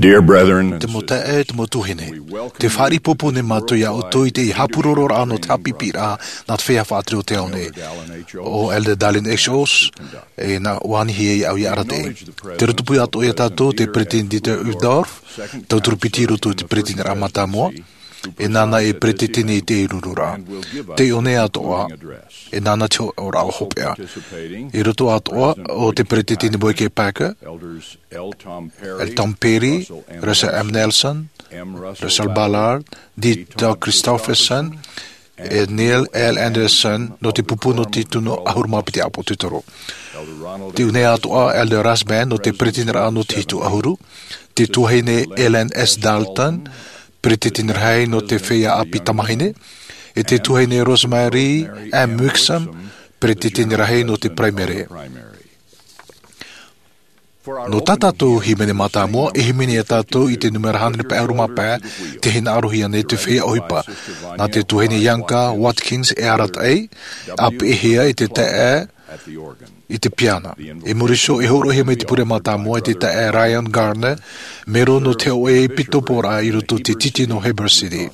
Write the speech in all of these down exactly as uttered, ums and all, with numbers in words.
Dear brethren, te mau taeaʻe, te mau tuahine, te fāriʻi pōpō nei mātou iā ʻoutou i te haʻapūrororaʻa nō te haʻapiʻiraʻa nā te feiā faʻatere o te ao nei. ʻO Elder Dallin H. Oaks, e nā ʻua anihia au ia arataʻi. Tē roto pū atoʻa iā tātou te Peresideni Dieter Uchtdorf, tauturu piti i roto i te Peresideniraʻa mātāmua, e nāna e peresideni i te rururaʻa. Tē ʻō nei atoʻa, e nāna te hōroʻa hopeʻa. I roto atoʻa o te Peresideni Boyd K. Packer, Elder Tom Perry, Russell M. Nelson, Russell Ballard, D. Todd Christofferson, e Neil L. Andersen, nō te pupu nō te tino ʻahuru mā piti ʻāpōsetolo. Tē ʻō nei atoʻa Elder Rasband nō te Peresideni nō te hitu ʻahuru, te tuahine Ellen S. Dalton, Peresideni rahi nō te feiā ʻāpī tamāhine, e te tuahine Rosemary M. Wixom, Peresideni rahi nō te Paraimere. Nō tā tātou hīmene mātāmua, e hīmene ia tātou i te nūmera hānere pae ʻahuru mā pae, te hinaʻarohia nei te feiā ʻohipa. Nā te tuahine Bianca Watkins e arataʻi, ʻāpeʻehia i te taeaʻe i te piana. I muri iho e hōroʻahia mai te pure mātāmua e te taeaʻe Ryan Gardner, mero nō te hōʻē ʻepikoporaʻa i roto i te tītī nō Heber City.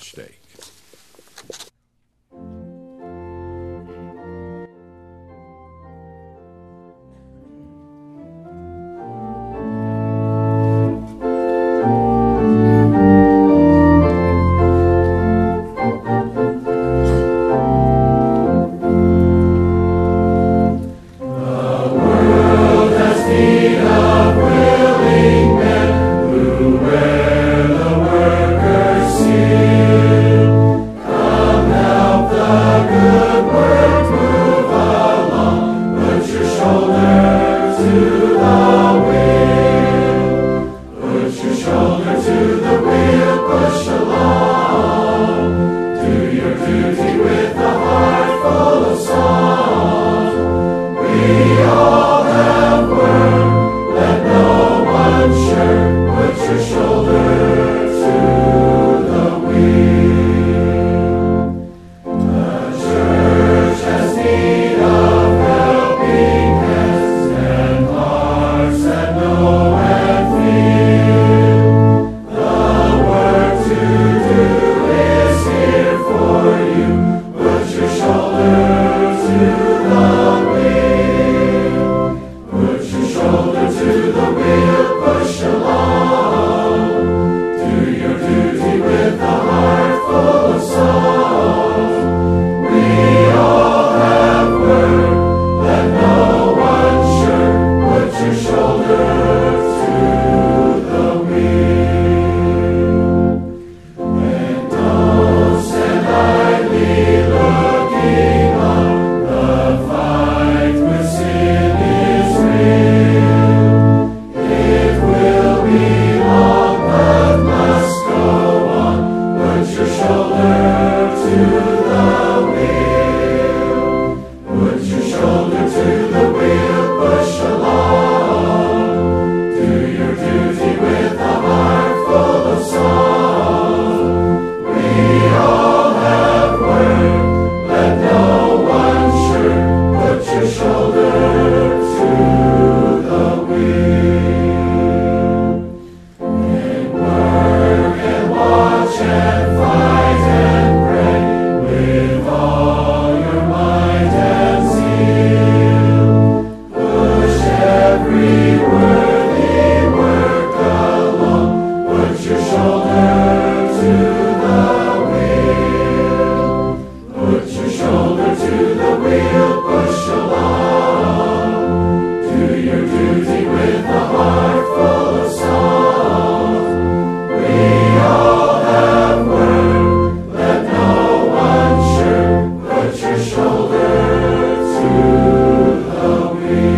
The world has need of willing men who wear the worker's seal. Come help the good work move along. Put your shoulder to the wheel. Put your shoulder to the wheel, push along. Do your duty with a heart full of song. We all have work, let no one shirk. Put your shoulder to the wheel. The church has need of helping hands and hearts that know and feel. The work to do is here for you. Put your shoulder to the wheel. Put your shoulder to the wheel, push along. Do your duty with a heart full of song. We all have work, let no one shirk. Put your shoulder to the wheel. And don't stand idly looking on. The fight with sin is real. It will be long, but must go on. Put your shoulder to the wheel. Put your shoulder to the wheel, push along. Do your duty with a heart full of song. We all have work, let no one shirk. Put your shoulder to the wheel. And work and watch and fight and pray with all your might and zeal. Push every worthy work along. Put your shoulder to the wheel. Put your shoulder to the wheel, push along. Do your duty with a heart full of song. We all have work, let no one shirk. Put your shoulder to the wheel.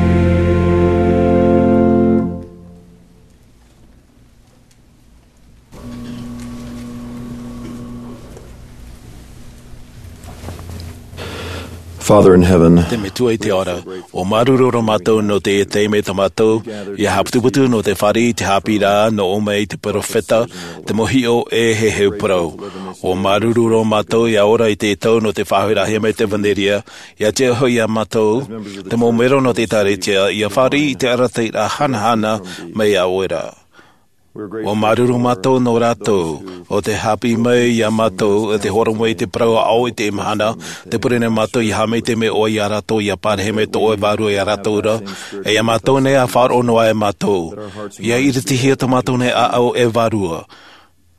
Father in heaven, te Metua i te ao ra, ʻua māuruuru roa mātou nō teie taime tā mātou ia haʻaputuputu nō te fāriʻi i te haʻapiʻiraʻa nō ʻō mai i te peropheta, te mau hiʻo e heheu parau. ʻUa māuruuru roa mātou ia ora i te tau nō te faʻahoʻiraʻahia mai te ʻevanelia, ia tiʻa hoʻi ia mātou, te mau mero nō te ʻĒkālesia, ia fāriʻi i te arataʻiraʻa hanahana mai iā ʻoe ra. Ua māuruuru mātou nō rātou, ʻo tē haʻapiʻi mai iā mātou, ʻo tē hōroʻa mai i te parau ʻāʻau i teie mahana, tē pure nei mātou ʻia haʻamaitaʻi mai ʻoe iā rātou, ʻia parahi mai tō ʻoe Vārua iā rātou ra, e iā mātou nei ʻa faʻaroʻo noa ai mātou. ʻIa iritihia tō mātou nei ʻāʻau e Vārua.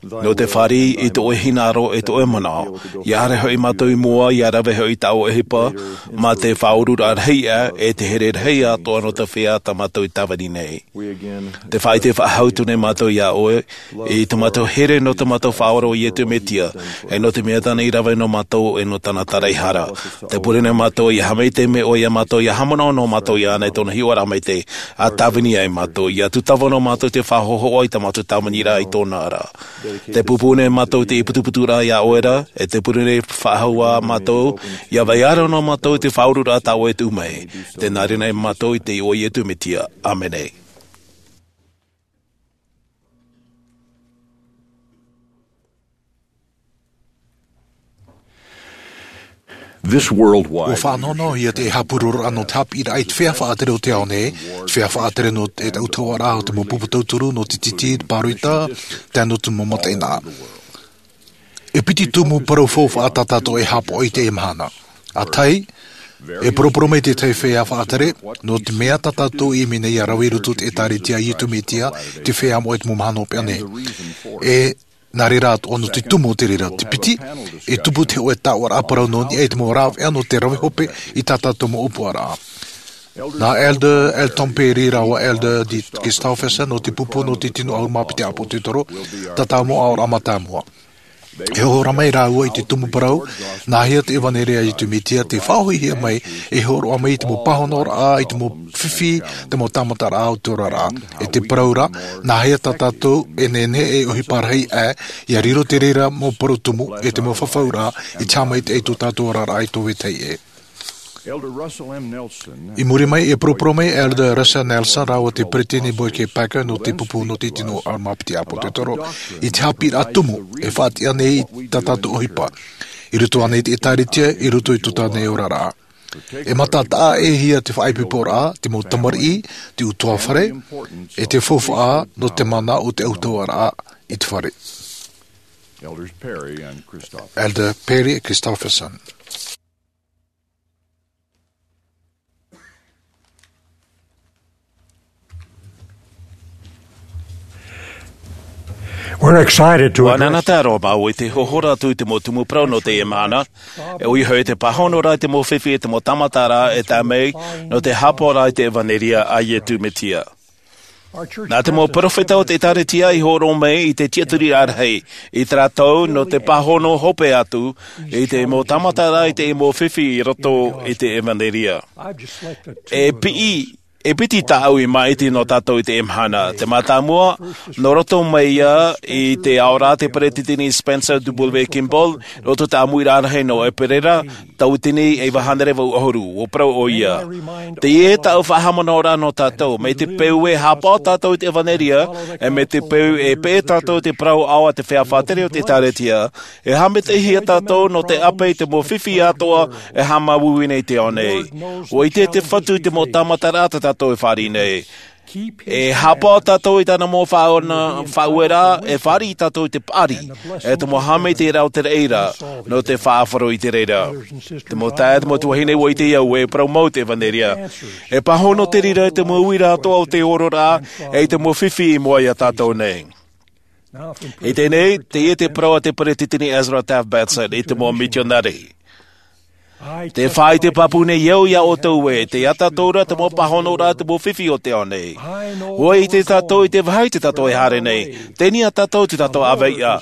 Nō te fāriʻi i tō ʻoe hinaʻaro e tō ʻoe manaʻo, ʻia haere hoʻi mātou i mua, ʻia rave hoʻi i tā ʻoe ʻohipa, mā te faʻaururaʻa rahi aʻe, e te here rahi atoʻa nō te feiā tā mātou i tāvini nei. Tē faʻaʻite faʻahou atu nei mātou iā ʻoe, i tō mātou here nō tō mātou Faʻaora ʻo Iesu Mesia, e nō te mea tāna i rave nō mātou, e nō tāna taraehara. Tē pure nei mātou ʻia haʻamaitaʻi mai ʻoe iā mātou, ʻia haʻamanaʻo noa mātou iāna i tōna hiʻoraʻa maitaʻi, ʻa tāvini ai mātou, ʻia tūtava noa mātou i te faʻahōhoʻa i tā mātou tāviniraʻa i tōna ra. Tē pūpū nei mātou i te ʻīputuputuraʻa iā ʻoe ra, e tē pure nei faʻahou ā mātou, ʻia vai ra noa mātou i te faʻaururaʻa tā ʻoe e tuʻu mai. Tē nā reira nei mātou i te iʻoa o Iesu Mesia. ʻĀmene. This worldwide Ua faʻanonohia te haʻapurororaʻa nō te haʻapiʻiraʻa i te feiā faʻatere o te ao nei, te feiā faʻatere nō te autahuʻaraʻa o te mau pupu tauturu, nō te tītī, te pāroita, tae noa atu i te mau mataʻeinaʻa. E piti tumu parau faufaʻa tā tātou e haʻapaʻo i teie mahana. ʻA tahi, e poroporo mai te tahi feiā faʻatere, nō te mea tā tātou i ʻimi nei ʻia rave i roto i te ʻĒtārētia a Iesu Mesia, te feiā moʻa i te mau mahana hopeʻa nei. E nā reira atoʻa nō te tumu o te reira. Te piti, e tupu te hōʻē taoʻaraʻa parau nō niʻa i te mau rāveʻa nō te rave hope i tā tātou mau ʻōpuaraʻa. Nā Elder Elton Perry rāua Elder Dean Christofferson nō te pupu nō te tino ʻahuru mā piti ʻĀpōsetolo, tātou mau aʻoraʻa mātāmua. E hōroʻa mai rāua i te tumu parau, nāhea te ʻevanelia a Iesu Mesia tē faʻahoʻihia mai, e hōroʻa mai i te mau pāhonoraʻa, i te mau fifi, te mau tāmataraʻa o te oraraʻa. E te parau ra, nāhea tā tātou e nehenehe e ʻohipa rahi aʻe, ʻia riro te reira mau parau tumu, e te mau fafauraʻa, i te haʻamaitaʻi i tō tātou oraraʻa i tō vetahi ʻē. Elder Russell M. Nelson. I muri mai, e poroporo mai Elder Russell Nelson rāua te peresideni Boyd K. Packer nō te pupu nō te tino ʻahuru mā piti ʻĀpōsetolo, i te haʻapiʻiraʻa tumu e faʻatiʻa nei i tā tātou ʻohipa, i roto ānei i te ʻĒtārētia, i roto i tō tātou nei oraraʻa. E mātātaʻa ʻē hia te faʻaipoiporaʻa, te mau tamariʻi, te ʻutuāfare, e te faufaʻa nō te mana o te autahuʻaraʻa i te fare. Elders Perry and Christofferson. Elder Perry e Christofferson. We're excited to Ua address nānā te aroha māua i te hohora atu i te mau tumu parau nō teie mahana, e ʻoia hoʻi te pāhonoraʻa i te mau fifi e te mau tāmataraʻa e tae mai nō te haʻapaʻoraʻa i te ʻevanelia a Iesu Mesia. Nā te mau peropheta o te ʻĒtārētia i hōroʻa mai i te tiʻaturiraʻa rahi, i tā rātou nō te pāhono hope atu i te mau tāmataraʻa i te mau fifi i roto i te ʻevanelia. E piʻi, e piti tāʻu i māʻiti nō tātou i teie mahana. Te mātāmua, nō roto mai ia i te aʻoraʻa a te peresideni Spencer W. Kimball, roto i te ʻāmuiraʻa rahi nō ʻEperēra, tauatini e iva hānere vaʻu ʻahuru, ʻua parau ʻoia. Teie tāʻu faʻahaʻamanaʻoraʻa nō tātou, mai te peu e haʻapaʻo tātou i te ʻevanelia, e mai te peu e peʻe tātou i te parau ʻāʻau a te feiā faʻatere o te ʻĒtārētia, e haʻamaitaʻihia tātou nō te ʻape i te mau fifi atoʻa e haʻamāuiui nei i te ao nei. ʻUa ʻite te Fatu i te mau tāmataraʻa tā tātou e fāriʻi nei. E haʻapaʻo tātou i tāna mau faʻaona-, faʻaueraʻa, e fāriʻi tātou i te paʻari, e te mau haʻamaitaʻiraʻa o te reira, nō te faʻaroʻo i te reira. Te mau taeaʻe, te mau tuahine, ʻua ʻite au ē, e parau mau te ʻevanelia. E pāhono te reira i te mau uira atoʻa o te oraraʻa, e i te mau fifi i mua iā tātou nei. I teie nei, teie te parau a te peresideni Ezra Taft Benson i te mau mitionare. Tē faʻaʻite pāpū nei au iā ʻoutou ē, tei ia tātou ra te mau pāhonoraʻa, te mau fifi o te ao nei. ʻUa ʻite tātou i te vāhi tē tātou e haere nei, teie nei tātou tē tātou ʻāvaʻe.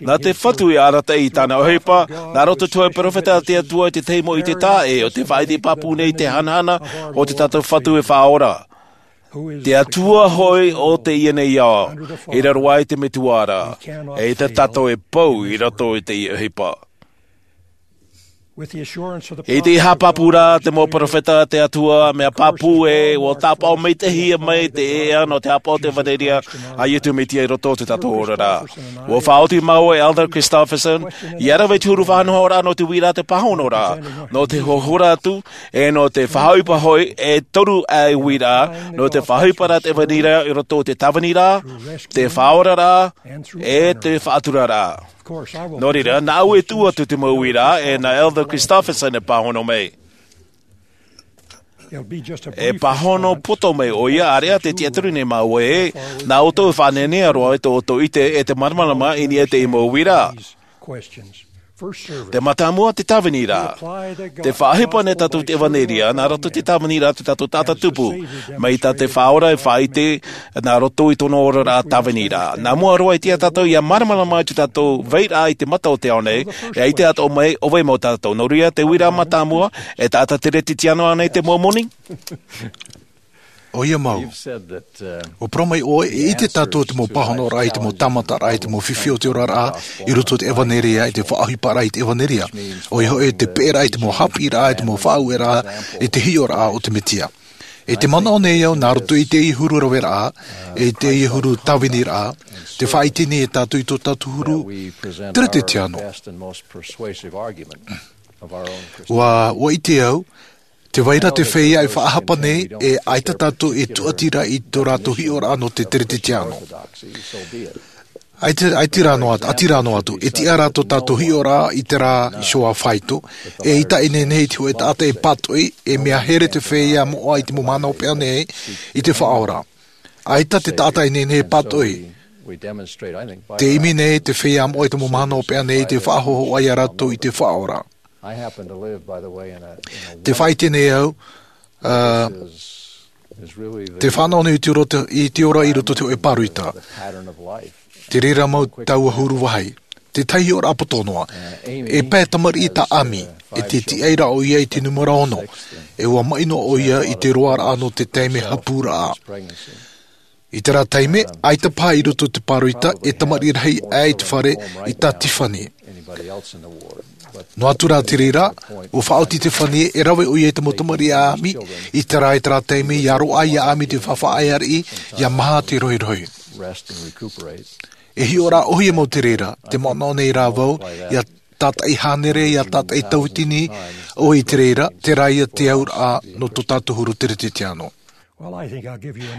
Nā te Fatu i arataʻi i tāna ʻohipa, nā roto i te hōʻē peropheta a te Atua i te tahi mau ʻite taʻa ʻē, ʻo tē faʻaʻite pāpū nei i te hanahana o tō tātou Fatu e Faʻaora. Te Atua hoʻi o teie nei ao, i raro aʻe i te Metua ra, e ʻaita tātou e pou i roto i te ʻohipa. I te haʻapāpū ra te mau peropheta a te Atua, mea pāpū ē, ʻua tāpaʻo maitaʻihia mai te ʻēʻa nō te haʻapaʻo o te ʻevanelia a Iesu Mesia i roto i tō tātou oraraʻa. ʻUa faʻaoti mau e Elder Christofferson ia rave i te huru faʻanahoraʻa nō te uiraʻa te pāhonoraʻa, nō te hohora atu, e nō te faʻaʻohipa hoʻi e toru ʻae uiraʻa, nō te faʻaʻohiparaʻa te ʻevanelia i roto i te tāviniraʻa, te faʻaoraraʻa, e te faʻaturaraʻa. Nō reira, nāʻu e tuʻu atu te mau uiraʻa, e nā Elder Christofferson e pāhono mai. E pāhono poto mai ʻoia, ʻāreʻa te tiʻaturi nei māua ē, nā ʻoutou e faʻanahoraʻa roa i tō ʻoutou ʻite e te māramarama i niʻa i te mau uiraʻa. Te mātāmua, te tāviniraʻa. Te faʻaʻohipa nei tātou te ʻevanelia, nā roto i te tāviniraʻa tō tātou taʻata tupu, mai tā te Faʻaora e faʻaʻite, nā roto i tōna oraraʻa tāviniraʻa. Nā mua roa i tiʻa tātou ia māramarama i tō tātou vairaʻa i te mata o te ao nei, e ʻaita atoʻa mai ʻo vai mau tātou. Nō reira, te uiraʻa mātāmua, e taʻata teretetiano ānei te Momoni? ʻOia mau. ʻUa parau mai ʻoe, e ʻite tātou te mau pāhonoraʻa i te mau tāmataraʻa, i te mau fifi o te oraraʻa, i roto i te ʻevanelia, i te faʻaʻohiparaʻa i te ʻevanelia. ʻOia hoʻi, te peʻeraʻa i te mau haʻapiʻiraʻa, i te mau faʻaueraʻa, i te hiʻoraʻa o te Mesia. E te manaʻo nei au, nā roto i teie huru raveraʻa, e teie huru tāviniraʻa, te faʻaʻite nei e tātou i tō tātou huru teretetiano. ʻUa, ʻua ʻite au, tē vai ra te feiā e faʻahapa nei, e ʻaita tātou e tūʻati ra i tō rātou hiʻoraʻa nō te teretetiano. ʻAita, ʻaita rā noa, ʻati rā noa atu, e tiʻa rā tō tātou hiʻoraʻa i terā iho ā faito, e ʻaita e nehenehe i te hōʻē taʻata e pātoʻi, e mea here te feiā moʻa i te mau mahana hopeʻa nei i te Faʻaora. ʻAita te taʻata e nehenehe e pātoʻi. Te ʻimi nei te feiā moʻa i te mau mahana hopeʻa nei i te faʻahōhoʻa ia rātou i te Faʻaora. Te faʻaʻite nei au, ā, te fānaʻo nei i te ora, i te ora i roto i te hōʻē pāroita. Te reira mau taua huru vāhi. Te tahi hiʻoraʻa poto noa. E pae tamariʻi tā Amy, e te tiʻa ra ʻoia i te nūmera ono. E ʻua maʻi noa ʻoia i te roaraʻa nō te taime hapūraʻa. I terā taime, ʻaita paha i roto i te pāroita, e tamariʻi rahi aʻe i te fare i tā Tiffany. Noa atu rā te reira, ʻua faʻaoti Tiffany e rave ʻoia i te mau tamariʻi a Amy, i terā, i terā taime, ʻia roaʻa ia Amy te faʻaʻāreʻa, ʻia maha te rohirohi. E hiʻoraʻa ʻōhie mau te reira, te manaʻo nei rā vau, ʻia tātaʻi hānere, ʻia tātaʻi tauatini ʻoe i te reira, terā ia te auraʻa nō tō tātou huru teretetiano.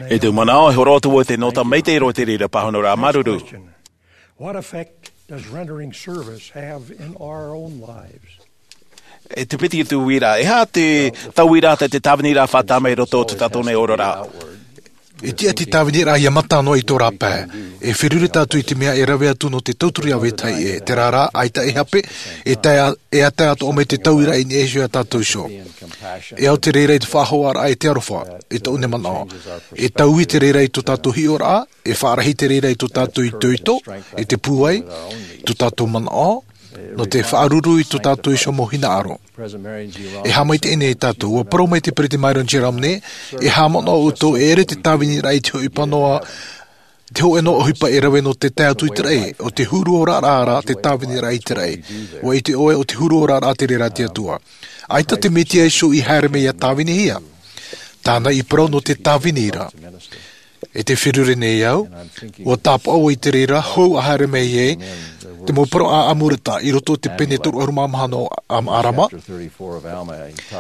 E te manaʻo, e horo atu vau i te nota maitaʻi roa i te reira pāhonoraʻa māuruuru. What effect does rendering service have in our own lives? E te piti atu uiraʻa, e aha te, taua uiraʻa te, te tāviniraʻa faʻatae mai i roto i tō tātou nei oraraʻa? E tiʻa te tāviniraʻa ʻia mata noa i tō rāpae. E feruri tātou i te mea e rave atu nō te tauturu ia vetahi ʻē. Terā rā, ʻaita e hape, e tae a-, e tae atoʻa mai te tauiraʻa i niʻa iho ia tātou iho. E au te reira i te faʻahoaraʻa e te aroha, i tōʻu nei manaʻo. E taui te reira i tō tātou hiʻoraʻa, e faʻarahi te reira i tō tātou itoito, i te pūai, i tō tātou manaʻo, nō te faʻaruru i tō tātou iho mau hinaʻaro. E haʻamaitaʻi nei tātou, ʻua parau mai te Peresideni Myron G. Romney, e haʻamanaʻo ʻoutou e ʻere te tāviniraʻa i te hōʻē pāhono, te hōʻē noa ʻohipa e rave nō te tae atu i te raʻi, ʻo te huru oraraʻa rā te tāviniraʻa i te raʻi. ʻUa ʻite ʻoe ʻo te huru oraraʻa te reira a te Atua. ʻAita te Mesia iho i haere mai ʻia tāvinihia. Tāna i parau nō te tāvini ra. E te feruri nei au, ʻua tāpaʻo i te reira hou a haere mai ai, te mau parau a Amuleka i roto i te pene toru ʻahuru mā maha nō Am-, Alama.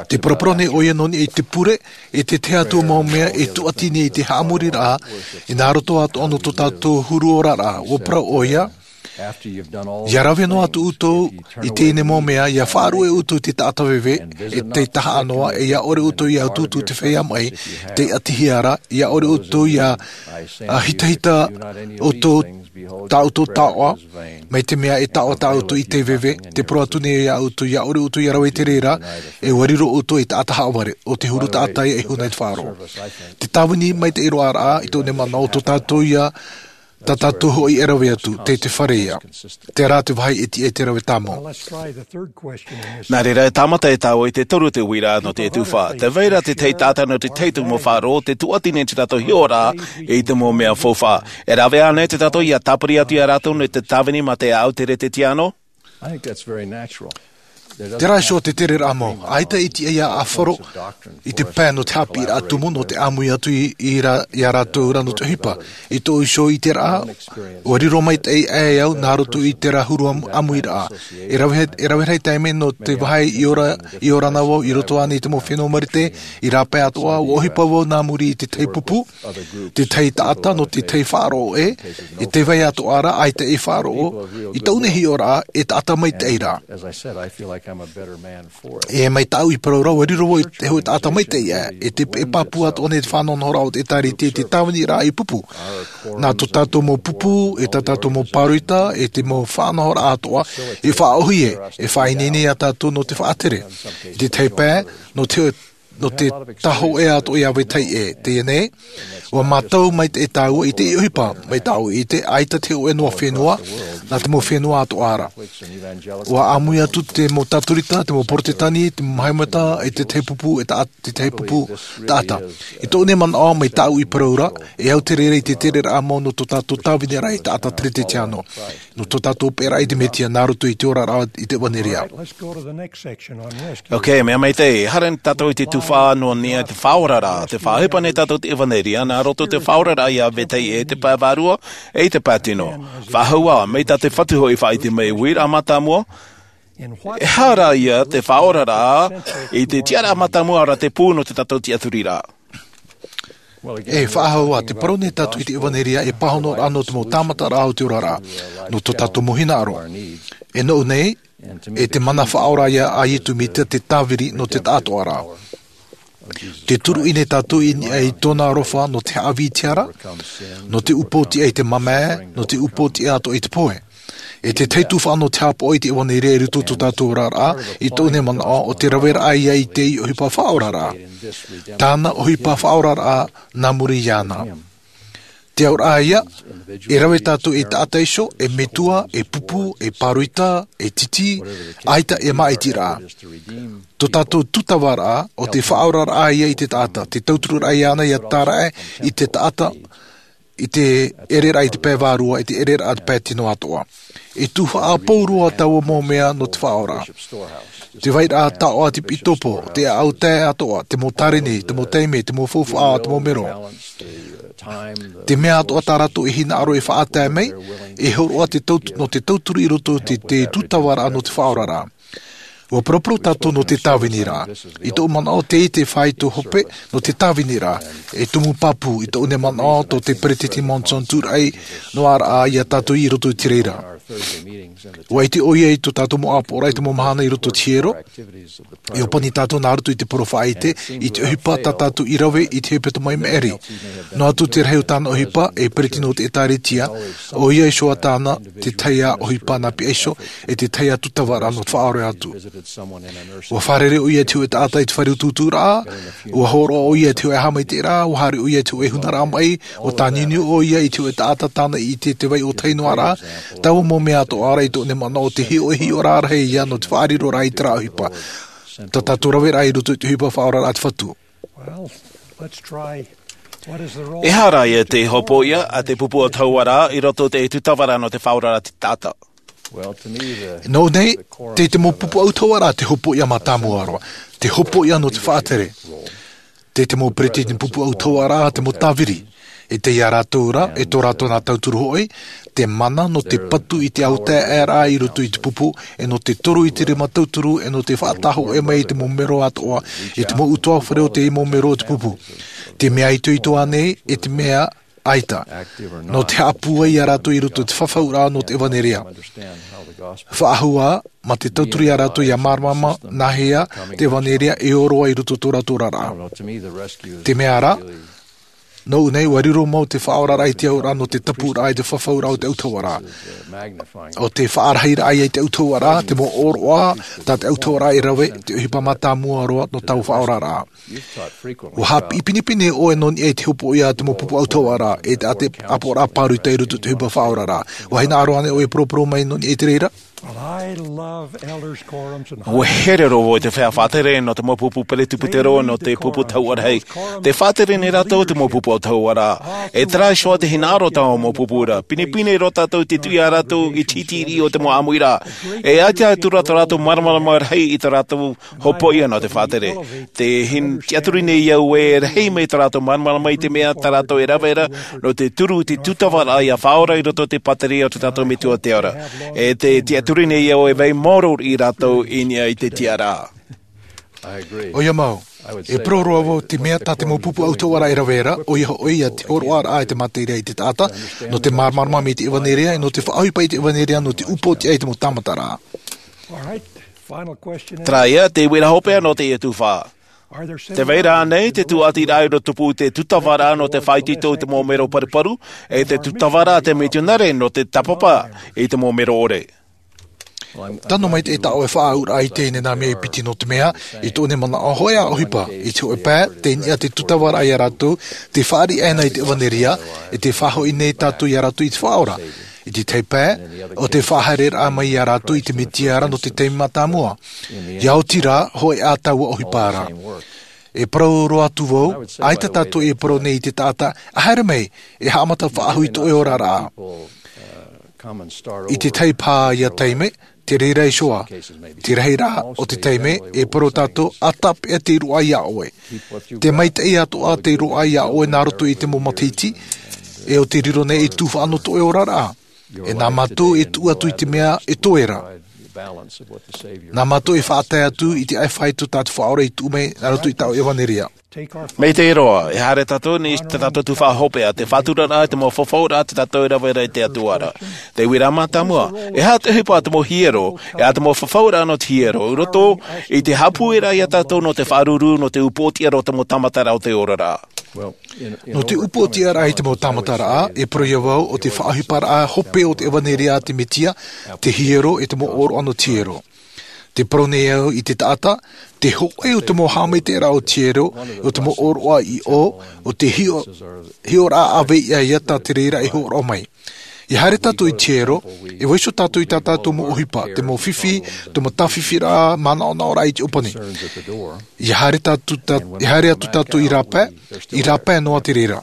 Tē paraparau nei ʻoia nō niʻa i te pure, e te tahi atu mau mea e tūʻati nei i te haʻamoriraʻa, i nā roto atoʻa nō tō tātou huru oraraʻa, ʻua parau ʻoia, ʻia rave noa atu ʻoutou i teie nei mau mea, ʻia faʻaruʻe ʻoutou i te taʻata veve, e tei tahaʻa noa, e ʻia ʻore ʻoutou ʻia utuutu i te feiā maʻi, tei ʻatihia ra, ʻia ʻore ʻoutou ʻia, ā, hitahita ʻoutou, tā ʻoutou taoʻa, mai te mea e taoʻa tā ʻoutou i tei veve, tē parau atu nei au ia ʻoutou, ʻia ʻore ʻoutou ʻia rave i te reira, e ʻua riro ʻoutou ei taʻata haʻavare, ʻo te huru taʻata ia e huna i te faʻaroʻo. Te tāvini maitaʻi roa ra, i tōʻu nei manaʻo, tō tātou ia, tā tātou hoʻi e rave atu, tei te fare ia. Terā te vāhi e tiʻa i te rave tāmau. Nā reira, e tāmata e tāua i te toru te uiraʻa nō te tuhaʻa. Tē vai ra te tahi taʻata nō te tahi atu mau faʻaroʻo, tē tūʻati nei tō rātou hiʻoraʻa i te mau mea faufaʻa. E rave ānei tō tātou ʻia tāpiri atu ia rātou nō te tāvini mā te ʻāʻau teretetiano? I think that's very natural. Terā iho te tereraʻa mau, ʻaita i tiʻa ia ʻāfaro i te pae nō te haʻapiʻiraʻa tumu nō te ʻāmui atu i, i ra-, i a rātou ra nō te ʻohipa. I tōʻu iho ʻiteraʻa, ʻua riro maitaʻi aʻe au nā roto i terā huru ʻam-, ʻāmuiraʻa. E rave, e rave rahi taime nō te vāhi i ora, i ora na vau i roto ānei i te mau fenua marite, i rāpae atoʻa, ʻua ʻohipa vau nā muri i te tahi pupu, te tahi taʻata nō te tahi faʻaroʻo ʻē, i te vai atoʻa ra, ʻaita e faʻaroʻo, i tōʻu nei hiʻoraʻa, e taʻata maitaʻi ra. E mai tāʻu i parau ra, ʻua riro vau i te hōʻē taʻata maitaʻi ʻē, e te, e pāpū atoʻa nei te faʻanahonahoraʻa o te ʻĒtārētia i te tāviniraʻa i pupu. Nā tō tātou mau pupu, e tā tātou mau pāroita, e te mau faʻanahoraʻa atoʻa, e faʻaʻōhie, e faʻaineine ia tātou nō te faʻatere. I te tahi pae, nō te, nō te tahoʻē atoʻa i ʻāvae taiʻē, teie nei, ʻua mātau maitaʻi tāua i te ʻohipa, mai tāʻu i te ʻaita te hōʻē noa fenua, nā te mau fenua atoʻa ra. ʻUa ʻāmui atu te mau Tatorita, te mau Porotetani, te mau Mahameta, e te tahi pupu, e ta-, te tahi pupu taʻata. I tōʻu nei manaʻo mai tāʻu i parau ra, e au te reira i te tereraʻa mau nō tō tātou tāviniraʻa i te taʻata Teretetiano. Nō tō tātou hopeʻaraʻa i te Mesia nā roto i te oraraʻa i te ʻevaneria. Ok, mea maitaʻi, haere tātou i te tuhaʻa nō niʻa i te faʻaoraraʻa, tē faʻaʻohipa nei tātou te ʻevaneria, nā roto i te faʻaoraraʻa i ʻāvae taiʻē, te pae vārua, e te pae tino. Faʻahou ā, mai tā te Fatu hoʻi i faʻaʻite mai, uiraʻa mātāmua, e aha rā ia te faʻaoraraʻa, i te tiʻaraʻa mātāmua ra te pū nō tō tātou tiʻaturiraʻa. E faʻahou ā, tē parau nei tātou i te ʻevaneria, e pāhonoraʻa nō te mau tāmataraʻa o te oraraʻa, nō tō tātou mau hinaʻaro. E nōʻu nei, e te mana faʻaora ia a Iesu Mesia te tāviri nō te taʻatoʻaraʻa. Tē turuʻi nei tātou i niʻa i tōna aroha nō te haʻavī i te ara, nō te upoʻotiʻa i te mamae, nō te upoʻotiʻa atoʻa i te pohe. E te tahi tuhaʻa nō te haʻapaʻo i te ʻevaneria i roto i tō tātou oraraʻa, i tōʻu nei manaʻo, ʻo te raveraʻa ia i te ʻohipa faʻaoraraʻa. Tāna ʻohipa faʻaoraraʻa nā muri iāna. Te auraʻa ia, e rave tātou e taʻata iho, e metua, e pupu, e pāroita, e titi, ʻaita e māʻitiraʻa. Tō tātou tūtavaraʻa, ʻo te faʻaoraraʻa ia i te taʻata, te tautururaʻa iāna ia tāraʻe i te taʻata, i te ʻereraʻa i te pae vārua, i te ʻereraʻa i te pae tino atoʻa. E tuhaʻa pauroa taua mau mea nō te faʻaora. Te vairaʻa taoʻa, te pitopo, te ʻāʻau tae atoʻa, te mau tāreni, te mau taime, te mau faufaʻa, te mau mero. Te mea atoʻa tā rātou e hinaʻaro e faʻatae mai, e hōroʻa te tau-, nō te tauturu i roto i te, te tūtavaraʻa nō te faʻaoraraʻa. ʻUa paraparau tātou nō te tāviniraʻa. I tōʻu manaʻo, teie te faito hope nō te tāviniraʻa. E tumu pāpū, i tōʻu nei manaʻo, tō te Peretiteni Monson tūraʻi noa ra ia tātou i roto i te reira. ʻUa ʻite ʻoia i tō tātou mau ʻāpoʻoraʻa i te mau mahana i roto i te hiero. I ʻōpani tātou nā roto i te parau faʻaʻite, i te ʻohipa tā tātou i rave i te hepetoma i maʻiri. Noa atu te rahi o tāna ʻohipa, e Peretiteni o te ʻĒtārētia, ʻoia iho ā tāna te tahi ā ʻohipa nā piha iho, e te tahi ā tūtavaraʻa nō te faʻaora atu. ʻUa fārerei ʻoia i te hōʻē taʻata i te fare utuuturaʻa, ʻua hōroʻa ʻoia i te hōʻē haʻamaitaʻiraʻa, ʻua haere ʻoia i te hōʻē hunaraʻa maʻi, ʻua tāniuniu ʻoia i te hōʻē taʻata tāna i ʻite i te vai ʻōtahi noa ra, taua mau mea atoʻa ra i tōʻu nei manaʻo te hiʻo, e hiʻoraʻa ia nō te faʻariroraʻa i terā ʻohipa. Tā tātou raveraʻa i roto i te ʻohipa faʻaoraraʻa a te Fatu. Well, let's try. What is the role? E aha rā ia te hopoiʻa a te pupu ʻautahuʻaraʻa i roto i te tūtavaraʻa nō te faʻaoraraʻa a te taʻata? Well, to me, the, nōʻu nei, the core tei te mau pupu ʻautahuʻaraʻa te hopoiʻa mātāmua roa, te hopoiʻa nō te faʻatere. Tei te mau Peretiteni pupu ʻautahuʻaraʻa te mau tāviri. E tei ia rātou ra, e tō rātou nā tauturu hoʻi, te mana nō te patu i te autaeaʻeraʻa i roto i te pupu, e nō te toru i te rima tauturu, e nō te faʻatahoʻe mai i te mau mero atoʻa, i te mau ʻutuāfare o te mau mero o te pupu. Te mea itoito ānei, e te mea ʻaita. Nō te haʻapūai ia rātou i roto i te fafauraʻa nō te ʻevaneria. Faʻahou ā, mā te tauturu ia rātou ia māramarama, nāhea te ʻevaneria e ʻō roa i roto i tō rātou oraraʻa. Te mea rā, nōʻu nei, ʻua riro mau te faʻaoraraʻa i te auraʻa nō te tapuraʻa i te fafauraʻa o te ʻautahuʻaraʻa. ʻO te faʻarahiraʻa ia i te ʻautahuʻaraʻa, te mau ʻōroʻa, tā te ʻautahuʻaraʻa e rave, te ʻohipa mātāmua roa nō taua faʻaoraraʻa. ʻUa haʻapiʻi pinepine ʻoe nō niʻa i te hopoiʻa a te mau pupu ʻautahuʻaraʻa, e te, a te ʻāpoʻoraʻa pāroita i roto i te ʻohipa faʻaoraraʻa. ʻUa hinaʻaro ānei ʻoe e poroporo mai nō niʻa i te reira? Ua here roa vau i te feiā faʻatere nō te mau pupu peretiputero, nō te pupu tahuʻa rahi. Tē faʻatere nei rātou te mau pupu o tahuʻa ra. E terā iho ā te hinaʻaro o tā mau pupu ra. Pinepine roa tātou i te tuʻi ia rātou i te hiti riʻi o te mau ʻāmuiraʻa. E ʻaita atu rā tā rātou māramarama rahi i tā rātou hopoiʻa nō te faʻatere. Tē hin-, tiʻaturi nei au e rahi mai tā rātou māramarama i te mea tā rātou e rave ra, nō te turu i te tūtavaraʻa ia faʻaora i roto i te pātireia o te tātou Metua o te ao ra. E tē tiʻaturi nei au e vai maoro i rātou i niʻa i te tiʻaraʻa. ʻOia mau, e parau roa vau te mea tā te mau pupu autahuʻaraʻa e rave ra, ʻoia hoʻi ia te hōroʻaraʻa i te materia i te taʻata, nō te māramarama i te ʻevaneria, nō te faʻaʻohipa i te ʻevaneria, nō te upoʻotiʻa i te mau tāmataraʻa. Terā ia te uiraʻa hopeʻa nō teie tuhaʻa. Tē vai ra ānei te tūʻatiraʻa i rotopū i te tūtavaraʻa nō te faʻaitoito i te mau mero paruparu, e te tūtavaraʻa a te mitionare nō te tāpapa i te mau mero ʻore? Tano mai te e taʻo e faʻaʻauraʻa i teie nei mea e piti nō te mea, i tōʻu nei manaʻo hōʻē ā ʻohipa, i te hōʻē pae, tei niʻa te tūtavaraʻa ia rātou, tē fāriʻi ana i te ʻevaneria, e tē faʻahoʻi nei tātou ia rātou i te Faʻaora. I te tahi pae, ʻo te faʻahaereraʻa mai ia rātou i te Metia ra nō te taime mātāmua. ʻIa oti rā, hōʻē ā taua ʻohipa ra. E parau roa atu vau, ʻaita tātou e parau nei i te taʻata, ʻa haere mai, e haʻamata faʻahou i tō ʻoe oraraʻa. I te tahi paʻaʻa taime, te reira iho ā, te rahi rā o te taime, e parau tātou, ʻa tāpeʻa te roaʻa ia ʻoe. Te maitaʻi atoʻa te roaʻa ia ʻoe nā roto i te mau matahiti, e ʻo te riro nei e tuhaʻa nō tō ʻoe oraraʻa. E nā mātou e tuʻu atu i te mea e toe ra. Nā mātou e faʻatae atu i te ʻaifāito tā te Faʻaora i tuʻu mai nā roto i tāʻu ʻevaneria. Maitaʻi roa, e haere tātou nei i tā tātou tuhaʻa hopeʻa, te faʻaturaraʻa, te mau fafauraʻa, tā tātou e rave ra i te Atua ra. Te uiraʻa mātāmua, e aha te ʻohipa a te mau hiero, e a te mau fafauraʻa nō te hiero, i roto i te haʻapūairaʻa ia tātou nō te faʻaruru, nō te upoʻotiʻa roa te mau tāmataraʻa o te oraraʻa. Nō te upoʻotiʻaraʻa i te mau tāmataraʻa, e parau ia vau ʻo te faʻaʻohiparaʻa hope o te ʻevaneria a te Metia, te hiero e te mau ʻōroʻa nō te hiero. Te parau nei au i te taʻata, te hōʻē o te mau haʻamaitaʻiraʻa o te hiero, o te mau ʻōroʻa i ʻō, ʻo te hiʻo-, hiʻoraʻa ʻāvei ia tā te reira e hōroʻa mai. ʻIa haere tātou i te hiero, e vaiiho tātou i tā tātou mau ʻohipa, te mau fifi, te mau tāfifiraʻa, manaʻonaʻoraʻa i te ʻōpani. ʻIa haere tātou tā-, ʻia haere atu tātou i rāpae, i rāpae noa te reira.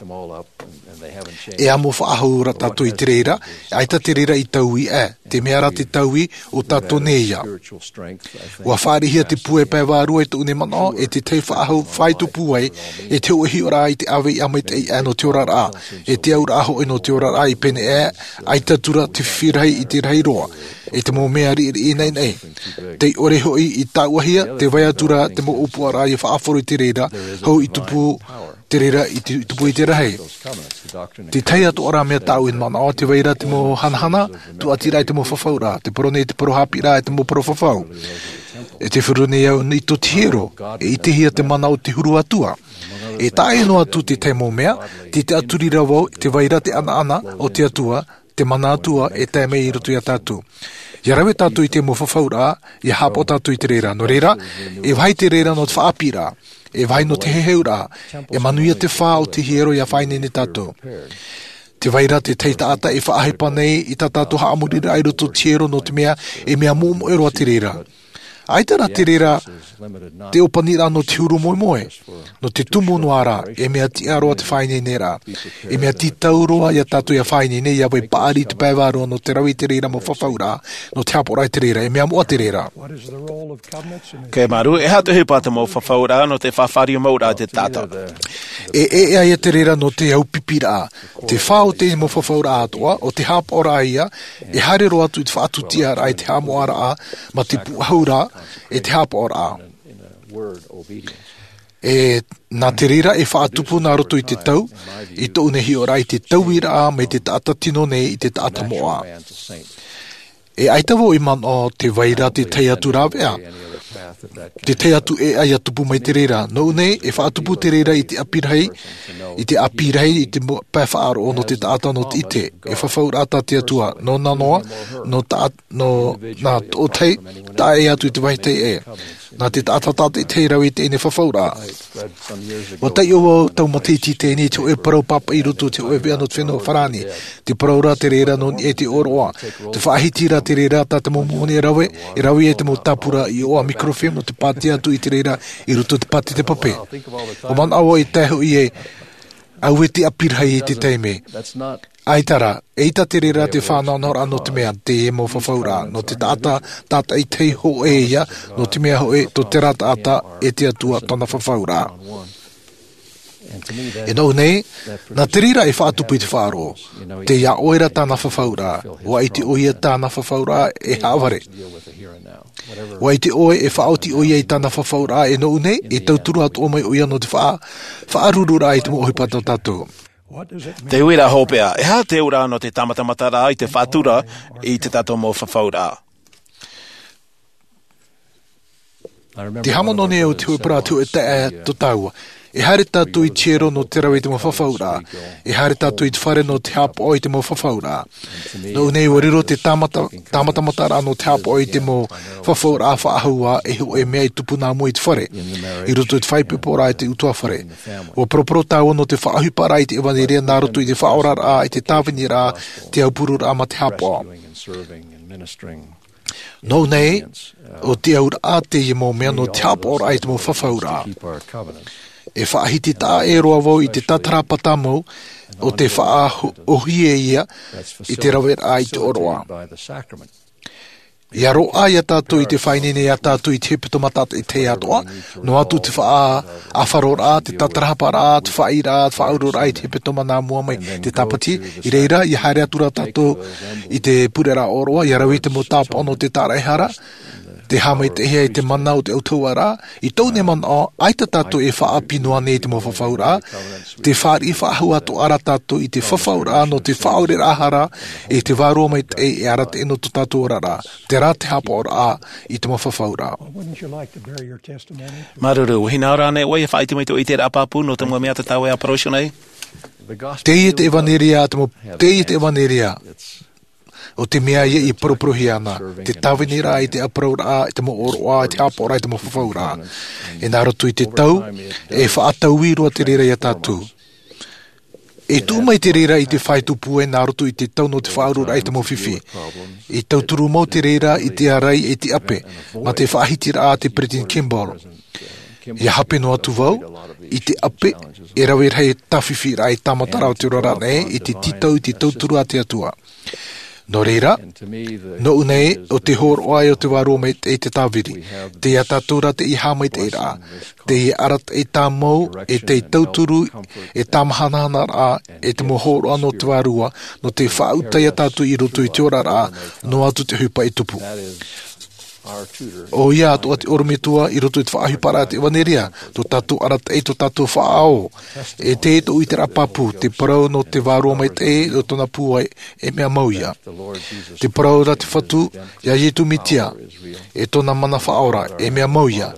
E amo faʻahou ra tātou i te reira, ʻaita te reira i taui aʻe, te mea ra te taui o tātou nei ia. ʻUa fāriʻihia te puai pae vārua i tōʻu nei manaʻo, e te tahi faʻahou faito puai, e te hōʻē hiʻoraʻa i te ʻāvei ʻāmaitaʻi aʻe nō te oraraʻa, e te auraʻa hoʻi nō te oraraʻa i pēneiaʻe, ʻaita atu ra te fifi rahi i te rahi roa, e te mau mea riʻiriʻi naʻinaʻi. Tei ʻore hoʻi i tāuʻahia, tē vai atu ra te mau ʻōpuaraʻa ʻia faʻahoro i te reira, hou i tupu te reira i te, i tupu i te rahi. Te tahi atoʻa ra mea tāʻu e manaʻo, tē vai ra te mau hanahana, tūʻatiraʻa i te mau fafauraʻa, te parau nei te parau haʻapiʻiraʻa e te mau parau fafau. E te feruri nei au i tō te hiero, e ʻitehia te mana o te huru Atua. E taʻa ʻē noa atu te tahi mau mea, tē tiʻaturi ra vau, tē vai ra te ʻanaʻana o te Atua, te mana Atua e tae mai i roto ia tātou. ʻIa rave tātou i te mau fafauraʻa, ʻia haʻapaʻo tātou i te reira. Nō reira, e vāhi te reira nō te faʻaʻāpīraʻa, e vāhi nō te heheuraʻa, e manuia te fā o te hiero ʻia faʻaineine tātou. Tē vai ra te tahi taʻata e faʻaʻohipa nei i tā tātou haʻamoriraʻa i roto i te hiero nō te mea, e mea moʻemoʻe roa te reira. ʻAita rā te reira, te ʻōpaniraʻa nō te huru moemoe, nō te tumu noa ra, e mea tiʻa roa te faʻaineineraʻa. E mea tītau roa ia tātou ʻia faʻaineine, ʻia vai paʻari i te pae vārua nō te rave i te reira mau fafauraʻa, nō te haʻapaʻoraʻa i te reira, e mea moʻa te reira. Kei Maru, e aha te ʻohipa te mau fafauraʻa nō te faʻafāriu mauraʻa i te taʻata? E, e, e ʻaita te reira nō te aupipiraʻa. Te fā o te mau fafauraʻa atoʻa, ʻo te haʻapaʻoraʻa ia, e haere roa atu i te faʻatūtiaraʻa, i te haʻamoʻaraʻa, mā te pūʻohu ra, e te haʻapaʻoraʻa. E, nā te reira e faʻatupu nā roto i te tau, i tōʻu nei hiʻoraʻa i te tauiraʻa mai te taʻata tino nei i te taʻata moʻa. E ʻaita vau i manaʻo tē vai ra te tahi atu rāveʻa, te tahi atu ʻēʻa ʻia tupu mai te reira. Nōʻu nei, e faʻatupu te reira i te ʻāpī rahi, i te ʻāpī rahi, i te mo-, pae faʻaroʻo nō te taʻata nō te ʻite. E fafauraʻa tā te Atua, nō nā noa, nō tā, nō nā tōʻu tahi, taʻa ʻē atu i te vāhi teie. Nā te taʻata tātaʻitahi rave i teie nei fafauraʻa. ʻUa taiʻo vau tau matahiti i teie nei i te hōʻē parau pāpaʻi i roto i te hōʻē veʻa nō te fenua Farāni. Te parau ra te reira nō niʻa i te ʻōroʻa. Te faʻahiti ra te reira tā te mau moni e rave, e rave ai te mau tāpura iʻoa microfilm nō te pātia atu i te reira i roto i te pāti te pape. ʻUa manaʻo vau i tae hoʻi e ʻaita te ʻapi rahi i te taime. ʻAita rā, ʻeita te reira te fānaʻonaʻoraʻa nō te mea, teie mau fafauraʻa, nō te taʻata tātaʻitahi hōʻē ia, nō te mea hōʻē, tō terā taʻata, e te Atua tōna fafauraʻa. E nōʻu nei, nā te reira e faʻatupu i te faʻaroʻo, tei iā ʻoe ra tāna fafauraʻa, ʻua ʻite ʻoia tāna fafauraʻa e haʻavare. ʻUa ʻite ʻoe e faʻaoti ʻoia i tāna fafauraʻa e nōʻu nei, e tauturu atoʻa mai ʻoia nō te faʻa-, faʻarururaʻa i te mau ʻohipa tā tātou. Te uiraʻa hopeʻa, e aha te auraʻa nō te tāmatamataraʻa i te faʻatura i te tātou mau fafauraʻa? Te haʻamanaʻo nei au te hōʻē parau, te hōʻē taeaʻe tō tāua. E haere tātou i te hiero nō te rave i te mau fafauraʻa. E haere tātou i te fare nō te haʻapaʻo i te mau fafauraʻa. Nōʻu nei ʻua riro te tāmata-, tāmatamataraʻa nō te haʻapaʻo i te mau fafauraʻa faʻahou ā, e hōʻē mea e tupu nā mua i te fare. I roto i te faʻaipoiporaʻa i te ʻutuāfare. ʻUa poroporo tāua nō te faʻaʻohiparaʻa i te ʻevanelia nā roto i te faʻaoraraʻa, i te tāviniraʻa, te aupururaʻa mā te haʻapaʻo. Nōʻu nei, ʻo te auraʻa teie mau mea nō te haʻapaʻoraʻa i te mau fafauraʻa. E faʻahiti taʻa ʻē roa vau i te tātarahapa tāmau, ʻo te faʻaʻōhie ia i te raveraʻa i te ʻōroʻa. ʻIa roaʻa iā tātou i te faʻaineine iā tātou i te hepetoma tātaʻitahi atoʻa, noa atu te faʻaʻāfaroraʻa, te tātarahaparaʻa, te faʻaʻīraʻa, te faʻauroraʻa i te hepetoma nā mua mai te Tāpati, i reira, ʻia haere atu rā tātou i te pureraʻa ʻōroʻa, ʻia rave i te mau tāpaʻo nō te tāraʻehara, te haʻamaitaʻihia i te mana o te autahuʻaraʻa, i tōʻu nei manaʻo, ʻaita tātou e faʻaʻapi noa nei i te mau fafauraʻa, tē fāriʻi faʻahou atoʻa ra tātou i te fafauraʻa nō te faʻaoreraʻa hara, e te Vārua Maitaʻi e arataʻi nō tō tātou oraraʻa, terā te haʻapaʻoraʻa i te mau fafauraʻa. Wouldn't you like to bear your testimony? Māuruuru, ʻua hinaʻaro ānei ʻoe ʻia faʻaʻite mai i tō ʻoe ʻiteraʻa pāpū nō te mau mea tātou e ʻāparauhia nei? Teie te ʻevanelia, te mau, teie te ʻevanelia. ʻO te mea ia i poroporohia ana, te tāviniraʻa i te ʻāparauraʻa, i te mau ʻōroʻa, i te haʻapaʻoraʻa, i te mau fafauraʻa. E nā roto i te tau, e faʻataui roa te reira iā tātou. E tuʻu mai te reira i te fāito pūai nā roto i te tau nō te faʻauroraʻa i te mau fifi. E tauturu mau te reira i te ārai e te ʻape, mā te faʻahitiraʻa a te Peresideni Kimball. ʻIa hape noa atu vau, i te ʻape, e rave rahi tāfifiraʻa e tāmata ra o te oraraʻa nei, i te tītau i te tauturu a te Atua. Nō reira, nōʻu nei, ʻo te hōroʻa ʻe ʻo te Vārua Maitaʻi te tāviri. Tei iā tātou rā teie haʻamaitaʻiraʻa. Teie arataʻi tāmau, e tei tauturu, e tāmahanahanaraʻa, e te mau hōroʻa nō te Vārua, nō te faʻaʻuta iā tātou i roto i te oraraʻa, noa atu te ʻohipa e tupu. ʻOia atoʻa te ʻorometua i roto i te faʻaʻohiparaʻa te ʻevanelia, tō tātou arataʻi, tō tātou faʻaō. E teie tōʻu ʻiteraʻa pāpū, te parau nō te Vārua Maitaʻi, nō tōna pūai, e mea mau ia. Te parau ra te Fatu, iā Iesu Mesia, e tōna mana faʻaora, e mea mau ia.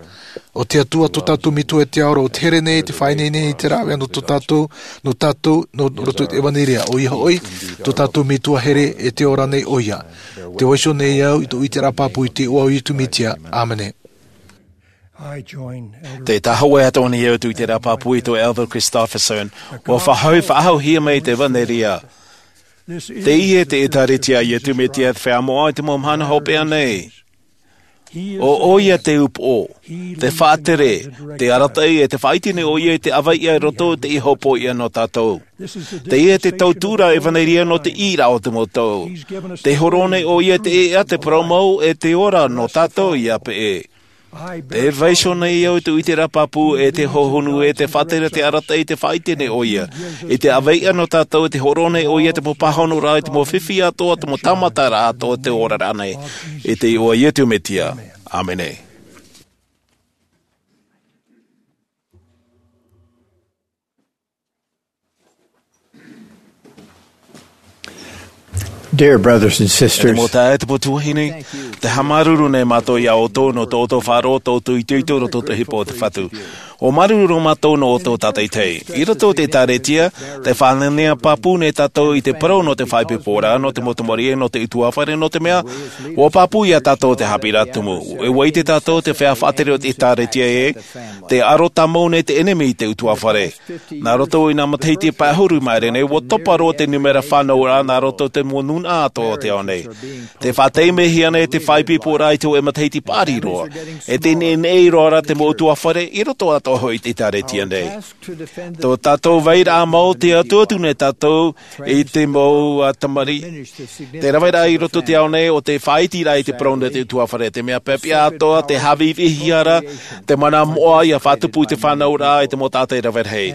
ʻO te Atua tō tātou Metua i te ao ra, ʻo te here nei, te faʻaineine i te rāveʻa nō tō tātou, nō tātou, nō roto i te ʻevanelia, ʻoia hoʻi, tō tātou Metua here e te ora nei ʻoia. Tē vaiiho nei au i tōʻu ʻiteraʻa pāpū i te iʻoa o Iesu Mesia. ʻĀmene. I join Elder Tē tāhōʻē atoʻa nei au i tōʻu ʻiteraʻa pāpū i tō Elder Christofferson, ʻua faʻahou, faʻahouhia mai te ʻevanelia. Teie te ʻĒtārētia a Iesu Mesia te Feiā Moʻa i te mau mahana hopeʻa nei. ʻO ʻoia te upoʻo, te faʻatere, te arataʻi, e tē faʻaʻite nei ʻoia i te ʻāveiʻa i roto i te hōpoiʻa nō tātou. Teie te tauturu ʻevanelia nō te ʻīraʻa o te mau tau. Tē hōroʻa nei ʻoia i te ʻēʻa, te parau mau, e te ora nō tātou ia peʻe. Tē vaiiho nei au i tōʻu ʻiteraʻa pāpū e te hohonu e te faʻatere, te arataʻi, tē faʻaʻite nei ʻoia i te ʻāveiʻa nō tātou, e tē hōroʻa nei ʻoia i te mau pāhonoraʻa, i te mau fifi atoʻa, te mau tāmataraʻa atoʻa o te oraraʻa nei. I te iʻoa o Iesu Mesia. ʻĀmene. Dear brothers and sisters, Te mau taeaʻe, te mau tuahine, tē haʻamāuruuru nei mātou iā ʻoutou nō tō ʻoutou faʻaroʻo, tō ʻoutou itoito i roto i te ʻohipa o te Fatu. Ua māuruuru mātou nō ō tātou tātaitahi. I roto i te ʻĒkālesia, tē faʻanahonaho pāpū nei tātou i te parau nō te faʻaipoiporaʻa, nō te mau tamariʻi, nō te ʻutuāfare, nō te mea, ua pāpū ia tātou te haʻapiʻiraʻa tumu. E ʻua ʻite tātou te feiā faʻatere o te ʻĒkālesia ē, tē aro tāmau nei te ʻenemi i te ʻutuāfare. Nā roto i nā matahiti pae ʻahuru i maʻiri nei, ua topa roa te nūmera fānauraʻa nā roto i te mau nūnaʻa atoʻa o te ao nei. Tē faʻataimehia nei te faʻaipoiporaʻa i te hōʻē matahiti paʻari roa. E tē neʻineʻi roa ra te mau ʻutuāfare i roto atoʻa hoʻi i te ʻĒkālesia nei. Tō tātou vairaʻa mau, tē atuatu nei tātou i te mau, ā, tamariʻi. Te raveraʻa i roto i te ao nei o te faʻaitiraʻa i te parau nō te ʻutuāfare, te mea piʻapiʻa atoʻa, te haʻavīvīhia ra, te mana moʻa ʻia faʻatupu i te fānauraʻa, i te mau taʻata e rave rahi.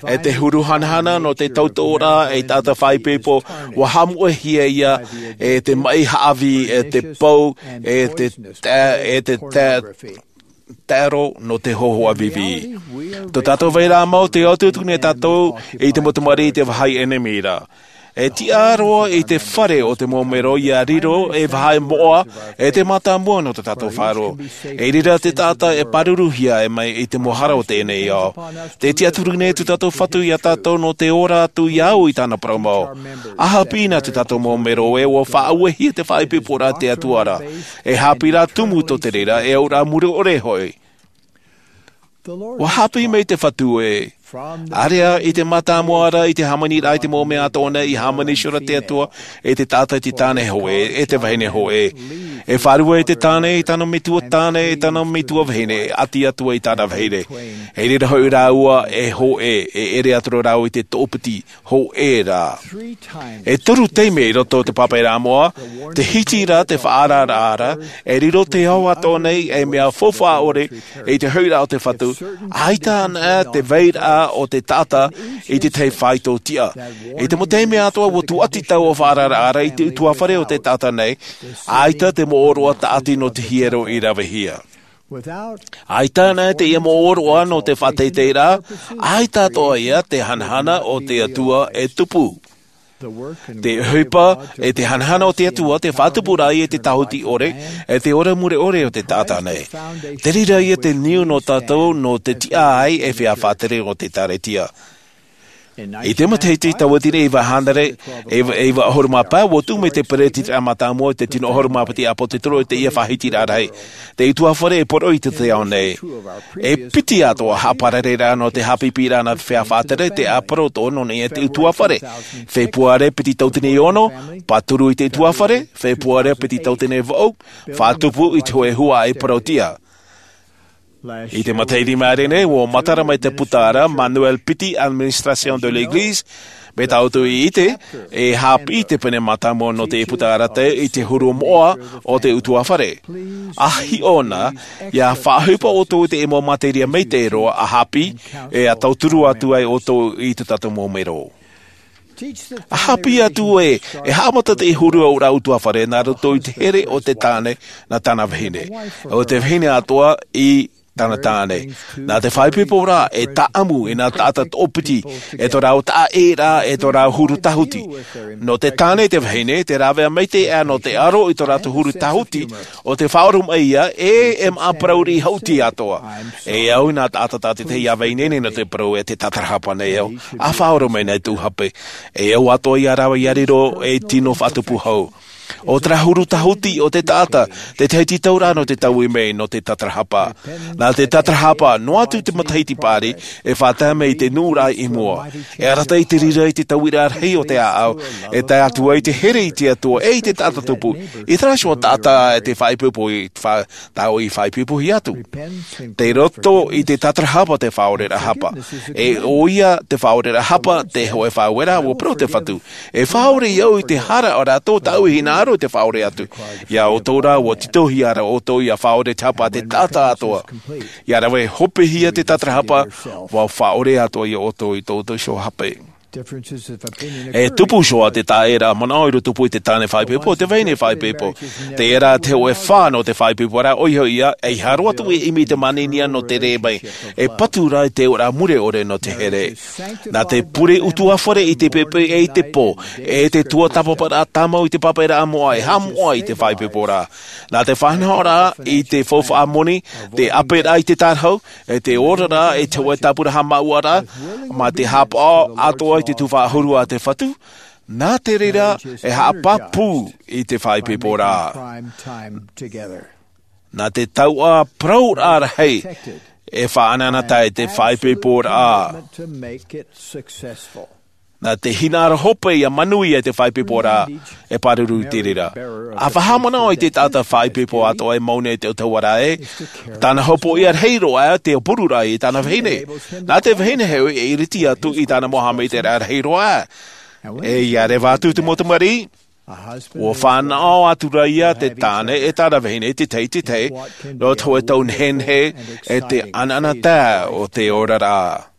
E te huru hanahana nō te tautoʻoraʻa ei taʻata faʻaipoipo, ua haʻamoʻehia ia e te maʻi haʻavī, e te pou, e te ta-, e te ta-, taero nō te hōhoʻa vīvī. Tō tātou vairaʻa mau, tē atuatu nei tātou i te mau tamariʻi i te vāhi ʻenemi ra. E tiʻa roa i te fare o te mau mero ʻia riro ei vāhi moʻa, e te mātāmua nō tō tātou faʻaroʻo. I reira te taʻata e pāruruhia mai i te mau hara o teie nei ao. Tē tiʻaturi nei tō tātou Fatu ia tātou nō te ora atu ʻia au i tāna parau mau. ʻA haʻapiʻi na tō tātou mau mero ē, ua faʻauehia te faʻaipoiporaʻa a te Atua ra. E haʻapiʻiraʻa tumu tō te reira, e auraʻa mure ʻore hoʻi. Ua haʻapiʻi mai te Fatu ē. ʻĀreʻa i te mātāmua ra, i te hāmaniraʻa i te mau mea atoʻa nei, i hāmani iho ra te Atua i te taʻata, i te tāne hōʻē, e te vahine hōʻē. E fārua i te tāne, i tāna metua tāne, i tāna metua vahine, e ʻati atu ai i tāna vahine. I reira hoʻi rāua e hōʻē, e ʻere atu ra rāua i te toʻopiti hōʻē ra. E toru taime i roto i te pāpaʻiraʻa moʻa, tē hiti ra te faʻaararaʻa ra, e riro te ao atoʻa nei ei mea faufaʻa ʻore i te hoʻiraʻa o te Fatu, ʻaita anaʻe te vairaʻa o te taʻata i te tahi faito tiʻa. I te mau taime atoʻa ua tūʻati taua faʻaararaʻa ra i te ʻutuāfare o te taʻata nei, ʻaita te mōʻōroʻa tāʻati nō te hiero i ravehia. ʻAita anaʻe teie mōʻōroʻa nō te faʻateiteiraʻa, ʻaita atoʻa ia te hanahana o te Atua e tupu. Te ʻohipa, e te hanahana o te Atua, te faʻatupuraʻa i te tāhuti ʻore, e te ora mure ʻore o te taʻata nei. Te reira ia te niu nō tātou nō te tiʻa ai ei feiā faʻatere o te ʻĒkālesia. I te matahiti tauatini e iva hānere, e iva, e iva ʻahuru mā pae, ua tuʻu mai te peretitiraʻa mātāmua i te tino ʻahuru mā piti ʻāpōsetolo i teie faʻahitiraʻa rahi. Te ʻutuāfare e poroʻi i te ao nei. E piti atoʻa haʻaparareraʻa nō te haʻapiʻiraʻa nā te feiā faʻatere, te ʻāpōsetolo nō niʻa i te ʻutuāfare. Fepuare piti tauatini e ono, pāturu i te ʻutuāfare, Fepuare piti tauatini e vaʻu, faʻatupu i te hōʻē huaʻai parauʻtiʻa. I te matahiti i maʻiri nei, ua matara mai te puta ra, Manuel piti, Administration de l'Église, mai tā ʻoutou i ʻite, e haʻapiʻi te pene mātāmua nō te puta ra teie i te huru moʻa o te ʻutuāfare. ʻA hiʻo na, ʻia faʻaʻohipa ʻoutou i te mau materia maitaʻi roa ʻa haʻapiʻi, e ʻa tauturu atu ai ʻoutou i tō tātou mau mero. ʻA haʻapiʻi atu ē, e haʻamata te huru auraʻa ʻutuāfare nā roto i te here o te tāne nā tāna vahine, ʻo te vahine atoʻa i tāna tāne. Nā te faʻaipoiporaʻa e tāʻamu i nā taʻata toʻopiti, e tō rāua taʻaʻēraʻa, e tō rāua huru tāhuti. Nō te tāne te vahine, te rāveʻa maitaʻi aʻe nō te aro i tō rātou huru tāhuti, ʻo te faʻaoromaʻi ia, e, e māʻa parau riʻi haʻuti atoʻa. E au i nā taʻata tātaʻitahi ʻia vai ineine nō te parau e te tātarahapa nei au, ʻa faʻaoromaʻi nei tōʻu hape. E au atoʻa ia rāua ʻia riro ei tino faʻatupu hau. ʻO terā huru tāhuti o te taʻata, te tahi tītauraʻa nō te taui mai nō te tātarahapa. Nā te tātarahapa, noa atu te matahiti paʻari, e faʻatae mai i te nuʻuraʻa i mua. E arataʻi te reira i te tauiraʻa rahi o te ʻāʻau, e tae atu ai te here i te Atua, e i te taʻata tupu, i terā iho taʻata e te faʻaipoipo i fa-, tā ʻoe i faʻaipoipohia atu. Tei roto i te tātarahapa te faʻaoreraʻa hapa. E ʻoia te faʻaoreraʻa hapa, te hōʻē faʻaueraʻa, ʻua parau te Fatu. E faʻaʻore ia ʻoe i te hara o rātou tāʻu e hinaʻaro i te faʻaʻore atu. Ia ʻoutou rā, ʻua titauhia ra ʻoutou ʻia faʻaʻore te hapa a te taʻata atoʻa. ʻIa rave hopehia te tātarahapa, ʻua faʻaʻore atoʻa ia ʻoutou i tō ʻoutou iho hape. E tupu iho ā te taʻata manaʻo i rotopū i te tāne faʻaipoipo, te vahine faʻaipoipo. Teie rā te hōʻē fā nō te faʻaipoiporaʻa, ʻoia hoʻi ā, ʻeiaha roa atu e ʻimi i te māninia nō te rē mai, e patu rā i te oraraʻa mure ʻore nō te here. Nā te pure ʻutuāfare i te poipoi e i te pō, e te tuatāpaparaʻa tāmau i te pāpaʻiraʻa moʻa, e haʻamoʻa i te faʻaipoiporaʻa. Nā te faʻanahoraʻa i te faufaʻa moni, te ʻāperaʻa i te tārahu, e te oraraʻa, e te hōʻē tāpura haʻamāuʻaraʻa, mā te haʻapaʻo atoʻa i te tuhaʻa ʻahuru a te Fatu, nā te reira e haʻapāpū i te faʻaipoiporaʻa. Nā te taoʻa parauraʻa rahi e faʻaʻanaʻanatae i te faʻaipoiporaʻa. Nā te hinaʻaro hope ʻia manuia te faʻaipoiporaʻa e pāruru i te reira. ʻA faʻahaʻamanaʻo i te taʻata faʻaipoipo atoʻa e mau nei te ʻautahuʻaraʻa ē, tāna hopoiʻa rahi roa ā te pururaʻa i tāna vahine. Nā te vahine hoʻi e iriti atu i tāna mau haʻamaitaʻiraʻa rahi roa ā. E ʻia reva atu te mau tamariʻi, ʻua fānaʻo atu ra ïa te tāne e tāna vahine i te tahi i te tahi, nō te hōʻē tau nehenehe, e te ʻanaʻanatae o te oraraʻa.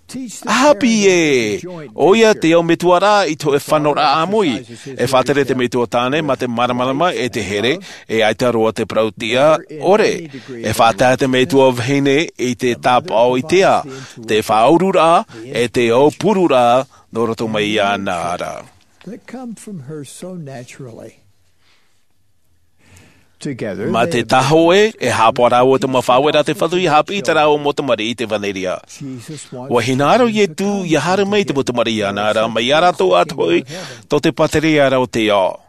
ʻA haʻapiʻi ē, ʻoia te au metua ra i te hōʻē fānauraʻa ʻāmui, e faʻatere te metua tāne mā te māramarama e te here, e ʻaita roa te parautiʻa ʻore. E faʻatae te metua vahine i te tāpaʻo i te ā, te faʻaururaʻa, e te au pururaʻa, nō roto mai iāna ra. Mā te tahoʻē, e haʻapaʻo rāua te mau faʻaueraʻa a te Fatu ʻia haʻapiʻi i tā rāua mau tamariʻi i te ʻevanelia. ʻUa hinaʻaro Ietu ʻia haere mai i te mau tamariʻi iāna ra, mai iā rātou atoʻa hoʻi, tō te pātireia ra o te ao.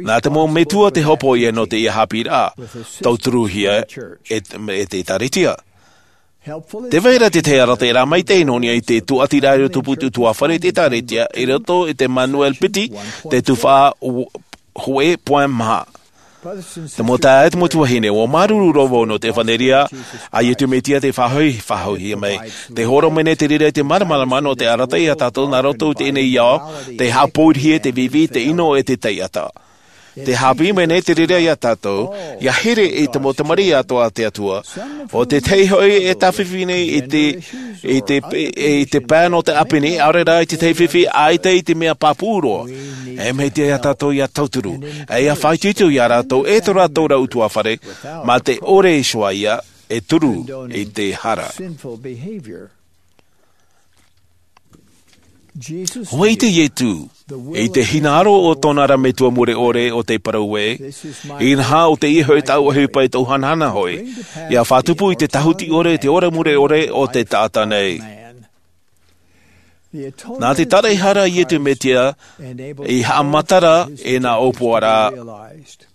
Nā te mau metua te hopoiʻa nō teie haʻapiʻiraʻa, tauturuhia e, e te ʻĒkālesia. Tē vai ra te tahi arataʻiraʻa maitaʻi nō niʻa i te tūʻatiraʻa i rotopū i te ʻutuāfare i te ʻĒkālesia, i roto i te Manuel piti, te tuhaʻa hōʻē poe maha. Te mau taeaʻe, te mau tuahine, ʻua māuruuru roa vau nō te ʻevanelia a Ietu Mesia tei faʻahoʻi, faʻahoʻihia mai. Tē hōroʻa mai nei te reira i te māramarama nō te arataʻi ia tātou nā roto i teie nei ao, tē haʻapōʻihia te vīvī, te ʻino e te taiʻata. Tē haʻapiʻi mai nei te reira ia tātou, ʻia here i te mau tamariʻi atoʻa a te Atua. ʻO te tahi hoʻi e tāfifi nei i te, i te, i te pae nō te ʻāpī nei, ʻaore rā i te tahi fifi, ʻaita i te mea pāpū roa. E mea iti ia tātou ʻia tauturu, e ʻia faʻaitoito ia rātou, e tō rātou ra ʻutuāfare, mā te ʻore iho ā ïa, e turu i te hara. ʻUa ʻite Ietu, i te hinaʻaro o tōna ra metua mure ʻore ʻo tē parau ē, inaha ʻo teie hoʻi tāʻu ʻohipa e tōʻu hanahana hoʻi, ʻia faʻatupu i te tāhuti ʻore, te ora mure ʻore o te taʻata nei. Nā te taraʻehara a Ietu Mesia, i haʻamatara e nā ʻōpuaraʻa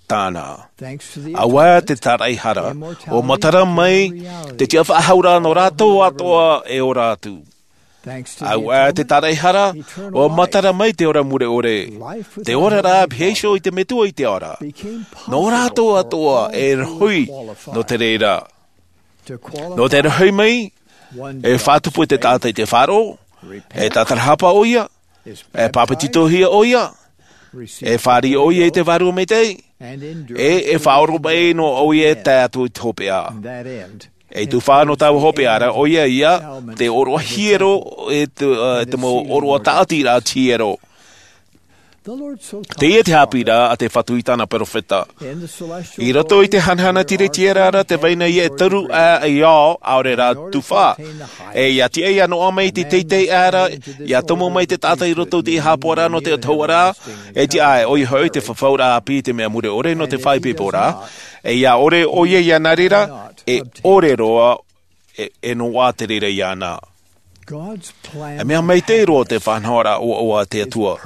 tāna. ʻAuē te taraʻehara, ʻua matara mai te tiʻafaʻahouraʻa nō rātou atoʻa e ora atu. ʻAuē te taraʻehara, ʻua matara mai te ora mure ʻore, te oraraʻa e pihaʻi iho i te Metua i te ao ra. Nō rātou atoʻa e rohi nō te reira. Nō te rohi mai, e faʻatupu te taʻata i te faʻaroʻo, e tātarahapa ʻoia, e pāpetitohia ʻoia, e fāriʻi ʻoia i te Vārua Maitaʻi, e, e faʻaoromaʻi noa ʻoia e tae atu i te hopeʻa. E tuhaʻa nō taua hopeʻa ra, ʻoia ïa, te ʻōroʻa hiero, e te, e te mau ʻōroʻa tāʻatiraʻa hiero. Teie te haʻapiʻiraʻa a te Fatu i tāna perofeta. I roto i te hanahana tiretiʻaraʻa ra tē vai na ïa e toru ā e ao, ʻaore rā tuhaʻa. E ʻia tiʻa ïa noaʻa mai i te teitei aʻe ra, ʻia tomo mai te taʻata i roto i te haʻapaʻoraʻa nō te ʻautahuʻaraʻa, e tiʻa ē, ʻoia hoʻi te fafauraʻa ʻāpī i te mea mure ʻore nō te faʻaipoiporaʻa, e ʻia ʻore ʻoia ʻia nā reira, e ʻore roa, e, e noaʻa te reira iāna. E mea maitaʻi roa te faʻanahoraʻa ʻoaʻoa a te Atua.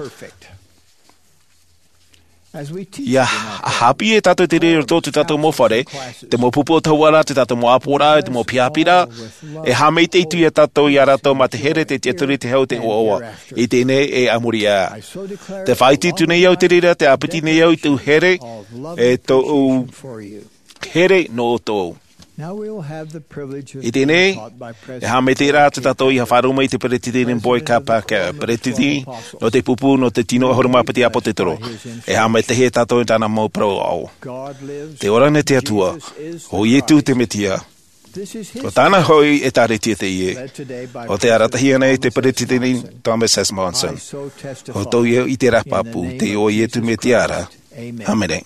ʻIa ha-, haʻapiʻi e tātou te reira i roto i tō tātou mau fare, te mau pupu ʻautahuʻaraʻa, tō tātou mau ʻāpoʻoraʻa, te mau pihaʻipiʻiraʻa, e haʻamaitaʻi atu ia tātou ia rātou mā te here, te tiʻaturi, te hau, te ʻoaʻoa. I teie nei e a muri aʻe. Tē faʻaʻite atu nei au i te reira, tē ʻāpiti nei au i tōʻu here, e tōʻu here nō ʻoutou. I teie nei, e haʻamaitaʻi ra tātou ʻia faʻaroʻo mai i te Peresideni Boyd K. Packer, Peresideni nō te pupu nō te tino ʻahuru mā piti ʻĀpōtetoro. E haʻamaitaʻi tātou i tāna mau parau aʻo. Tē ora na te Atua, ʻo Ietu te Mesia. ʻO tāna hoʻi ʻēkālesia teie, ʻo tē arataʻihia nei e te Peresideni Thomas S. Monson. ʻO tōʻu ia ʻiteraʻa pāpū, te iʻoa o Iesu Mesia ra. ʻĀmene.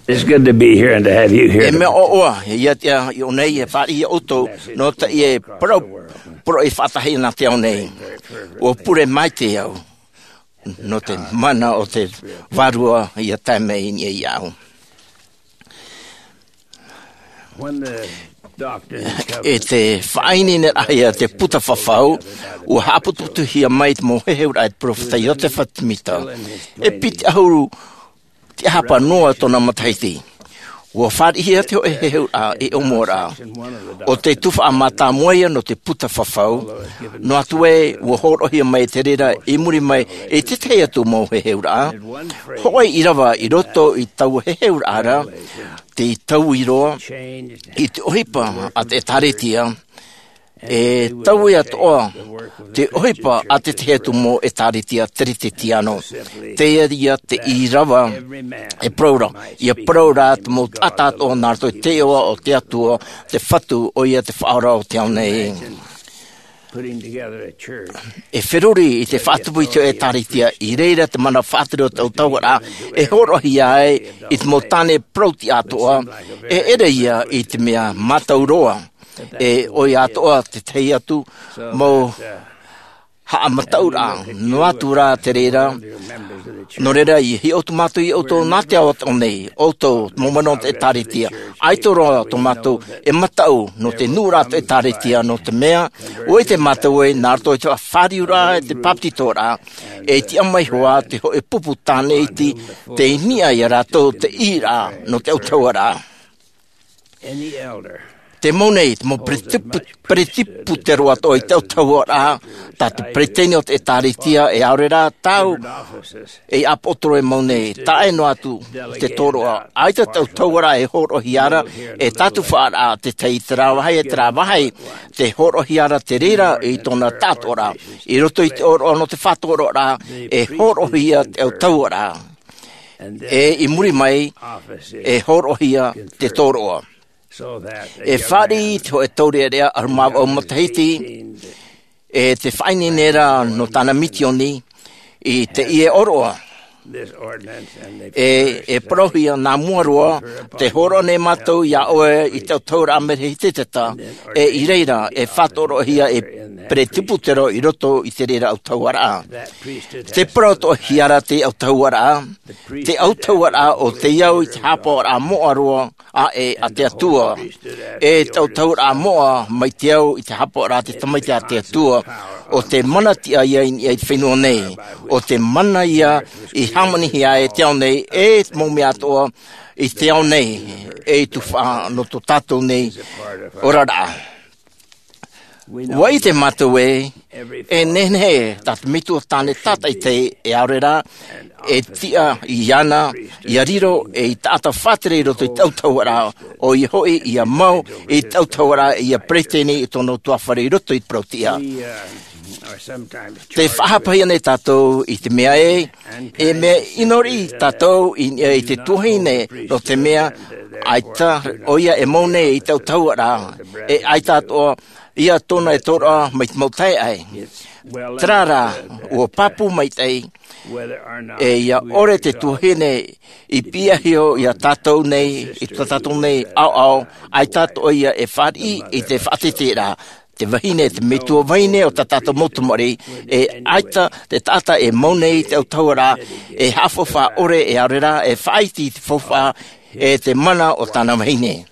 It's good to be here and to have you here. E mea ʻoaʻoa ia te ʻō nei e fāriʻi ia ʻoutou nō teie parau, parau e faʻatahi ana te ao nei. ʻUa pure maitaʻi au nō te mana o te Vārua ia tae mai i niʻa iāʻu. When the doctor discovered I te faʻaineineraʻa ia te puta fafau, ʻua haʻaputuputuhia mai te mau heheuraʻa e te peropheta Iosefa Sāmita. E piti ʻahuru tiʻahapa noa tōna matahiti. ʻUa fāriʻihia te hōʻē heheuraʻa i te ʻōmuaraʻa. ʻO te tuhaʻa mātāmua ia nō te puta fafau, noa atu ē, ʻua hōroʻahia mai te reira i muri mai i te tahi atu mau heheuraʻa. Hōʻē ʻīrava i roto i taua heheuraʻa ra, tei taui roa i te ʻohipa a te ʻēkālesia, e taui atoʻa te ʻohipa a te tahi atu mau ʻēkālesia Keresetiano. Teie ia te ʻīrava e parau ra, ʻia parau ra te mau taʻata atoʻa nā roto i te iʻoa o te Atua, te Fatu, ʻoia te Faʻaora o te ao nei. E feruri i te faʻatupu i te ʻēkālesia, i reira te mana faʻatere o te autahuʻaraʻa e hōroʻahia ai i te mau tāne parau-tiʻa atoʻa, e ʻere ia i te mea mātau roa, e ʻoia atoʻa te tahi atu mau haʻamataʻuraʻa, noa atu rā te reira. Nō reira, ʻia hiʻo atu mātou ia ʻoutou nā te ao o te ao nei, ʻoutou, te mau manaʻo o te ʻēkālesia, ʻaita roa tō mātou e mataʻu nō te nuʻuraʻa o te ʻēkālesia, nō te mea, ʻua ʻite mātou ē, nā roto i te fāriuraʻa, e te bāpetizoraʻa, e tiʻa mai hoʻi te hōʻē pupu tāne iti, tei niʻa ia rātou te ʻīraʻa nō te autahuʻaraʻa. Te mau nei, te mau peresipu-, peresiputeroa atoʻa i te autahuʻaraʻa, tā te peresideni o te ʻēkālesia, e ʻaore rā tāu, e ʻāpoʻotoro e mau nei, taʻa ʻē noa atu te tōroʻa. ʻAita te autahuʻaraʻa e hōroʻahia ra, e tātuhaʻaraʻa te tahi i terā vāhi, e terā vāhi, tē hōroʻahia ra te reira i tōna taʻatoʻaraʻa. I roto i te ʻōroʻa nō te faʻatōroʻaraʻa, e hōroʻahia te autahuʻaraʻa. E i muri mai, e hōroʻahia te tōroʻa. E fāriʻi te hōʻē taureʻareʻa ʻahuru mā vaʻu matahiti, e te faʻaineine ra nō tāna misioni i teie ʻōroʻa. E, e parauhia nā mua roa, tē hōroʻa nei mātou iā ʻoe i te autahuʻaraʻa Merehiteta, e i reira, e faʻatōroʻahia e peresibutero i roto i te reira autahuʻaraʻa. Te parau atoʻahia ra te autahuʻaraʻa, te autahuʻaraʻa ʻo tei au i te haʻapaʻoraʻa moʻa roa aʻe a te Atua. E te autahuʻaraʻa moʻa mai te au i te haʻapaʻoraʻa a te Tamaiti a te Atua. ʻO te mana tiʻa ia i, i te fenua nei. ʻO te mana ia i hāmanihia e te ao nei, e te mau mea atoʻa i te ao nei, e i tuhaʻa nō tō tātou nei oraraʻa. ʻUa ʻite mātou ē, e nehenehe tā te metua tāne tātaʻitahi e ʻaore rā, e tiʻa iāna, ʻia riro ei taʻata faʻatere i roto i te autahuʻaraʻa, ʻoia hoʻi ʻia mau i te autahuʻaraʻa, ʻia peresideni i tōna ʻutuāfare i roto i te parau-tiʻa. Tē faʻahapahia nei tātou i te mea ē, e mea ʻino riʻi tātou i, i te tuahine, nō te mea, ʻaita, ʻoia e mau nei i te autahuʻaraʻa, e ʻaita atoʻa ia tōna e tōroʻa mai te mau taeaʻe. Terā rā, ʻua pāpū maitaʻi, e ʻia ʻore te tuahine i piʻahia iā tātou nei, i tā tātou nei ʻaoʻao, ʻaita atoʻa ia e fāriʻi i te faʻateteraʻa, te vahine, te metua vahine o tā tātou mau tamariʻi, e ʻaita te taʻata e mau nei i te autahuʻaraʻa, e haʻafaufaʻa ʻore e ʻaore rā, e faʻaiti i te faufaʻa, e te mana o tāna vahine.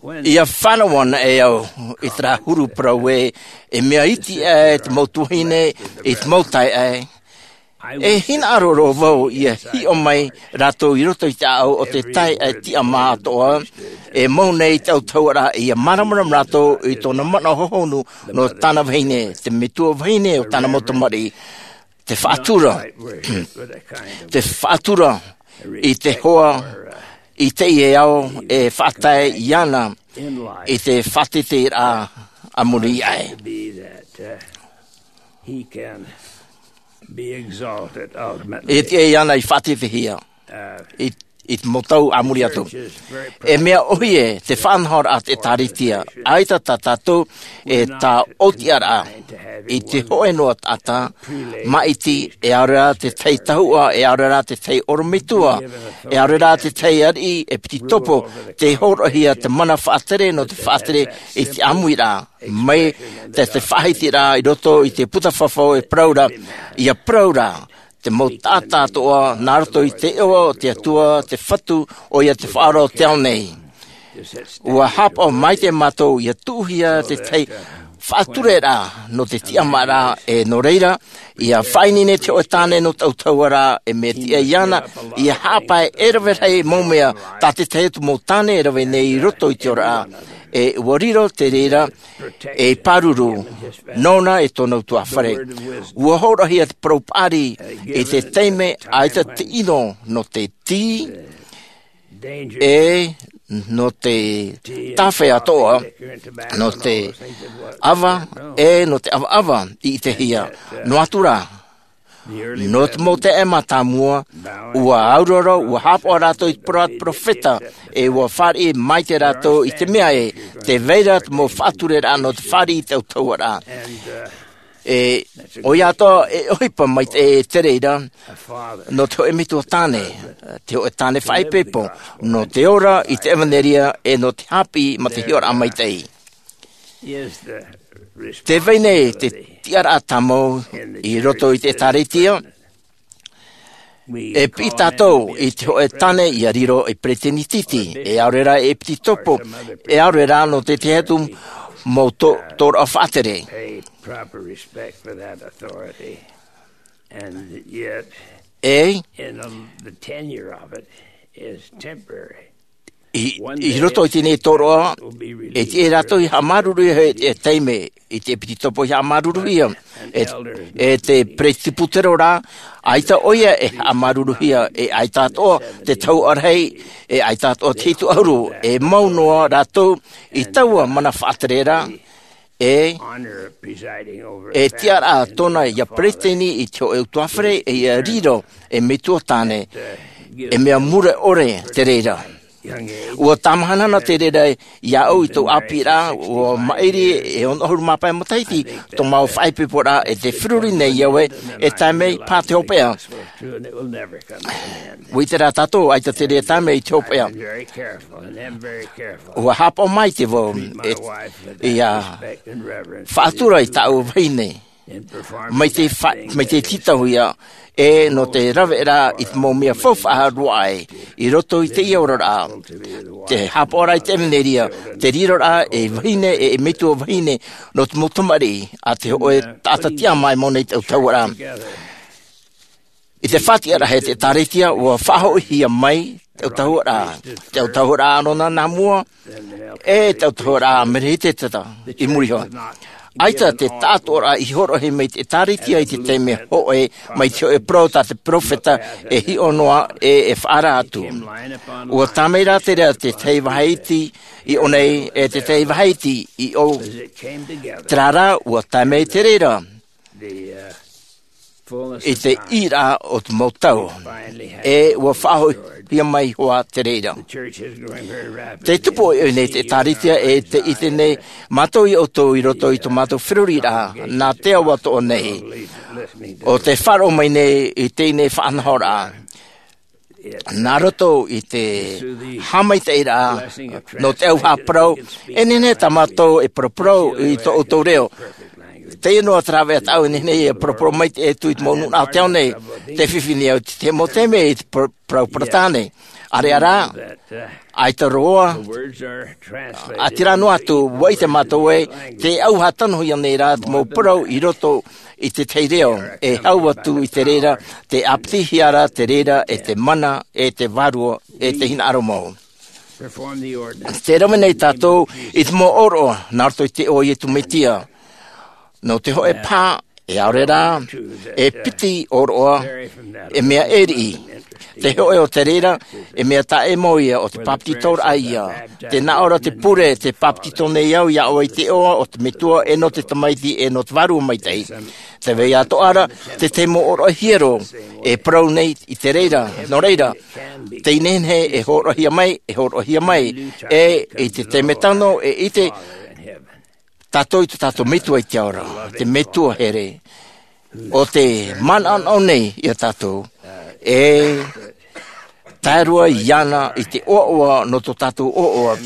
ʻIa fānau ana e au i terā huru parau ē, e mea iti aʻe te mau tuahine i te mau taeaʻe. E hinaʻaro roa vau ʻia hiʻo mai rātou i roto i te ʻāʻau o te taeaʻe tiʻamā atoʻa, e mau nei i te autahuʻaraʻa, ʻia māramarama rātou i tōna manaʻo hohonu nō tāna vahine, te metua vahine o tāna mau tamariʻi, te faʻatura, te faʻatura i te hoa, i teie ao e faʻatae iāna i te faʻateteraʻa a muri aʻe. He can Be exalted ultimately. E tiʻa iāna i faʻatītīhia i, i te mau tau a muri atu. E mea ʻohie te faʻanahoraʻa a te ʻĒkālesia. ʻAita tā tātou e tāʻotiʻaraʻa i te hōʻē noa taʻata māʻiti, e ʻaore rā te tahi tahuʻa, e ʻaore rā te tahi ʻorometua, e ʻaore rā te tahi ariʻi ʻepitopo, tē hōroʻahia te mana faʻatere nō te faʻatere i te ʻāmuiraʻa. Mai te, te faʻahitiraʻa i roto i te puta fafau e parau ra, ʻia parau ra te mau taʻata atoʻa nā roto i te iʻoa o te Atua, te Fatu, ʻoia te Faʻaora o te ao nei. Ua haʻapaʻo maitaʻi mātou ʻia tuʻuhia te tahi faʻatureraʻa nō te tiʻamāraʻa, e nō reira, ʻia faʻaineine te hōʻē tāne nō te ʻautahuʻaraʻa, e mea tiʻa iāna ʻia haʻapae e rave rahi mau mea tā te tahi atu mau tāne e rave nei i roto i te oraraʻa. E ʻua riro te reira ei pāruru nōna e tōna ʻutuāfare. ʻUa hōroʻahia te parau paʻari i te taime ʻaita te ʻino nō te tī, e nō te tāwhea atoʻa, nō te ʻava, e nō te ʻavaʻava i ʻitehia. Noa atu rā, nō te mau taime mātāmua, ʻua auraro, ʻua haʻapaʻo rātou i te parau a te peropheta, e ʻua fāriʻi maitaʻi rātou i te mea ē, tē vai ra te mau faʻatureraʻa nō te fāriʻi i te ʻautahuʻaraʻa. E, ʻoia atoʻa, e ʻohipa maitaʻi te reira, nō te hōʻē metua tāne, te hōʻē tāne faʻaipoipo, nō te ora i te ʻevanelia, e nō te haʻapiʻi mā te hiʻoraʻa maitaʻi. Tē vai nei te tiʻaraʻa tāmau i roto i te ʻĒkālesia. E piʻi tātou i te hōʻē tāne ʻia riro ei peresideni tītī, e ʻaore rā ei ʻepitopo, e ʻaore rā nō te tahi atu mau tō-, tōroʻa faʻatere. Pay proper respect for that authority. And yet, e, in the, the tenure of it is temporary. I, i roto i teie tōroʻa, e tiʻa rātou ʻia haʻamāuruuruhia e te taime, i te ʻepitopo ʻia haʻamāuruuruhia, e, e te peresibutero rā, ʻaita ʻoia e haʻamāuruuruhia, e ʻaita atoʻa te tahuʻa rahi, e ʻaita atoʻa te hitu ʻahuru, e mau noa rātou i taua mana faʻatereraʻa, e, e tiʻaraʻa tōna ʻia peresideni i te hōʻē ʻutuāfare, e ʻia riro ei metua tāne, e mea mure ʻore te reira. ʻUa tāmāhanahanahana te reira iāʻu i tōʻu ʻāpīraʻa, ʻua maʻiri e ono ʻahuru mā pae matahiti tō māua faʻaipoiporaʻa, e tē feruri nei au ē, e tae mai paʻi te hopeʻa. ʻUa ʻite rā tātou, ʻaita te reira taime i te hopeʻa. ʻUa haʻapaʻo maitaʻi vau, e, ʻia faʻatura i tāʻu vahine. Mai te fa-, mai te tītauhia, e nō te raveraʻa i te mau mea faufaʻa roa aʻe, i roto i teie oraraʻa. Te haʻapaʻoraʻa i te ʻevanelia, te riroraʻa ei vahine, e, ei metua vahine, nō te mau tamariʻi, a te hōʻē taʻata tiʻamā e mau nei te ʻautahuʻaraʻa. I te faʻatiʻaraʻa e te ʻĒkālesia, ʻua faʻahoʻihia mai te ʻautahuʻaraʻa, te ʻautahuʻaraʻa ʻĀrona nā mua, e te ʻautahuʻaraʻa Merehiteta i muri iho. ʻAita te taʻatoʻaraʻa i hōroʻahia mai te ʻĒkālesia i te taime hōʻē, mai te hōʻē parau tā te peropheta e hiʻo noa e, e faʻaara atu. ʻUa tae mai rā te reira te tahi vāhi iti i ʻō nei, e te tahi vāhi iti i ʻō. Terā rā, ʻua tae mai te reira i te ʻīraʻa o te mau tau, e ʻua faʻahoʻihia mai hoʻi te reira. Te tupu ʻoiʻoi nei te ʻĒkālesia, e tē ʻite nei mātou ia ʻoutou i roto i tō mātou feruriraʻa, nā te ao atoʻa nei. ʻO tē faʻaroʻo mai nei i teie faʻanahoraʻa. Nā roto i te haʻamaitaʻiraʻa nō te ʻauhaʻa parau, e nehenehe tā mātou e paraparau i tō ʻoutou reo. Teie noa te rāveʻa tāʻu e nehenehe e paraparau mai te, e tū i te mau nūnaʻa o te ao nei, tē fifi nei au i te mau taime i te par-, parau Peratāne. ʻAreʻa rā, ʻaita roa, ʻaita rā noa atu, ʻua ʻite mātou ē, tē ʻauhaʻa tanohia nei rā te mau parau i roto i te tahi reo, e hau atu i te reira, tē ʻāpitihia ra te reira, e te mana, e te vārua, e te hinaʻaro mau. Tē rave nei tātou i te mau ʻōroʻa, nā roto i te iʻoa o Iesu Mesia. Nō te hōʻē paha, E ʻaore rā e piti ʻōroʻa, e mea ʻē riʻi. Te hoʻe o te reira, e mea taʻe mau ia, o te bāpetizoraʻa ia. Te nā ʻō ra te pure, te bāpetizo nei au iā ʻoe i te iʻoa o te Metua, e nō te Tamaiti, e nō te Vārua Maitaʻi. Te vai atoʻa ra, te tahi mau ʻōroʻa hiero e parau nei i te reira, nō reira, tei nehenehe e hōroʻahia mai, e hōroʻahia mai, e i te taime tano, e ʻite tātou i tō tātou Metua i te ao ra, te Metua here. ʻO te manaʻonaʻo nei iā tātou, e tae roa iāna i te ʻoaʻoa nō tō tātou ʻoaʻoa,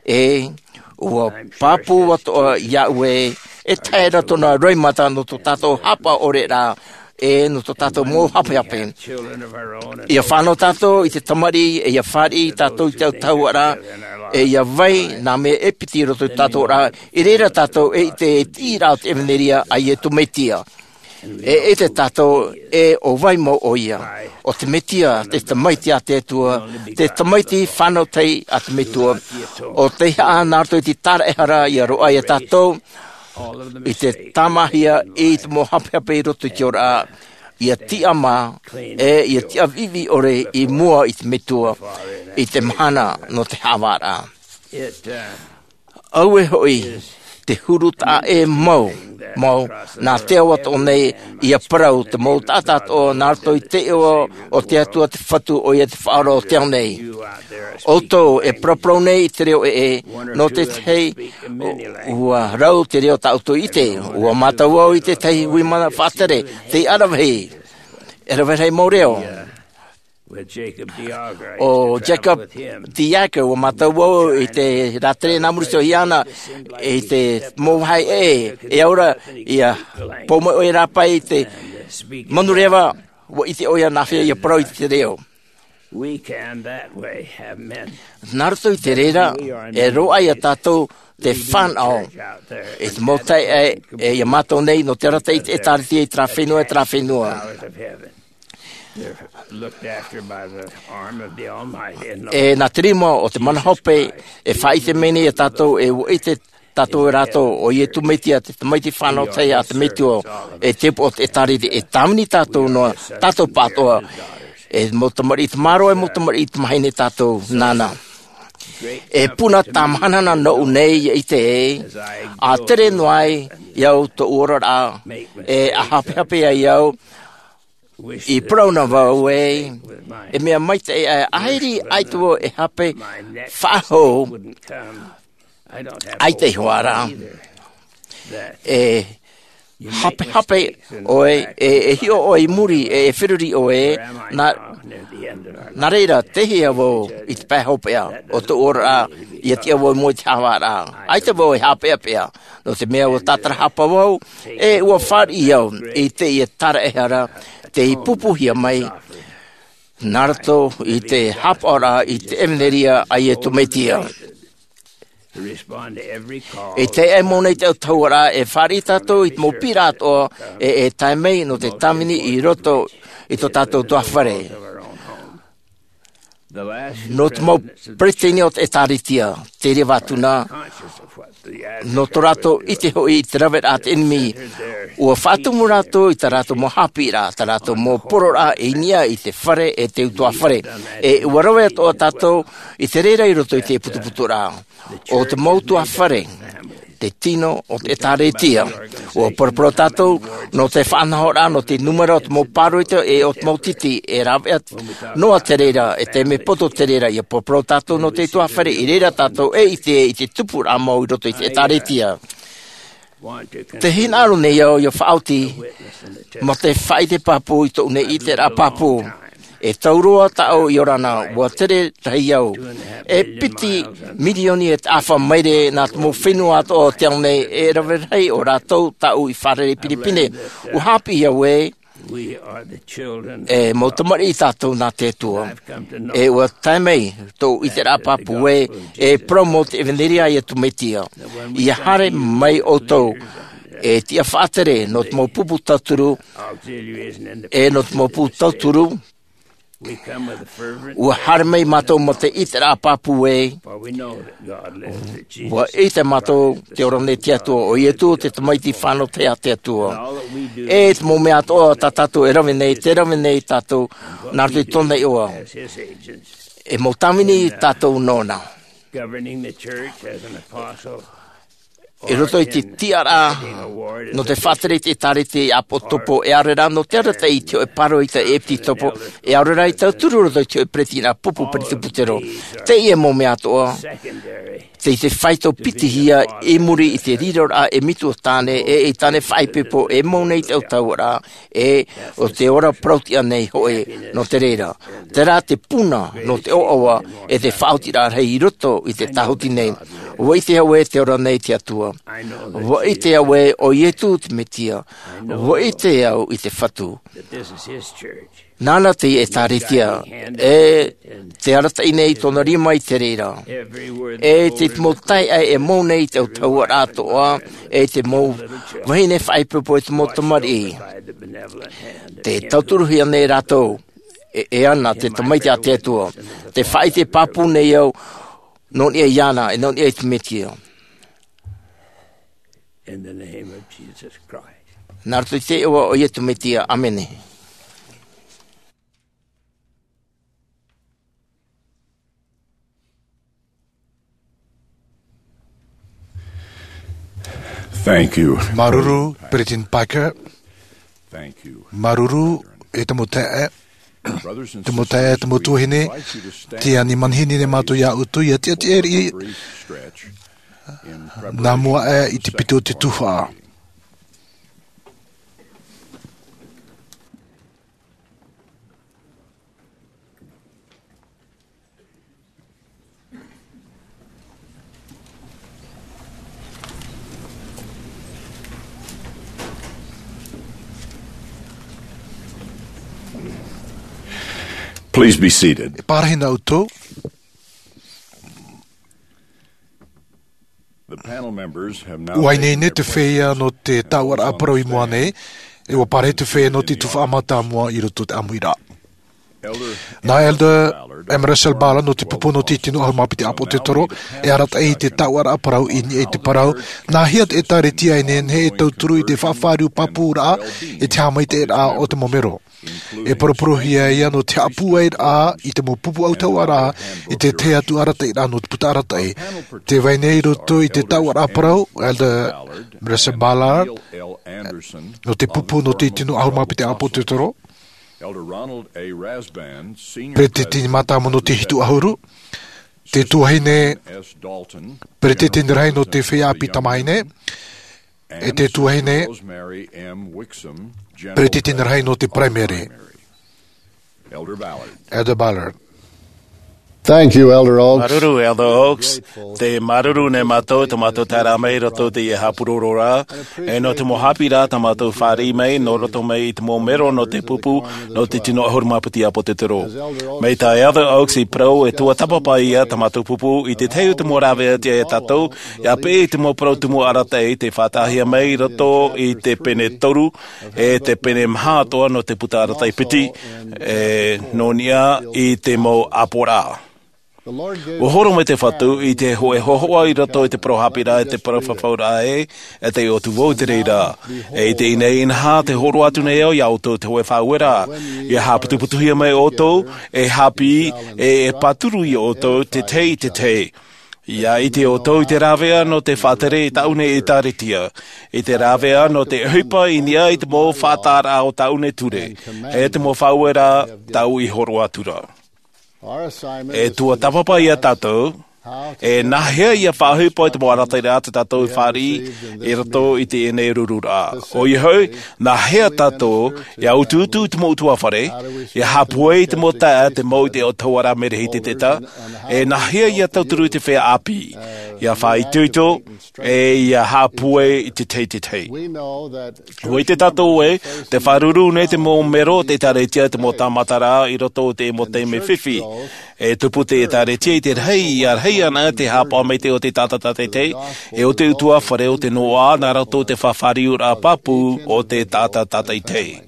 e ʻua pāpū atoʻa iā ʻoe, e tae ra tōna roimata nō tō tātou haʻapaʻo ʻore rā, e nō tō tātou mau hapehape. ʻIa fānau tātou i te tamariʻi, e ʻia fāriʻi tātou i te autahuʻaraʻa, e ʻia vai nā mea e piti i roto i tō tātou ra, i reira tātou e ʻite i te tiʻaraʻa o te ʻevanelia a Iesu Mesia. E ʻite tātou e ʻo vai mau ʻoia. ʻO te Mesia, te Tamaiti a te Atua, te Tamaiti fānau tahi a te Metua. ʻO tei haʻa nā roto i te tāraʻehara ʻia roaʻa iā tātou, i te tāmāhia i te mau hapehape i roto i te ora, ʻia tiʻamā, e ʻia tiʻa viʻiviʻi ʻore i mua i te Metua, i te mahana nō te haʻavāraʻa. Auē hoʻi te huru taʻa ʻē mau, mau, nā te ao atoʻa nei, ʻia parau te mau taʻata atoʻa nā roto i te iʻoa o te Atua te Fatu, ʻoia te Faʻaora o te ao nei. ʻOutou e paraparau nei i te reo ʻē, nō te tahi, ʻua rau te reo tā ʻoutou i ʻite, ʻua mātau vau i te tahi hui mana faʻatere, tei aravihi, e rave rahi mau reo. ʻO Jacob de Jager, ʻua mātau vau i te rātere nā muri iho iāna, i te mau vāhi ʻē, e au ra, ʻia pou mai ʻoia rāpae i te manureva, ʻua ʻite ʻoia nāhea ʻia parau i te reo. Nā roto i te reira, e roaʻa iā tātou te fānaʻo, i te mau taeaʻe, e ʻia mātau nei nō te arataʻi i te ʻĒtārētia i terā fenua, e terā fenua. E nā te rima o te mana hope, e faʻaʻite mai nei iā tātou, e ʻua ʻite tātou e rātou, ʻo Iesu Mesia, te Tamaiti fānau tahi a te Metua, e te upoʻo o te ʻĒtārētia, e tāvini tātou noa, tātou pāʻatoʻa, e mau tamariʻi tamāroa, e mau tamariʻi tamāhine tātou nāna. E puna tāmahanahana nōʻu nei ʻia ʻite, ʻa tere noa ai iāʻu tōʻu oraraʻa, e ʻa hapehape ai au, i parau na vau ē, e mea maitaʻi ʻae, ʻaita vau e hape faʻahou, ʻaita iho ā rā. E hapehape ʻoe, e, e hiʻo ʻoe i muri, e, e feruri ʻoe, nā, nā reira, tei hea vau i te pae hopeʻa o tōʻu oraraʻa, ʻia tiʻa vau i mua i te haʻavāraʻa. ʻAita vau e haʻapeʻapeʻa, nō te mea ʻua tātarahapa vau, e ʻua fāriʻi au i teie tāraʻehara, tei pupuhia mai, nā roto i te haʻapaʻoraʻa i te ʻevanelia a Iesu Mesia. E tae ai mau nei te autahuʻaraʻa, e fāriʻi tātou i te mau piʻiraʻa atoʻa, e, e tae mai nō te tāvini i roto i tō tātou tuhaʻa fare. Nō te mau peresideni o te ʻĒtārētia, te reva atu na, nō tō rātou ʻite hoʻi i te raveraʻa a te ʻenemi, ʻua faʻatumu rātou i tā rātou mau haʻapiʻiraʻa, tā rātou mau poroʻraʻa i niʻa i te fare e te utuafare. E ʻua rave atoʻa tātou i te reira i roto i te putuputuraʻa. ʻO te mau utuafare, te tino o te ʻĒtārētia. ʻUa paraparau tātou, nō te faʻanahoraʻa, nō te nūmera o te mau pāroita, e ʻo te mau titi, e rave atu noa te reira, e te mea poto te reira, ʻia paraparau tātou nō te utuafare, i reira tātou e ʻite i te tupuraʻa mau i roto i te ʻĒtārētia. Tē hinaʻaro nei au ʻia faʻaoti, mā te faʻaʻite pāpū i tōʻu nei ʻiteraʻa pāpū. E tau roa tāʻu i ora na, ʻua tere rahi au. E piti mirioni e taʻafa maere nā te mau fenua atoʻa o te ao nei, e rave rahi o rātou tāʻu i fārerei pinepine. ʻUa haʻapiʻi au ē, e mau tamariʻi tātou nā te Atua. E ʻua tae mai tōʻu ʻiteraʻa pāpū ē, e parau mau te ʻevanelia a Iesu Mesia. ʻIa haere mai ʻoutou, e tiʻa faʻatere nō te mau pupu tauturu, e nō te mau pupu tauturu, Ua haere mai mātou mō te ʻiteraʻa pāpū ē. Ua ʻite mātou te ora nei te Atua, ʻo Iesu te Tamaiti fānauhia a te Atua. E te mau mea atoʻa tā tātou e rave nei, tē rave nei tātou nā roto i tōna iʻoa. E mau tāvini tātou nōna. I roto i te tiʻaraʻa nō te faʻatere i te ʻĒtārētia i ʻāpōsetolo, e ʻaore rā nō te arataʻi i te hōʻē pāroita ʻepisekopo, e ʻaore rā i tauturu roto i te hōʻē peretitiraʻa pupu peresibutero. Teie mau mea atoʻa, tei te faito piti hia i muri i te riroraʻa e Mītuatāne, e ʻEitāne faʻaipoipo e mau nei te autahuʻaraʻa, e ʻo te ora parau-tiʻa nei hoʻi nō te reira. Terā te puna nō te ʻoaʻoa e te faʻaotiraʻa rahi i roto i te tāhuti nei. Ua ʻite au ē te ora nei te Atua. Ua ʻite au ē ʻo Iesu te Mesia. Ua ʻite au i te Fatu. Nāna te ʻĒtārētia, e te arataʻi nei i tōna rima i te reira. E te mau taeaʻe e mau nei i te autahuʻaraʻa atoʻa, e te mau vahine faʻaipoipo e te mau tamariʻi. Tē tauturuhia nei rātou, e, e ana te Tamaiti a te Atua. Tē faʻaʻite pāpū nei au, nō niʻa iāna, e nō niʻa i te Mesia. Nā roto i te iʻoa o Iesu Mesia, ʻāmene. Thank you. Māuruuru, Peresideni Parker. Thank you. Māuruuru, e te mau taeaʻe. Te mau taeaʻe, te mau tuahine, tē ani manihini nei mātou ia ʻoutou, ia tiʻatiʻa riʻi, nā mua aʻe i te piti o te tuhaʻa. Please be seated. E pārahi na ʻoutou. Ua ineine te feiā nō te taʻuaraʻa parau i mua nei, e ua pārahi te feiā nō te tuhaʻa mātāmua i roto i te ʻāmuiraʻa. Nā Elder M. Russell Ballard nō te pupu nō te tino ʻahuru mā piti ʻāpōsetolo, e arataʻi i te taʻuaraʻa parau i niʻa i te parau, nā hea te ʻĒtārētia e nehenehe e tauturu i te faʻafāriu pāpūraʻa i te haʻamaitaʻiraʻa o te mau mero. E poroporohia ia nō te haʻapūairaʻa i te mau pupu autahuʻaraʻa i te tahi atu arataʻiraʻa nō te puta arataʻi. Tē vai nei i roto i te taʻuaraʻa parau, Elder Russell Ballard, nō te pupu nō te tino ʻahuru mā piti ʻāpōsetolo, Peresideni Mātāmua nō te hitu ʻahuru, te tuahine Peresideni rahi nō te feiā ʻāpī tamāhine, e te tuahine Peresideni rahi nō te Paraimere. Elder Ballard. Thank you, Elder Oaks. Māuruuru, Elder Oaks. Tē māuruuru nei mātou, tō mātou taeraʻa mai i roto i teie haʻapurororaʻa, e nō te mau haʻapiʻiraʻa tā mātou fāriʻi mai, nō roto mai i te mau mero nō te pupu, nō te tino ʻahuru mā piti ʻāpōsetolo. Mai tā Elder Oaks i parau, e tuatāpapa ia tā mātou pupu i te tahi o te mau rāveʻa atu ia tātou, ʻia peʻe i te mau parau tumu arataʻi tei faʻataʻahia mai i roto i te pene toru, e te pene maha atoʻa nō te puta arataʻi piti, e nō niʻa i te mau ʻāpoʻoraʻa. ʻUa horo mai te Fatu i te hōʻē hōhoʻa i roto i te parau haʻapiʻiraʻa e te parau fafauraʻa ē, e taiʻo atu vau i te reira. E i teie nei inaha, tē hōroʻa atu nei au ia ʻoutou te hōʻē faʻaueraʻa, ʻia haʻaputuputuhia mai ʻoutou, e haʻapiʻi, e, e pāturu ia ʻoutou, te tahi i te tahi. ʻIa ʻite ʻoutou i te rāveʻa nō te faʻatere i tāʻu nei ʻĒtārētia, i te rāveʻa nō te ʻohipa i niʻa i te mau faʻataʻaraʻa o tāʻu nei ture, e te mau faʻaueraʻa tāʻu i hōroʻa atu ra. E tuatāpapa ia tātou, e nā hea ʻia faʻaʻohipa i te mau arataʻiraʻa tā tātou i fāriʻi i roto i teie nei rururaʻa. ʻOia hoʻi, nā hea tātou ʻia utuutu i te mau ʻutuāfare, ʻia haʻapūai i te mau taeaʻe, te mau i te autahuʻaraʻa merehiteta, e nā hea ʻia tauturu i te feiā ʻāpī, ʻia faʻaitoito, e ʻia haʻapūai i te tahi i te tahi. ʻUa ʻite tātou ē, tē faʻaruru nei te mau mero o te ʻĒtārētia i te mau tāmataraʻa i roto i te mau taime fifi. E tupu te ʻĒtārētia i te rahi, ʻia rahi ana te haʻapaʻo maitaʻi o te taʻata tātaʻitahi, e o te ʻutuāfare o te noaʻa, nā roto i te faʻafāriuraʻa pāpū o te taʻata tātaʻitahi.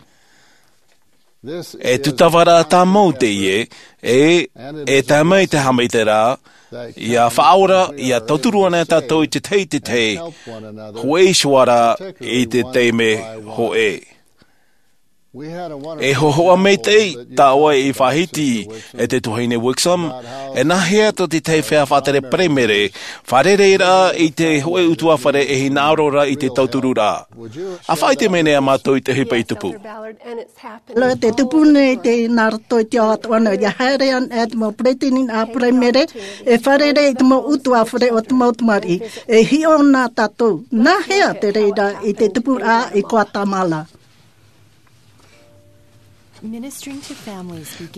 E tūtava rā tāmau teie, e, e tae mai te haʻamaitaʻiraʻa, ʻia faʻaora, ʻia tauturu ana tātou i te tahi i te tahi, hōʻē iho ā rā i te taime hōʻē. E hōhoʻa maitaʻi tāʻoe i faʻahiti e te tuahine Wixom, e nāhea tō te tahi feiā faʻatere paraimere, fārereiraʻa i te hōʻē ʻutuāfare e hinaʻaro ra i te tautururaʻa. ʻA faʻaʻite mai nei ā mātou i te ʻohipa i tupu. Nō te tupu nei te nā roto i te ao atoʻa nō, ʻia haere ana e te mau peretiteni nā paraimere, e fārerei i te mau ʻutuāfare o te mau tamariʻi, e hiʻo na tātou. Nāhea te reira i te tupuraʻa i Guatemala?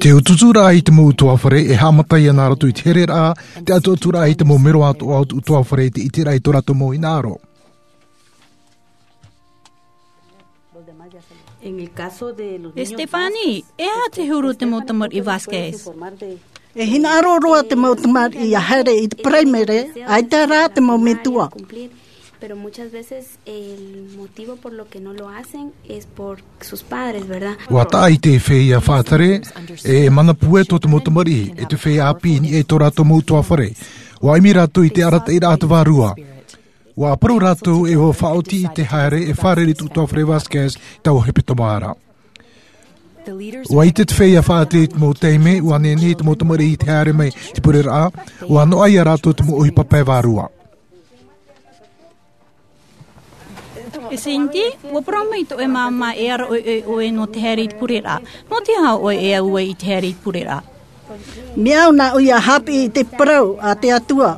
Te utuuturaʻa i te mau ʻutuāfare e haʻamata ia nā roto i te hereraʻa, te ʻatuʻaturaʻa i te mau mero atoʻa o te ʻutuāfare i te ʻiteraʻa i tō rātou mau hinaʻaro. E Stefani, e aha te huru o te mau tamariʻi Vasquez? E hinaʻaro roa te mau tamariʻi ʻia haere i te paraimere, ʻaita rā te mau metua. Pero muchas veces el motivo por lo que no lo hacen es por sus padres, ¿verdad? ʻUa taʻa i te feiā faʻatere, e mana puʻe tō te mau tamariʻi, e te feiā ʻāpī i niʻa i tō rātou mau ʻutuāfare. ʻUa ʻimi rātou i te arataʻiraʻa a te vārua. ʻUa parau rātou e ʻua faʻaoti i te haere e fārerei i te ʻutuāfare Vasquez i taua hepetoma ra. ʻUa ʻite te feiā faʻatere i te mau taime, ʻua nehenehe i te mau tamariʻi i te haere mai i te pureraʻa, ʻua noaʻa ia rātou te mau ʻohipa pae vārua. E Cindy, ʻua parau mai tō ʻoe māmā e ara ʻoiʻoi ʻoe nō te haere i te pureraʻa. Nō te aha ʻoe e au ai i te haere i te pureraʻa? Mea au nāʻu ʻia haʻapiʻi i te parau a te Atua,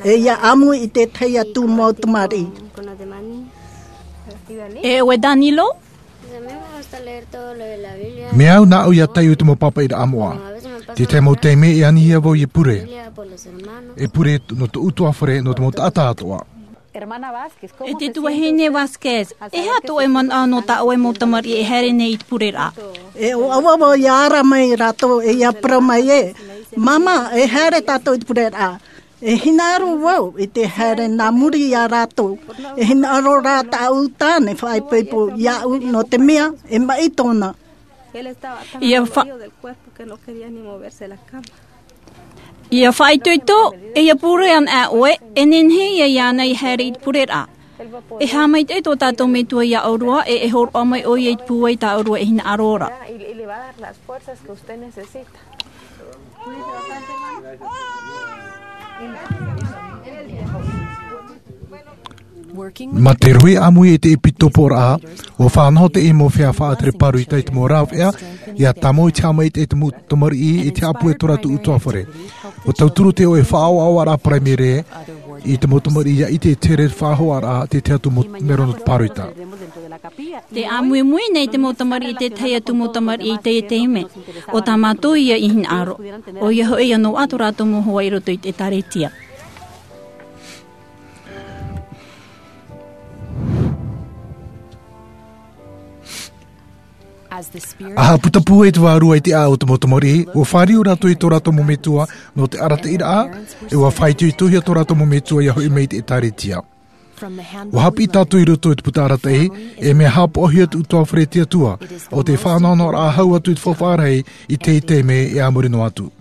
e ʻia ʻāmui i te tahi atu mau tamariʻi. E ʻoe Danilo? Mea au nāʻu ʻia taiʻo i te mau pāpaʻiraʻa moʻa. Te tahi mau taime e anihia vau ʻia pure. E pure nō tō ʻutuāfare, nō te mau taʻata atoʻa. E te tuahine Vasquez, e aha tō ʻoe manaʻo nō tā ʻoe mau tamariʻi e haere nei i te pureraʻa? E ʻoaʻoa vau ʻia ara mai rātou e ʻia parau mai ē, māmā, e haere tātou i te pureraʻa. E hinaʻaro vau i te haere nā muri iā rātou. E hinaʻaro rā tāʻu tāne faʻaipoipo iāʻu nō te mea e maʻi tōna. ʻIa fa-, ʻia faʻaitoito, e ʻia pure ana ʻoe, e nehenehe ia iāna i haere i te pureraʻa. E haʻamaitaʻi tō tātou metua iā ʻōrua, e, e hōroʻa mai ʻoia i te pūai tā ʻōrua e hinaʻaro ra. Mā te rohe ʻāmui i te ʻepitoporaʻa, ʻua faʻanaho te mau feiā faʻatere pāroita i te mau rāveʻa, ʻia tāmau i te haʻamaitaʻi i te mau tamariʻi, i te haʻapūai i tō rātou ʻutuāfare. ʻUa tauturu te ʻoe faʻaʻoaʻoaraʻa paraimere i te mau tamariʻi ʻia ʻite i te here faʻahoʻaraʻa, te tahi atu mau mero nō te pāroita. Tē ʻāmuimui nei te mau tamariʻi i te tahi atu mau tamariʻi i teie taime. ʻO tā mātou ia i hinaʻaro. ʻOia hoʻi ʻia noaʻa tō rātou mau hoa i roto i te ʻĒtārētia. ʻA haʻaputapū ai te Vārua i te ʻāʻau o te mau tamariʻi, ʻua fāriu rātou i tō rātou mau metua nō te arataʻiraʻa, e ʻua faʻaitoitohia tō rātou mau metua ʻia hoʻi mai i te ʻĒtārētia. ʻUa haʻapiʻi tātou i roto i te puta arataʻi, e mea haʻapaʻohia te ʻutuāfare a te Atua, ʻo te faʻanahonahoraʻa hau atu i te faufaʻa rahi i teie taime e a muri noa atu.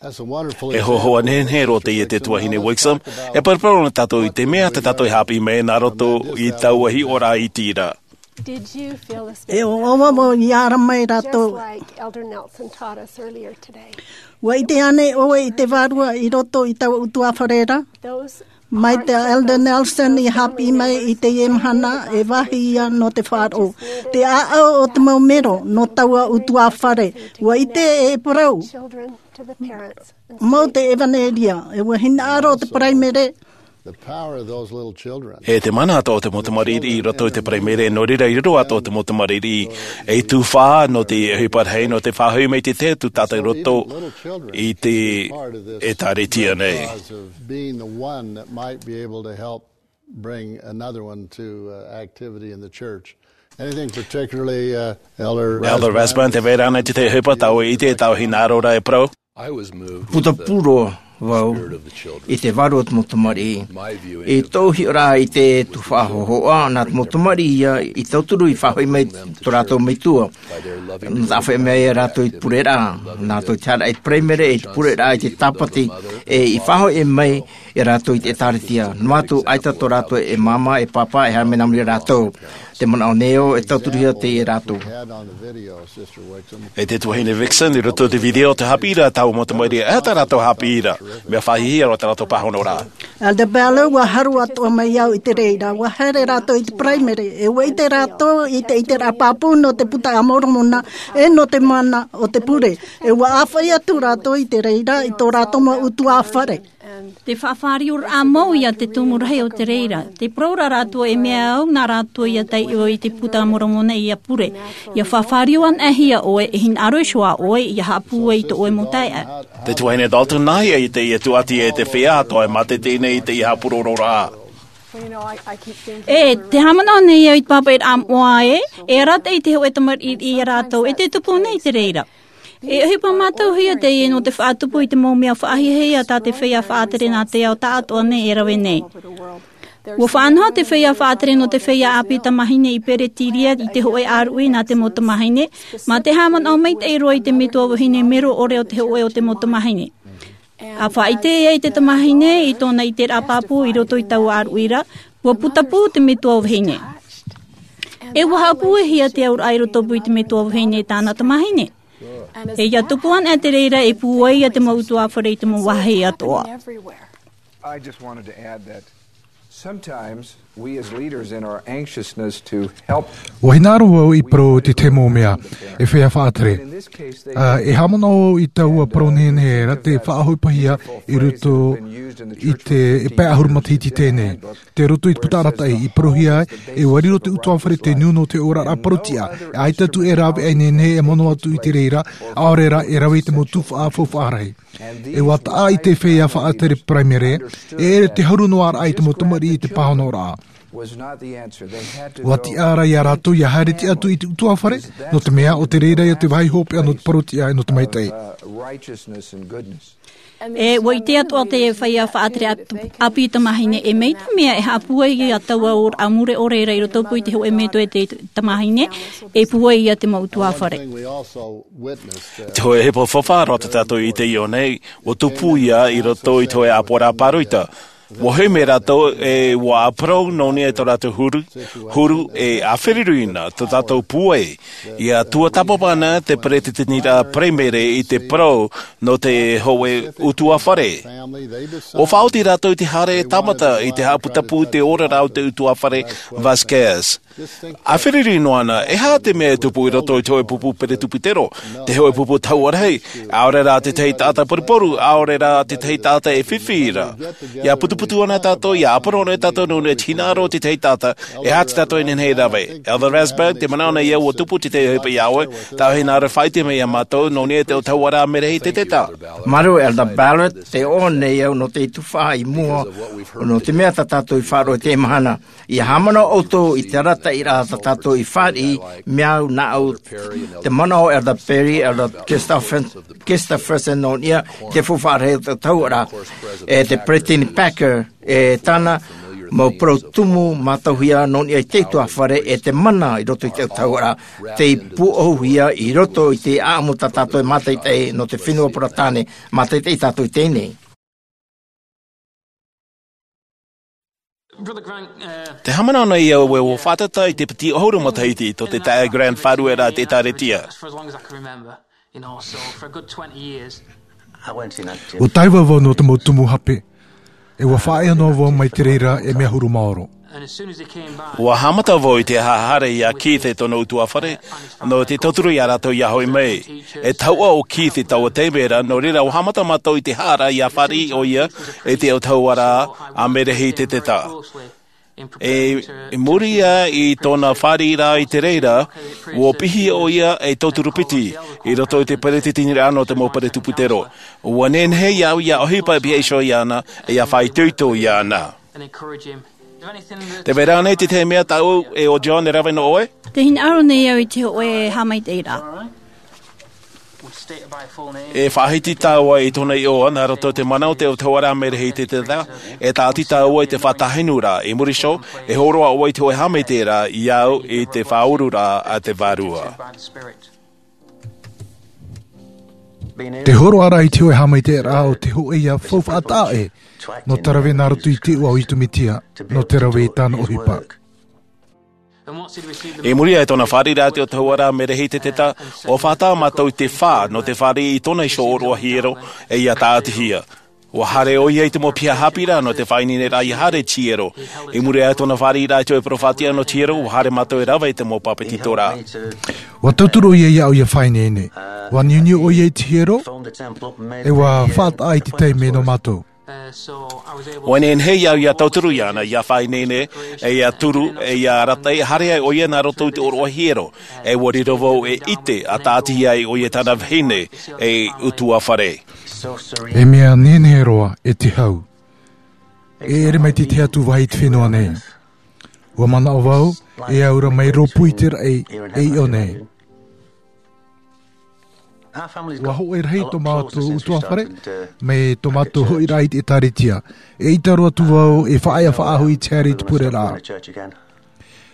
E hōhoʻa nehenehe roa teie e te tuahine Wixom, e paraparau na tātou i te mea tā tātou e haʻapiʻi mai nā roto i taua hiʻoraʻa iti ra. E ʻoaʻoa vau ʻia ara mai rātou. ʻUa ʻite ānei ʻoe i te Vārua i roto i taua ʻutuāfare ra? Mai tā Elder Nelson i haʻapiʻi mai i teie mahana, e vāhi ia nō te faʻaroʻo. Te ʻāʻau o te mau mero nō taua ʻutuāfare. ʻUa ʻite e parau mau te ʻevanelia, e ʻua hinaʻaro te paraimere. E te mana atoʻa o te mau tamariʻi i roto i te paraimere, nō reira i riro atoʻa te mau tamariʻi ei tuhaʻa nō te ʻohipa rahi, nō te faʻahoʻi mai i te tahi atu taʻata i roto i te ʻĒtārētia nei. Bring another one to, uh, activity in the church. Anything particularly, uh, Elder Elder Rasband, tē vai ra ānei te tahi ʻohipa tā ʻoe i ʻite, tā ʻoe hinaʻaro ra e parau? Putapū roa, Vau i te vārua o te mau tamariʻi. I tōʻu hiʻoraʻa i te tuhaʻa hōhoʻa, nā te mau tamariʻi ia i tauturu i faʻahoʻi mai tō rātou metua. Nō te faʻahoʻi mai ia rātou i te pureraʻa, nā rātou i te haere i te paraimere, i te pureraʻa, i te tāpati, e i faʻahoʻi mai ia rātou i te ʻēkālesia. Noa atu ʻaita tō rātou e māmā, e pāpā, e haere mai nā muri ia rātou. Te manaʻo nei au e tauturuhia teie rātou. E te tuahine Vixen, i roto i te video, te haʻapiʻiraʻa taua mau tamariʻi, e aha tā rātou haʻapiʻiraʻa, mea faʻahiahia roa tā rātou pāhonoraʻa. Elder Ballard, ʻua haru atoʻa mai au i te reira, ʻua haere rātou i te paraimere, e ʻua ʻite rātou i te, i te ʻiteraʻa pāpū nō te Buka a Moromona, e nō te mana o te pure, e ʻua ʻāfaʻi atu rātou i te reira, i tō rātou mau ʻutuāfare. Te faʻafārioraʻa mau ia te tumu rahi o te reira. Te parau ra rātou e mea au, nā rātou ia taiʻo i te Buka a Moromona ia pure. ʻIa faʻafārio anaʻe hia ʻoe, e hinaʻaro iho ā ʻoe, ʻia haʻapūai i tō ʻoe mau taeaʻe. Te tuahine Dalton, nā hea i teie tuʻati e te feiā atoʻa e mātete nei i teie haʻapurororaʻa? E, te haʻamanaʻo nei au i te pāpaʻiraʻa moʻa ē, e arataʻi te hōʻē tamariʻi ia rātou, e te tupu nei te reira. E ʻohipa mātauhia teie nō te faʻatupu i te mau mea faʻahiahia tā te feiā faʻatere nā te ao taʻatoʻa nei e rave nei. ʻUa faʻanaho te feiā faʻatere nō te feiā ʻāpī tamāhine i Peretiria i te hōʻē ʻāruʻi nā te mau tamāhine, mā te haʻamanaʻo maitaʻi roa i te metua vahine mero ʻore o te hōʻē o te mau tamāhine. ʻA faʻaʻite ai te tamāhine i tōna ʻiteraʻa pāpū i roto i taua ʻāruʻi ra, ʻua putapū te metua vahine. E ʻua haʻapūaihia te auraʻa i rotopū i te metua vahine e tāna tamāhine. E ʻia tupu anaʻe te reira e pūai ia te mau ʻutuāfare i te mau vāhi atoʻa. I just wanted to add that sometimes we as leaders in our anxiousness to help. ʻUa hinaʻaro au i parau i te tahi mau mea, e feiā faʻatere. Ā, e haʻamanaʻo au i taua parau nehenehe ra te faʻaʻohipahia i roto i te, e pae ʻahuru matahiti teie nei. Tei roto i te puta arataʻi i parauhia ai, e ʻua riro te ʻutuāfare tei niu nō te oraraʻa parau-tiʻa, e ʻaita atu e rāveʻa ineine e mono atu i te reira, ʻaore rā e rave i te mau tuhaʻa faufaʻa rahi. E ʻua taʻa i te feiā faʻatere paraimere, e ʻere te haru noa raʻa i te mau tamariʻi i te pāhonoraʻa. ʻUa tiʻa ra ia rātou ʻia haere tiʻa atu i te ʻutuāfare, nō te mea ʻo te reira ia te vāhi hopeʻa nō te parau-tiʻa e nō te maitaʻi. E ʻua ʻite atoʻa te feiā faʻatere ʻāpī tamāhine e mai te mea e haʻapūai ia taua ora a mure ʻore ra i rotopū i te hōʻē metua e te tamāhine, e pūai ia te mau ʻutuāfare. Te hōʻē ʻohipa faufaʻa roa tā tātou i ʻite i ʻō nei, ʻua tupu ia i roto i te hōʻē ʻāpoʻoraʻa pāroita. ʻUa hoʻi mai rātou e ʻua ʻāparau nō niʻa i tō rātou huru, huru e ʻāferirina tō tātou pūai, ʻia tuatāpapa ana te peretiteniraʻa paraimere i te parau nō te hōʻē ʻutuāfare. ʻUa faʻaoti rātou i te haere e tāmata i te haʻaputapū i te oraraʻa o te ʻutuāfare Vasquez. ʻĀferiri noa ana, e aha te mea e tupu i roto i te hōʻē pupu peretupitero, te hōʻē pupu tahuʻa rahi, ʻaore rā te tahi taʻata poruporu, ʻaore rā te tahi taʻata e fifi ra. ʻIa putuputu ana tātou, ʻia ʻāparau ana tātou nō niʻa i te hinaʻaro o te tahi taʻata, e aha tā tātou e nehenehe e rave. Elder Rasberg, tē manaʻo nei au ʻua tupu te tahi ʻohipa iā ʻoe, tāʻu e hinaʻaro e faʻaʻite mai iā mātou, nō niʻa i te tahuʻaraʻa merahi i te teta. Māuruuru Elder Ballard, tē ʻō nei au nō te tuhaʻa i mua, nō te mea tā tātou i faʻaroʻo i teie mahana. ʻIa haʻamanaʻo ʻoutou i te arataʻiraʻa tā tātou i fāriʻi, mea au nāʻu, te manaʻo Elder Perry, Elder Christopher-, Christopherson nō niʻa, te faufaʻa rahi o te tahuʻaraʻa, e te Peresideni Packer, e tāna mau parau tumu mātauhia nō niʻa i te ʻutuāfare, e te mana i roto i te tahuʻaraʻa, tei pūʻohuhia i roto i te ʻāʻamu tā tātou e mātaʻitaʻi nō te fenua Peretāne, mātaʻitaʻi tātou i teie nei. Te haʻamanaʻo nei au e ʻua faʻatata i te piti ʻahuru matahiti tō te taeaʻe Grant e faʻarueraʻa i te ʻĒtārētia. ʻUa taiva vau nō te mau tumu hape. E ʻua faʻaea noa vau mai te reira e mea huru maoro. ʻUa haʻamata vau i te haʻahaere iā Keith e tōna ʻutuāfare, nō te tauturu iā rātou ʻia hoʻi mai. E tahuʻa ʻo Keith i taua taime ra, nō reira ʻua haʻamata mātou i te haʻara ʻia fāriʻi ʻoia i te autahuʻaraʻa merahi i te teta. E, i muri aʻe i tōna fāriʻiraʻa i te reira, ʻua piʻi ʻoia ei tauturu piti i roto i te peretiteniraʻa nō te mau peretupitero. ʻUa nehenehe iāʻu ʻia ʻohipa e pihaʻi iho iāna, e ʻia faʻaitoito iāna. Tē vai ra ānei te tahi mea tāʻu e ʻo John e rave nō ʻoe? Tē hinaʻaro nei au i te hōʻē haʻamaitaʻiraʻa. E faʻahiti tāua i tōna iʻoa nā roto i te mana o te autahuʻaraʻa Merehiteti, e tāʻati tāua i te faʻatahinuraʻa. I muri iho, e hōroʻa ʻoe i te hōʻē haʻamaitaʻiraʻa i au i te faʻaururaʻa a te Vārua. Te hōroʻaraʻa i te hōʻē haʻamaitaʻiraʻa o te hōʻē ia faufaʻa taʻaʻe nō te rave nā roto i te iʻoa o Iesu Mesia, nō te rave i tāna ʻohipa. I muri aʻe i tōna fāriʻiraʻa i te autahuʻaraʻa Merehiteti, ʻua faʻataʻa mātou i te fā nō te fāriʻi i tōna iho ʻōroʻa hiero, e ʻia tāʻatihia. ʻUa haere ʻoia i te mau piha haʻapiʻiraʻa nō te faʻaineineraʻa ʻia haere i te hiero. I muri aʻe i tōna fāriʻiraʻa i te hōʻē peropheta nō te hiero, ʻua haere mātou e rave i te mau pāpetitoraʻa. ʻUa tauturu ʻoia iāʻu ʻia faʻaineine. ʻUa niuniu ʻoia i te hiero, e ʻua faʻataʻa i te taime nō mātou. ʻUa nehenehe iāʻu ʻia tauturu iāna, ʻia faʻaineine, e ʻia turu, e ʻia arataʻi, haere ai ʻoia nā roto i te ʻōroʻa hiero. E ʻua riro vau e ʻite, ʻa tāʻatihia ai ʻoia i tāna vahine, ei ʻutuāfare. E mea nehenehe roa, e te hau. E ʻere maitaʻi atu vau i te fenua nei. ʻUa manaʻo vau, e aura mai rōpū i te raʻi, e ʻiʻo nei. ʻUa hōʻē rahi tō mātou ʻutuāfare, mai tō mātou hoʻiraʻa i te ʻĒtārētia. E ʻita roa atu vau, e faʻaea faʻahou i te haere i te pureraʻa.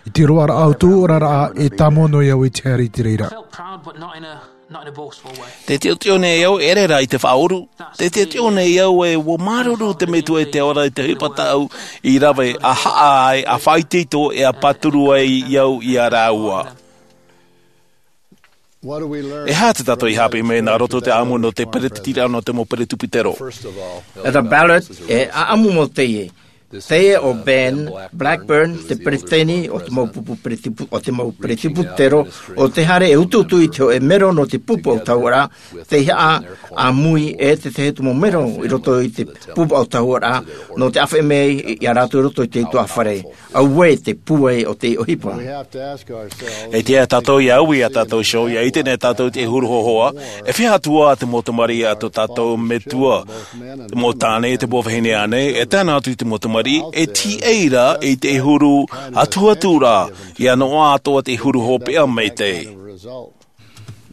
I te roaraʻa o tōʻu oraraʻa, e tāmau noa iāʻu i te haere i te reira. Tē teʻoteʻo nei au, e ʻere rā i te faʻaʻuru. Tē teʻoteʻo nei au ē, ʻua māuruuru te Metua i te ora i te ʻohipa tāʻu i rave, ʻa haʻa ai, ʻa faʻaitoito, e ʻa pāturu ai au ia rāua. E aha tā tātou i haʻapiʻi mai nā roto i te ʻāʻamu nō te peretitiraʻa nō te mau peretuputero? Elder Ballard, e ʻāʻamu mau teie. Teie ʻo Ben Blackburn, te peretiteni o te mau pupu peretipu-, o te mau peretuputero, ʻo tē haere e utuutu i te hōʻē mero nō te pupu autahuʻaraʻa, tei haʻa ʻāmui e te tahi atu mau mero i roto i te pupu autahuʻaraʻa, nō te ʻāfaʻi mai ia rātou i roto i te ʻutuāfare. Auē te pūai o te ʻohipa. E tiʻa tātou ʻia ui iā tātou iho, ʻia ʻite nei tātou i te huru hōhoʻa, e fiha atu ā te mau tamariʻi a tō tātou metua, te mau tāne, te mau vahine ānei, e tae noa atu i te mau tamariʻi, e tiʻa ra i te huru atuaturaʻa, ʻia noaʻa atoʻa te huru hopeʻa maitaʻi.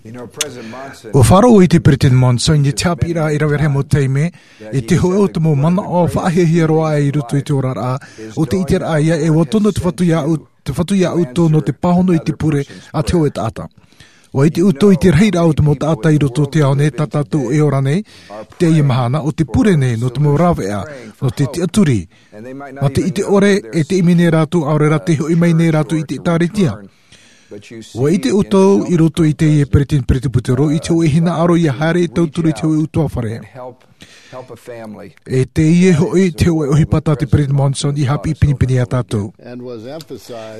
ʻUa faʻaroʻo i te Peretiteni Monson i te haʻapiʻiraʻa i rave rahi mau taime, i te hōʻē o te mau manaʻo faʻahiahia roa i roto i te oraraʻa, ʻo te ʻiteraʻa ïa ē ʻua tono te Fatu iāʻu, te Fatu iā ʻoutou nō te pāhono i te pure a te hōʻē taʻata. ʻUa ʻite ʻoutou i te rahiraʻa o te mau taʻata i roto o te ao nei tā tātou e ora nei, i teie mahana, ʻo te pure nei nō te mau rāveʻa, nō te tiʻaturi, mā te ʻite ʻore, e te ʻimi nei rātou, ʻaore rā tē hoʻi mai nei rātou i te ʻĒtārētia. ʻUa ʻite ʻoutou i roto i teie peretiteni peretuputero, i te hōʻē hinaʻaro ʻia haere e tauturu i te hōʻē ʻutuāfare. E teie hoʻi te hōʻē ʻohipa tā te Peretiteni Monson i haʻapiʻi pinepine iā tātou.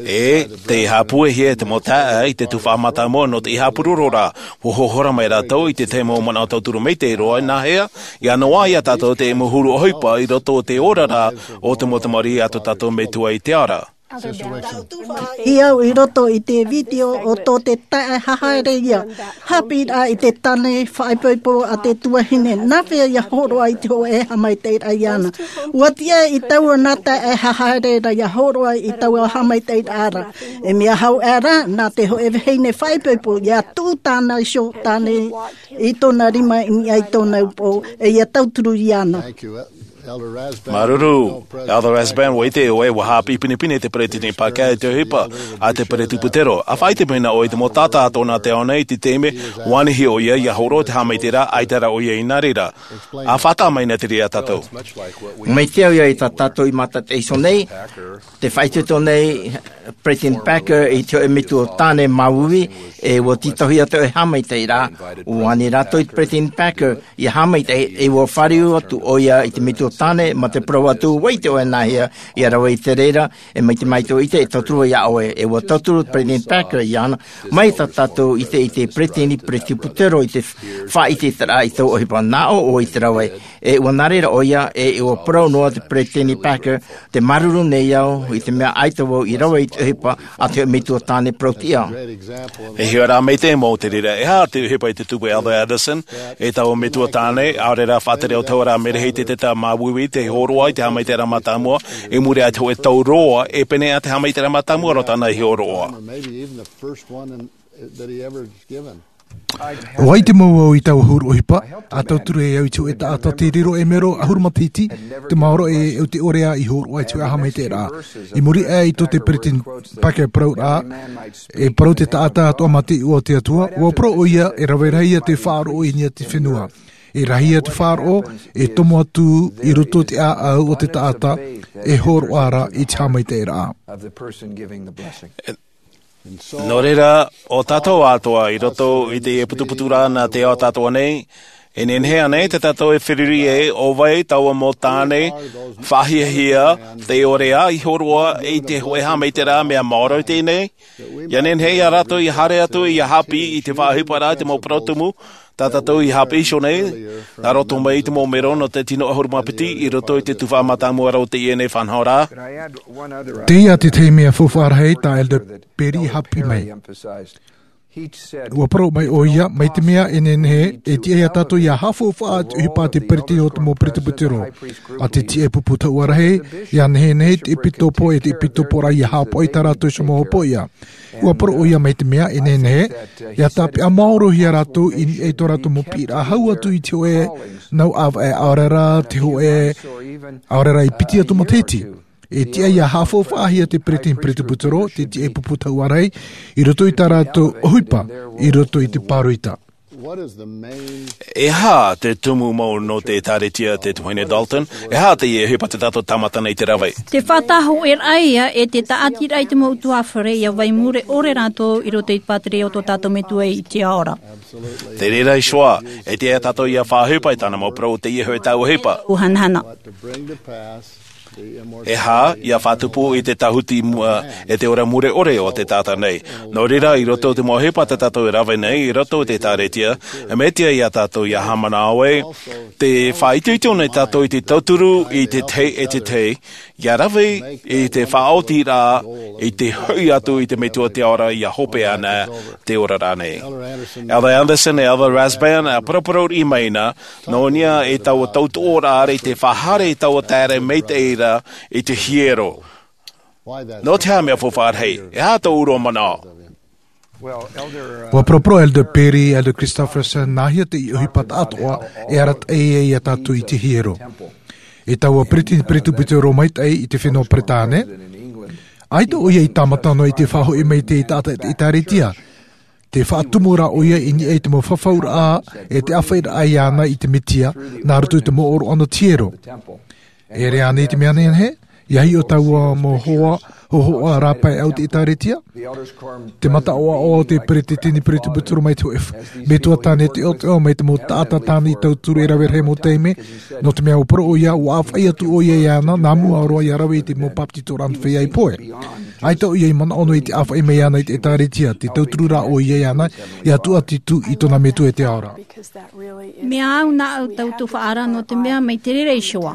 E tē haʻapūaihia e te mau taeaʻe i te tuhaʻa mātāmua nō te haʻapurororaʻa, ʻua hohora mai rātou i te tahi mau manaʻo tauturu maitaʻi roa, nāhea, ʻia noaʻa iā tātou te mau huru ʻohipa i roto o te oraraʻa o te mau tamariʻi a tō tātou Metua i te ao ra. I au i roto i te vitiō o tō te taeaʻe hahaere ïa. Haʻapiʻiraʻa i te tāne faʻaipoipo a te tuahine. Nāhea ïa hōroʻa i te hōʻē haʻamaitaʻiraʻa iāna? ʻUa tiʻa i taua nā taeaʻe hahaere ra ïa hōroʻa i taua haʻamaitaʻiraʻa ra. E mea hau aʻe rā, nā te hōʻē vahine faʻaipoipo ʻia tuʻu tāna iho tāne i tōna rima i niʻa i tōna upoʻo, e ʻia tauturu iāna. Māuruuru, Elder Rasband, ʻua ʻite ʻoe, ʻua haʻapiʻi pinepine te Peretiteni Parker i te ʻohipa a te peretuputero. ʻA faʻaʻite mai na ʻoe i te mau taʻata a tōna te ao nei i te taime, ʻua anihia ʻoia ʻia hōroʻa te haʻamaitaʻiraʻa, ʻaita rā ʻoia i nā reira. ʻA faʻataʻa mai na te reira iā tātou. Mai te au ïa i tā tātou i mātaʻitaʻi iho nei, tē faʻaitoito nei Peretiteni Parker i te hōʻē metua tāne māuiui, e ʻua tītauhia te hōʻē haʻamaitaʻiraʻa, ʻua ani rātou i te Peretiteni Parker ʻia haʻamaitaʻi, e ʻua fāriu atu ʻoia i te metua tāne, mā te parau atu, ʻua ʻite ʻoe nāhea ʻia rave i te reira, e mai te maitaʻi ʻite e tauturu iā ʻoe, e ʻua tauturu Peretiteni Parker iāna, mai tā tātou i te, i te peretiteni peretuputero i te faʻaʻite i te rā i taua ʻohipa, nā ʻō ʻoe i te rave, e ʻua nā reira ʻoia, e ʻua parau noa te Peretiteni Parker, tē māuruuru nei au, i te mea ʻaita vau i rave i te ʻohipa a te metua tāne parau-tiʻa. E hiʻo rā mai te mau te reira, e aha te ʻohipa i te tupu Elder Anderson, e taua metua tāne, ʻaore rā faʻatere autahuʻaraʻa Merehiteti māuiui, tē hōroʻa i te haʻamaitaʻiraʻa mātāmua, i muri aʻe i te hōʻē tau roa, e pēneiaʻe te haʻamaitaʻiraʻa mātāmua roa tāna i hōroʻa. ʻUa ʻite mau au i taua huru ʻohipa, ʻa tauturu e au i te hōʻē taʻata tei riro e mero ʻahuru matahiti, te maoro e au te ʻorea i hōroʻa i te hōʻē haʻamaitaʻiraʻa. I muri aʻe i tō te peretiteni Packer parauraʻa, e parau te taʻata atoʻa mā te iʻoa o te Atua, ʻua parau ʻoia e rave rahi ia te faʻaroʻo i niʻa i te fenua. E rahi ia te faʻaroʻo, e tomo atu i roto i te ʻāʻau o te taʻata e hōroʻa ra i te haʻamaitaʻiraʻa. Nō reira, ʻo tātou atoʻa i roto i te putuputuraʻa nā te ao tātou nei, e nehenehe ānei tā tātou e feruri ai, ʻo vai taua mau tāne faʻahiahia tei ʻorea i hōroʻa i te hōʻē haʻamaitaʻiraʻa mea maoro i teie nei? ʻIa nehenehe ia rātou ʻia haere atu ʻia haʻapiʻi i te faʻaʻohiparaʻa i te mau parau tumu tā tātou i haʻapiʻi iho nei, nā roto mai i te mau mero nō te tino ʻahuru mā piti i roto i te tuhaʻa mātāmua ra o teie nei faʻanahoraʻa. Teie te tahi mea faufaʻa rahi tā Elder Perry i haʻapiʻi mai. ʻUa parau mai ʻoia, mai te mea e nehenehe, e tiʻa ia tātou ʻia haʻafaufaʻa i te ʻohipa a te peretiteni o te mau peretiteni. ʻA te tiʻa e pupu taua rahi, ʻia nehenehe te ʻepitopo e te ʻepitopo ra ʻia haʻapaʻo i tā rātou iho mau hopoiʻa. ʻUa parau ʻoia mai te mea e nehenehe, ʻia tāpeʻa maorohia rātou i niʻa i tō rātou mau piʻiraʻa hau atu i te hōʻē nau ʻāvaʻe ʻaore ra, te hōʻē ʻaore ra i piti atu matahiti. E tiʻa ʻia haʻafaufaʻahia te peretiteni peretiteni, te tiʻa e pupu taua rahi, i roto i tā rātou ʻohipa, i roto i te pāroita. E aha te tumu mau nō te ʻĒtārētia, te tuahine Dalton? E aha teie ʻohipa tā tātou tāmata nei te rave? Te faʻatahoʻeraʻa ia e te tāʻatiraʻa i te mau ʻutuāfare ʻia vai mure ʻore rātou i roto i te pātireia o tō tātou Metua i te ao ra. Te reira iho ā, e tiʻa ia tātou ʻia faʻaʻohipa i tāna mau parau, teie hoʻi taua ʻohipa. ʻUa hanahana. E aha ʻia faʻatupu i te tāhuti mua e te ora mure ʻore o te taʻata nei. Nō reira, i roto i te mau ʻohipa tā tātou e rave nei, i roto i te ʻĒtārētia, e mea tiʻa ia tātou ʻia haʻamanaʻo ai, tē faʻaitoito nei tātou i te tauturu i te tahi e te tahi, ʻia rave i te faʻaotiraʻa, i te hoʻi atu i te Metua te ao ra ʻia hope ana te oraraʻa nei. Elder Andersen e Elder Rasband, ʻa paraparau riʻi mai na, nō niʻa i taua tautoʻoraʻa i te faʻahaere i taua taere maitaʻi ra i te hiero. Nō te aha mea faufaʻa rahi? E aha tō ʻoe manaʻo? ʻUa paraparau Elder Perry, Elder Christofferson, nāhea te ʻohipa tāʻatoʻa e arataʻi ai ia tātou i te hiero. E taua peretiteni peretiteni maitaʻi i te fenua Peretāne, ʻaita ʻoia i tāmata noa i te faʻahoʻi mai i te taʻata i te ʻĒtārētia. Te faʻatumu rā ʻoia i niʻa i te mau fafauraʻa e te ʻāfaʻiraʻa iāna i te Mesia, nā roto i te mau ʻōroʻa nō te hiero. E ʻere ānei te mea nehenehe, ʻia hiʻo taua mau hoa, hōhoʻa rāpae ʻau te ʻĒtārētia? Te mataʻoʻa o te peretiteni peretiteni mai te hōʻē f-, Metua tāne teʻoteʻo mai te mau taʻata tāne i tauturu e rave rahi mau taime, nō te mea ʻua parau ʻoia, ʻua ʻāfaʻi atu ʻoia iāna, nā mua roa ʻia rave i te mau bāpetizoraʻa nō te feiā i pohe. ʻAita ʻoia i manaʻo noa i te ʻāfaʻi mai iāna i te ʻĒtārētia, te tauturu rā ʻoia iāna, ʻia tuʻatito i tōna Metua i te ao ra. Mea au nā ʻu tautoʻoraʻa nō te mea mai te reira iho ā.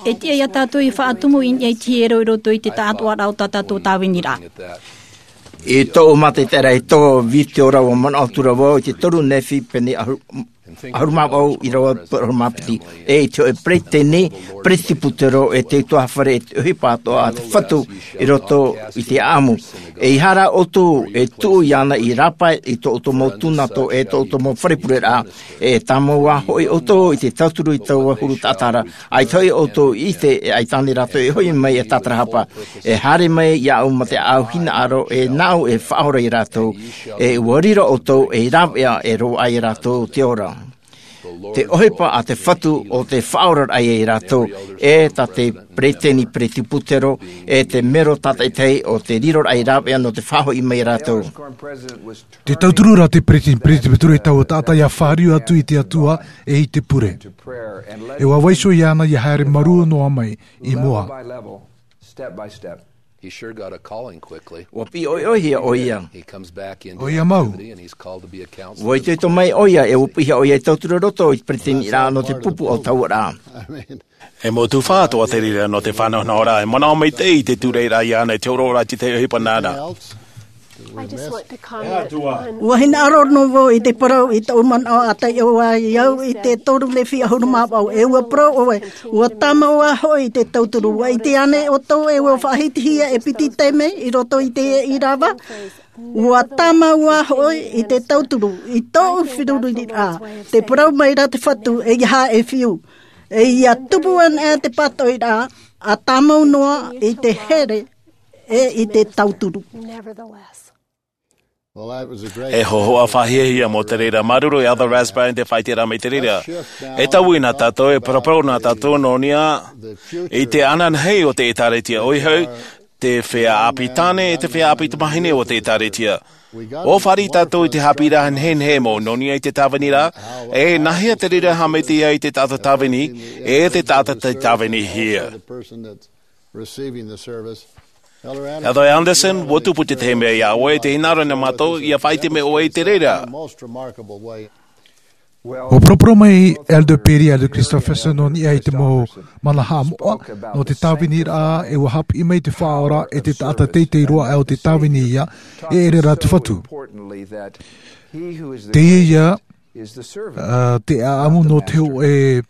E tiʻa ia tātou ʻia faʻatumu i niʻa i te hiero i roto i te tāʻatoʻaraʻa o tā tātou tāviniraʻa. I tōʻu mātaʻitaʻiraʻa i tō vitiora ʻua manaʻo atu ra vau i te toru Nephi pene ʻahuru, ʻahuru mā vaʻu ʻīrava piti ʻahuru mā piti. E i te hōʻē peretiteni, peretiteni, e te ʻutuāfare, e te ʻohipa atoʻa a te Fatu i roto i te ʻāʻamu. E ʻeiaha rā ʻoutou e tuʻu iāna i rāpae i tō ʻoutou mau tūnato e tō ʻoutou mau fare pureraʻa, e tāmau ā hoʻi ʻoutou i te tauturu i taua huru taʻata ra. ʻAita hoʻi ʻoutou i ʻite, e ʻaita ānei rātou e hoʻi mai e tātarahapa, e haere mai iāʻu mā te ʻāʻau hinaʻaro, e nāʻu e faʻaora ia rātou, e ʻua riro ʻoutou ei rāveʻa e roaʻa ia rātou te ora. Te ʻohipa a te Fatu ʻo te faʻaoraraʻa ia rātou, e tā te peretiteni peretiteni, e te mero tātaʻitahi o te riroraʻa ei rāveʻa nō te faʻahoʻi mai ia rātou. Te tauturu rā te peretiteni peretiteni i taua taʻata ʻia fāriu atu i te Atua e i te pure. E ʻua vaiiho iāna ʻia haere marū noa mai i mua. He sure got a calling quickly. ʻUa piʻi ʻoiʻoi hia ʻoia. He comes back into ʻOia mau. Activity and he's called to be a counselor. ʻUa itoito mai ʻoia, e ʻua piʻi hia ʻoia i tauturu i roto i te peretiteniraʻa nō te pupu o taua ra. E mau tuhaʻa atoʻa te reira nō te faʻanahonahoraʻa, e manaʻo maitaʻi i te tūraʻiraʻa iāna i te hōroʻaraʻa i te tahi ʻohipa nāna. I just want to comment on ʻUa hinaʻaro noa vau i te parau i tōʻu manaʻo a taiʻo ai au i te toru Nephi ʻahuru mā vaʻu, e ʻua parau ʻoe, ʻua tāmau ā hoʻi te tauturu, ʻua ʻite ānei ʻoutou e ʻua faʻahitihia e piti taime i roto i te ʻīrava? Ua tāmau ā hoʻi i te tauturu i tōʻu feruriraʻa, tē parau mai ra te Fatu, ʻeiaha e fiu. ʻE ʻia tupu anaʻe te pātoʻiraʻa, ʻa tāmau noa i te here ʻe i te tauturu. E hōhoʻa faʻahiahia mau te reira. Māuruuru Elder Rasband i te faʻaʻiteraʻa mai te reira. E taui na tātou, e parapara na tātou nō niʻa i te ananahi o te ʻĒtārētia, ʻoia hoʻi te feiā ʻāpī tāne ʻe te feiā ʻāpī tamāhine o te ʻĒtārētia. ʻUa fāriʻi tātou i te haʻapiʻiraʻa nehenehe mau nō niʻa i te tāviniraʻa, ʻe nāhea te reira e haʻamaitaʻi ai te taʻata tāvini ʻe te taʻata tei tāvinihia. Elder Anderson, ʻua tupu te tahi mea iā ʻoe, tē hinaʻaro na mātou ʻia faʻaʻite mai ʻoe i te reira. ʻUa parapara mai Elder Perry, Elder Christofferson nō niʻa i te mau mana haʻamoʻa nō te tāviniraʻa, ʻe ʻua haʻapiʻi mai te Faʻaora ʻe te taʻata teitei roa o te tāvini ia, e ʻere rā te Fatu. Teie ia, ā, te ʻāʻamu nō te hōʻē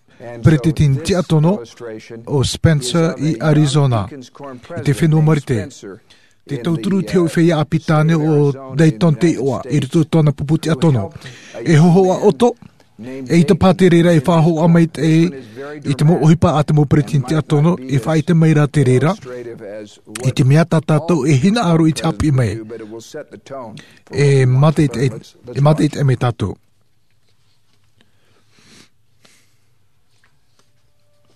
peretiteni tiʻatono, ʻo Spencer i Arizona, i te fenua Marite. Te tauturu i te hōʻē feiā ʻāpī tāne o Dayton te iʻoa, i roto i tōna pupu tiʻatono. E hōhoʻa ʻoto, eʻita paha te reira e faʻahōhoʻa maitaʻi i te mau ʻohipa a te mau peretiteni tiʻatono, e faʻaʻite mai ra te reira i te mea tā tātou e hinaʻaro i te haʻapiʻi mai. E mātaʻitaʻi, e mātaʻitaʻi mai tātou.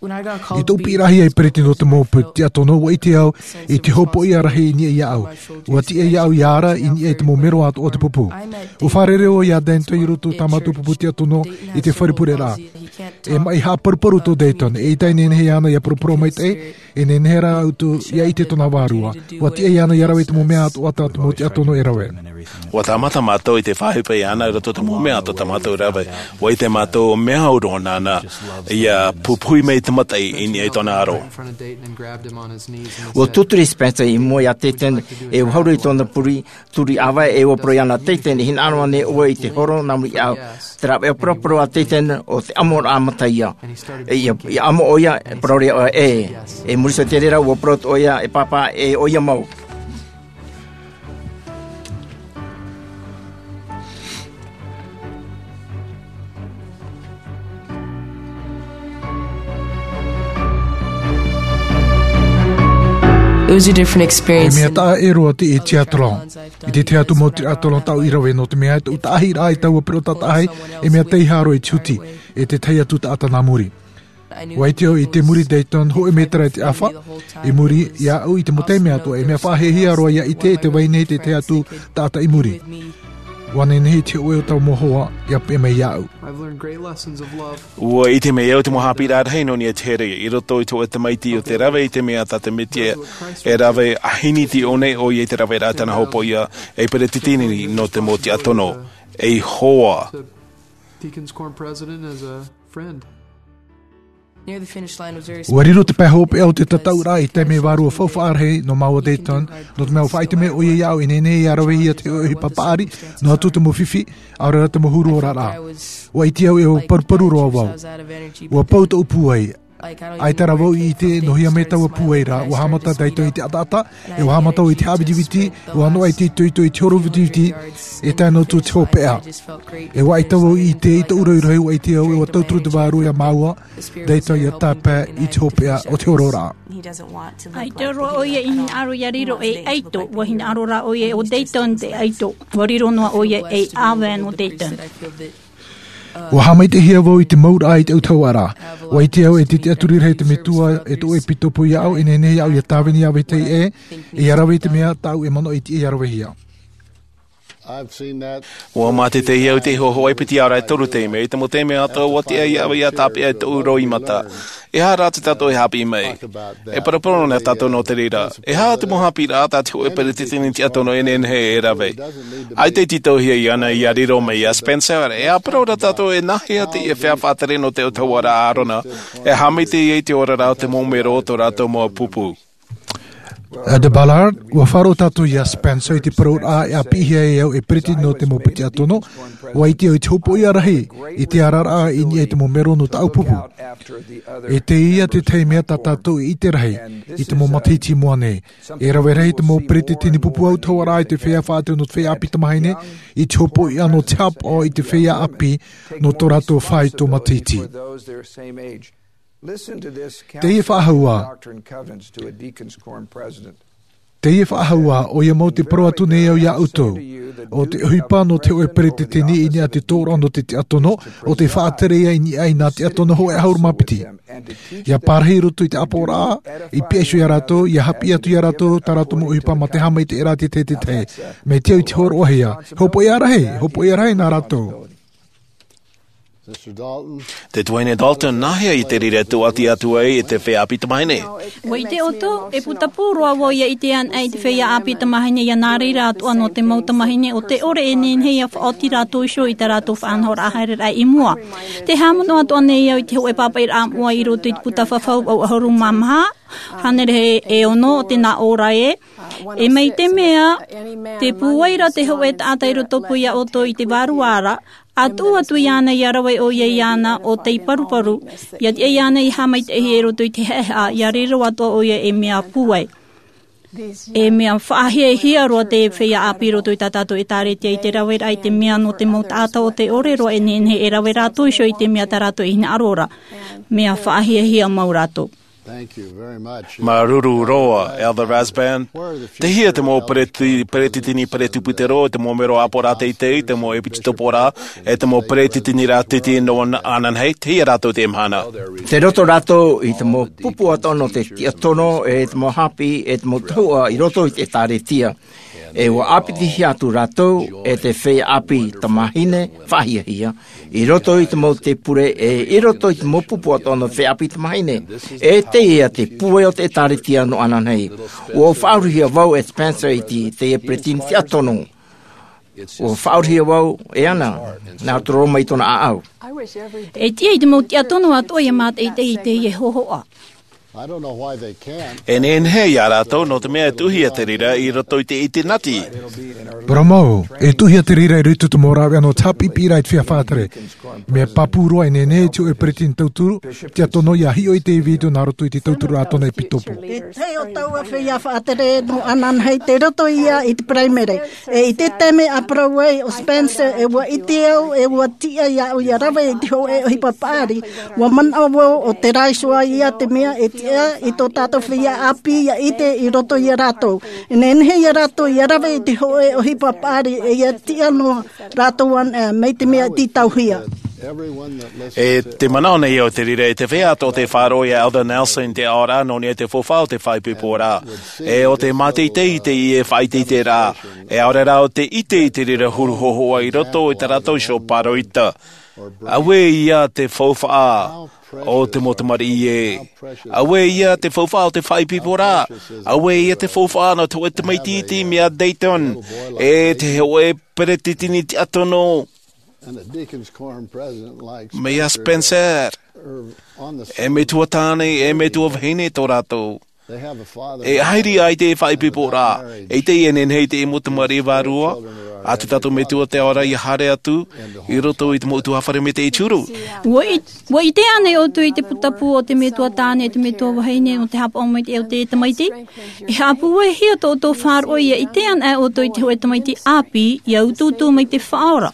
I tōʻu piʻirahia e peretiteni o te mau pupu tiʻatono, ʻua ʻite au i te hopoiʻa rahi i niʻa iāʻu. ʻUa tiʻa iāʻu ʻia ara i niʻa i te mau mero atoʻa o te pupu. ʻUa fārerei au iā Dayton i roto i tā mātou pupu tiʻatono i te fare pureraʻa. E maʻi haʻaparuparu tō Dayton, eʻita e nehenehe iāna ʻia parapara maitaʻi, e nehenehe rā ʻoutou ʻia ʻite tōna vārua. ʻUa tiʻa iāna ʻia rave i te mau mea atoʻa tā te mau tiʻatono e rave. ʻUa tāmata mātou i te faʻaʻohipa iāna i roto i te mau mea atoʻa tā mātou e rave. ʻUa ʻite mātou mea au roa nāna ʻia pupuhi mai te mataʻi i niʻa i tōna aro. ʻUa tūturi Spencer i mua iā Dayton, e ʻua haere i tōna puri, turi ʻāvae, e ʻua parau iāna, Dayton, e hinaʻaro ānei ʻoe i te horo nā muri iāʻu? Te rāveʻa parapara a Dayton, ʻo te ʻamoraʻa mata ia. E ʻia, ʻia ʻamo ʻoia, e parau ra ʻoia, ʻē. E muri iho i te reira, ʻua parau atoʻa ʻoia, e pāpā, ʻē ʻoia mau. It was a different E experience mea than taʻa ʻē roa te tiʻathlon. I te tahi atu mau tiʻathlon tāʻu i rave, nō te mea e tōʻu taʻahiraʻa i taua perota taʻahi, e mea teiaha roa i te huti, e te tahi atu taʻata nā muri. ʻUa ʻite au i te muri Dayton, hōʻē mētera i te ʻāfa, i muri iāʻu i te mau taime atoʻa, e mea faʻahiahia roa ʻia ʻite e te vai nei te tahi atu taʻata i muri. ʻUa nehenehe i te hōʻē o taua mau hoa ʻia peʻe mai iāʻu. I've learned great lessons of love. ʻUa ʻite mai au te mau haʻapiʻiraʻa rahi nō niʻa i te here, i roto i te hōʻē tamaiti o te rave i te mea tā te Mesia e rave, ʻa hini i te ʻō nei ʻoia i te raveraʻa i tāna hopoiʻa, ei peretiteni nō te mau tiʻatono, ei hoa. Deacon's Quorum president as a friend. Near the finish line was very ʻUa riro te pae hopeʻa o te tataʻuraʻa i te taime vārua faufaʻa rahi nō māua Dayton, nō te mea ʻua faʻaʻite mai ʻoia iāʻu e nehenehe ʻia ravehia te hōʻē ʻohipa paʻari, noa atu te mau fifi, ʻaore rā te mau huru oraraʻa. ʻUa ʻite au e ʻua paruparu roa vau. ʻUa pau tōʻu pūai. ʻAita rā vau i ʻite, nō hea mai taua pūai ra, ʻua haʻamata Dayton i te ʻataʻata, e ʻua haʻamata vau i te haʻavitiviti, ʻua noaʻa i te itoito i te horo vitiviti, e tae noa atu te hopeʻa. E ʻua ʻaita vau i ʻite i tōʻu rohirohi, ʻua ʻite au e ʻua tauturu te Vārua iā māua, Dayton ʻia tāpae i te hopeʻa o te hororaʻa. ʻAita roa ʻoia i hinaʻaro ʻia riro ei ʻaito, ʻua hinaʻaro rā ʻoia ʻo Dayton te ʻaito, ʻua riro noa ʻoia ei ʻāvae nō Dayton. ʻUa haʻamaitaʻihia vau i te mauraʻa i te autahuʻaraʻa. ʻUa ʻite au e te tiʻaturi rahi te Metua e tōʻu ʻepikopo iāʻu, e nehenehe iāʻu ʻia tāvini ʻāvae teie, e ʻia rave i te mea tāʻu e manaʻo e tiʻa ʻia ravehia. I've seen that. ʻUa mātaʻitaʻihia au i te hōhoʻa e piti ʻaore rā e toru taime, i te mau taime atoʻa ʻua tiʻa iāʻu ʻia tāpeʻa i tōʻu roimata. E aha rā tā tātou e haʻapiʻi mai? E parapara na tātou nō te reira. E aha te mau haʻapiʻiraʻa tā te hōʻē peretiteni tiʻatono e nehenehe e rave? ʻAita e tītauhia iāna ʻia riro mai iā Spencer, e ʻa parau ra tātou e nāhea teie feiā faʻatere nō te autahuʻaraʻa a Ārona, e haʻamaitaʻi ai i te oraraʻa o te mau mero o tō rātou mau pupu. Elder Ballard, ua faʻaroʻo tātou iā Spencer i te parauraʻa e ʻāpīhia e au e peretiteni nō te mau tiʻa tono, ua ʻite au i te hopoiʻa rahi i te araraʻa i niʻa i te mau mero nō tāʻu pupu. E teie te tahi mea tā tātou e ʻite rahi i te mau matahiti i mua nei. E rave rahi te mau peretiteni pupu ʻautahuʻaraʻa i te feiā faʻatere nō te feiā ʻāpī tamāhine, i te hopoiʻa nō te haʻapaʻo i te feiā ʻāpī nō tō rātou faito matahiti. Teie faʻahou ā. Teie faʻahou ā, ʻoia mau tē parau atu nei au iā ʻoutou. ʻO te ʻohipa nō te hōʻē peretiteni i niʻa i te tōroʻa nō te tiʻa tono, ʻo tē faʻatere ia i niʻa i nā tiʻa tono hōʻē ʻahuru mā piti. ʻIa pārahi i roto i te ʻāpoʻoraʻa, i pihaʻi iho iā rātou, ʻia haʻapiʻi atu iā rātou, tā rātou mau ʻohipa mā te haʻamaitaʻiraʻa i te tahi e tahi. Mai te au i te hōroʻahia, hopoiʻa rahi, hopoiʻa rahi nā rātou. Te tuahine Dalton, nāhea i te reira e tūʻati atu ai e te feiā ʻāpī tamāhine? ʻUa ʻite ʻoutou, e putapū roa vau ʻia ʻite anaʻe i te feiā ʻāpī tamāhine, ʻia nā reira atoʻa nō te mau tamāhine ʻo tē ʻore e nehenehe ʻia faʻaoti rātou iho i tā rātou faʻanahoraʻa haereraʻa i mua. Tē haʻamanaʻo atoʻa nei au i te hōʻē pāpaʻiraʻa moʻa i roto i te puta fafau vaʻu ʻahuru mā maha, hānere e ono o te nā ʻō ra ē. E mai te mea, tē pūai ra te hōʻē taʻata i rotopū iā ʻoutou i te vārua ra, ʻa tuʻu atu iāna ʻia rave ʻoia iāna ʻo tei paruparu, ʻia tiʻa iāna ʻia haʻamaitaʻihia i roto i te haʻehaʻa, ʻia riro atoʻa ʻoia e mea pūai. E mea faʻahiahia roa te feiā ʻāpī i roto i tā tātou ʻētāretia i te raveraʻa i te mea nō te mau taʻata ʻo tē ʻore roa e nehenehe e rave rātou iho i te mea tā rātou e hinaʻaro ra. Mea faʻahiahia mau rātou. Māuruuru roa, Elder Rasband. Tei hea te mau pereti-, peretiteni peretuputero, te mau mero ʻāpoʻoraʻa teitei, te mau ʻepitoporaʻa, e te mau peretiteniraʻa teitei nō ana-, ananahi, tei hea rātou i teie mahana? Tei roto rātou i te mau pupu atoʻa nō te tiʻa tono, e te mau haʻapiʻi, e te mau tahuʻa i roto i te ʻētāretia. E ʻua ʻāpitihia atu rātou e te feiā ʻāpī tamāhine faʻahiahia, i roto i te mau tēpure, e i roto i te mau pupu atoʻa nō te feiā ʻāpī tamāhine. E teie te pūai o te ʻētāretia nō ananahi. ʻUa faʻaʻorehia vau e Spencer i te, teie peretiteni tiʻa tono. ʻUa faʻaʻorehia vau e ana, nā roto roa mai tōna ʻāʻau. E tiʻa i te mau tiʻa tono atoʻa ʻia mātaʻitaʻi i teie hōhoʻa. E nehenehe ia rātou, nō te mea e tuʻuhia te reira i roto i te ʻitenati. Parau mau, e tuʻuhia te reira i roto i te mau rāveʻa nō te haʻapiʻipiʻiraʻa i te feiā faʻatere. Mea pāpū roa e nehenehe te hōʻē peretiteni tauturu, tiʻa tono ʻia hiʻo i te vītio nā roto i te tauturu a tōna ʻepitopo. E tahi o taua feiā faʻatere nō ananahi tei roto ia i te paraimere. E i te taime a parau ai ʻo Spencer, e ʻua ʻite au, e ʻua tiʻa iāʻu ʻia rave i te hōʻē ʻohipa paʻari, ʻua manaʻo vau ʻo terā iho ā ia te mea e tiʻa i tō tātou feiā ʻāpī ʻia ʻite i roto ia rātou. E nehenehe ia rātou ʻia rave i te hōʻē ʻohipa paʻari e ʻia tiʻa noa rātou ana, mai te mea tītauhia. E te manaʻo nei au te reira e te feiā atoʻa tē faʻaroʻo iā Elder Nelson i te aʻoraʻa nō niʻa i te faufaʻa o te faʻaipoiporaʻa. E ʻo tē mātaʻitaʻi i teie faʻaʻiteʻiteraʻa. E ʻaore rā ʻo tē ʻite i te reira huru hōhoʻa i roto i tā rātou iho pāroita. Auē ia te faufaʻa o te mau tamariʻi ē. Auē ia te faufaʻa o te faʻaipoiporaʻa. Auē ia te faufaʻa nō te hōʻē tamaiti iti mai iā Dayton. E te hōʻē peretiteni tiʻa tono. Mai iā Spencer. E metua tāne, e metua vahine tō rātou. E haere ai te faʻaipoiporaʻa, e ʻite e nehenehe i te mau tamariʻi vārua, ʻa te tātou Metua te ao ra ʻia haere atu, i roto i te mau ʻutuāfare maitaʻi i te huru. ʻUa ʻi-, ʻua ʻite ānei ʻoutou i te putapū o te metua tāne, te metua vahine, nō te haʻapaʻo maitaʻi o te tamaiti? E haʻapūaihia tō ʻoutou faʻaroʻo ʻia ʻite anaʻe ʻoutou i te hōʻē tamaiti ʻāpī, ʻia utuutu mai te Faʻaora.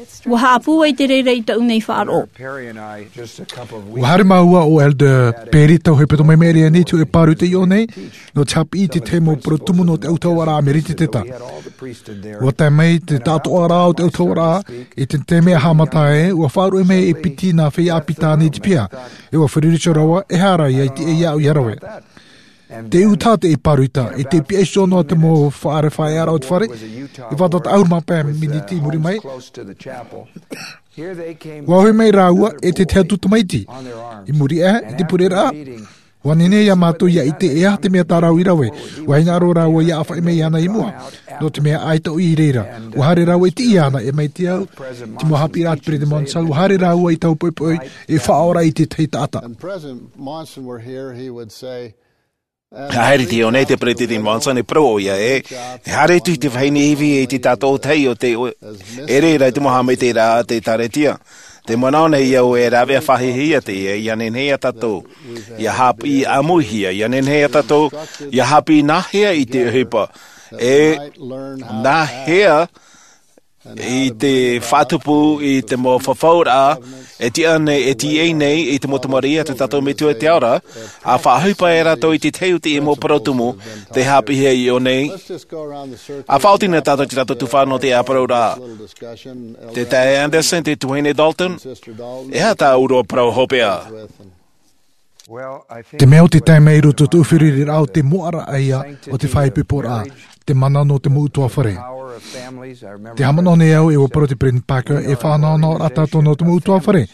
ʻUa haʻapūai te reira i tāʻu nei faʻaroʻo. ʻUa haere māua ʻo Elder Perry tau hepetoma i maʻiri aʻe nei i te hōʻē pāroita i ʻō nei, nō te haʻapiʻi i te tahi mau parau tumu nō te ʻautahuʻaraʻa Mereteteta. ʻUa tae mai te taʻatoʻaraʻa o te ʻautahuʻaraʻa, i te taime a haʻamata ai, ʻua faʻaruʻe mai e piti nā feiā ʻāpī tāne i te piha, e ʻua feruri iho rāua, e aha rā ia i tiʻa iāʻu ʻia rave. Te ʻū taha teie pāroita, i te pihaʻi iho noa te mau faʻaʻāreʻa faʻaearaʻa o te fare, e fātata ʻahuru mā pae miniti i muri mai. ʻUa hoʻi mai rāua e te tahi atu tamaiti. I muri aʻe, i te pureraʻa, ʻua nehenehe ia mātou ʻia ʻite e aha te mea tā rāua i rave, ʻua hinaʻaro rāua ʻia ʻāfaʻi mai iāna i mua. Nō te mea ʻaita ʻoia i reira, ʻua haere rāua i tiʻi iāna, e mai te au, te mau haʻapiʻiraʻa a te Peresideni Monson, ʻua haere rāua i taua poʻipoʻi, e faʻaora i te tahi taʻata. And President Monson were here, he would say, Haere atu nei te Peresideni Monson e parau ʻoia ē, e haere atu i te vahine ivi i te tātou tahi o te ʻere ra i te mau haʻamaitaʻiraʻa a te ʻĒkālesia. Te manaʻo nei au e rāveʻa faʻahiahia teie, ʻia nehenehe ia tātou ʻia haʻapiʻi ʻāmuihia, ʻia nehenehe ia tātou ʻia haʻapiʻi nāhea i te ʻohipa, e nāhea i te faʻatupu i te mau fafauraʻa e tiʻa nei, e tiʻa nei i te mau tamariʻi a tō tātou Metua i te ao ra, ʻa faʻaʻohipa e rātou i te tahi o teie mau parau tumu tei haʻapiʻihia iʻō nei. ʻA faʻaoti na tātou i te tātou tuhaʻa nō te ʻāparauraʻa. Te taeaʻe Andersen, te tuahine Dalton, e aha tā ʻoe parau hopeʻa? Te mea o te taime i roto i tōʻu feruriraʻa o te moʻaraʻa ia o te faʻaipoiporaʻa, te mana nō te mau ʻutuāfare. Te haʻamanaʻo nei au e ʻua parau te Peresideni Parker, e faʻanahonahoraʻa tātou nō te mau ʻutuāfare.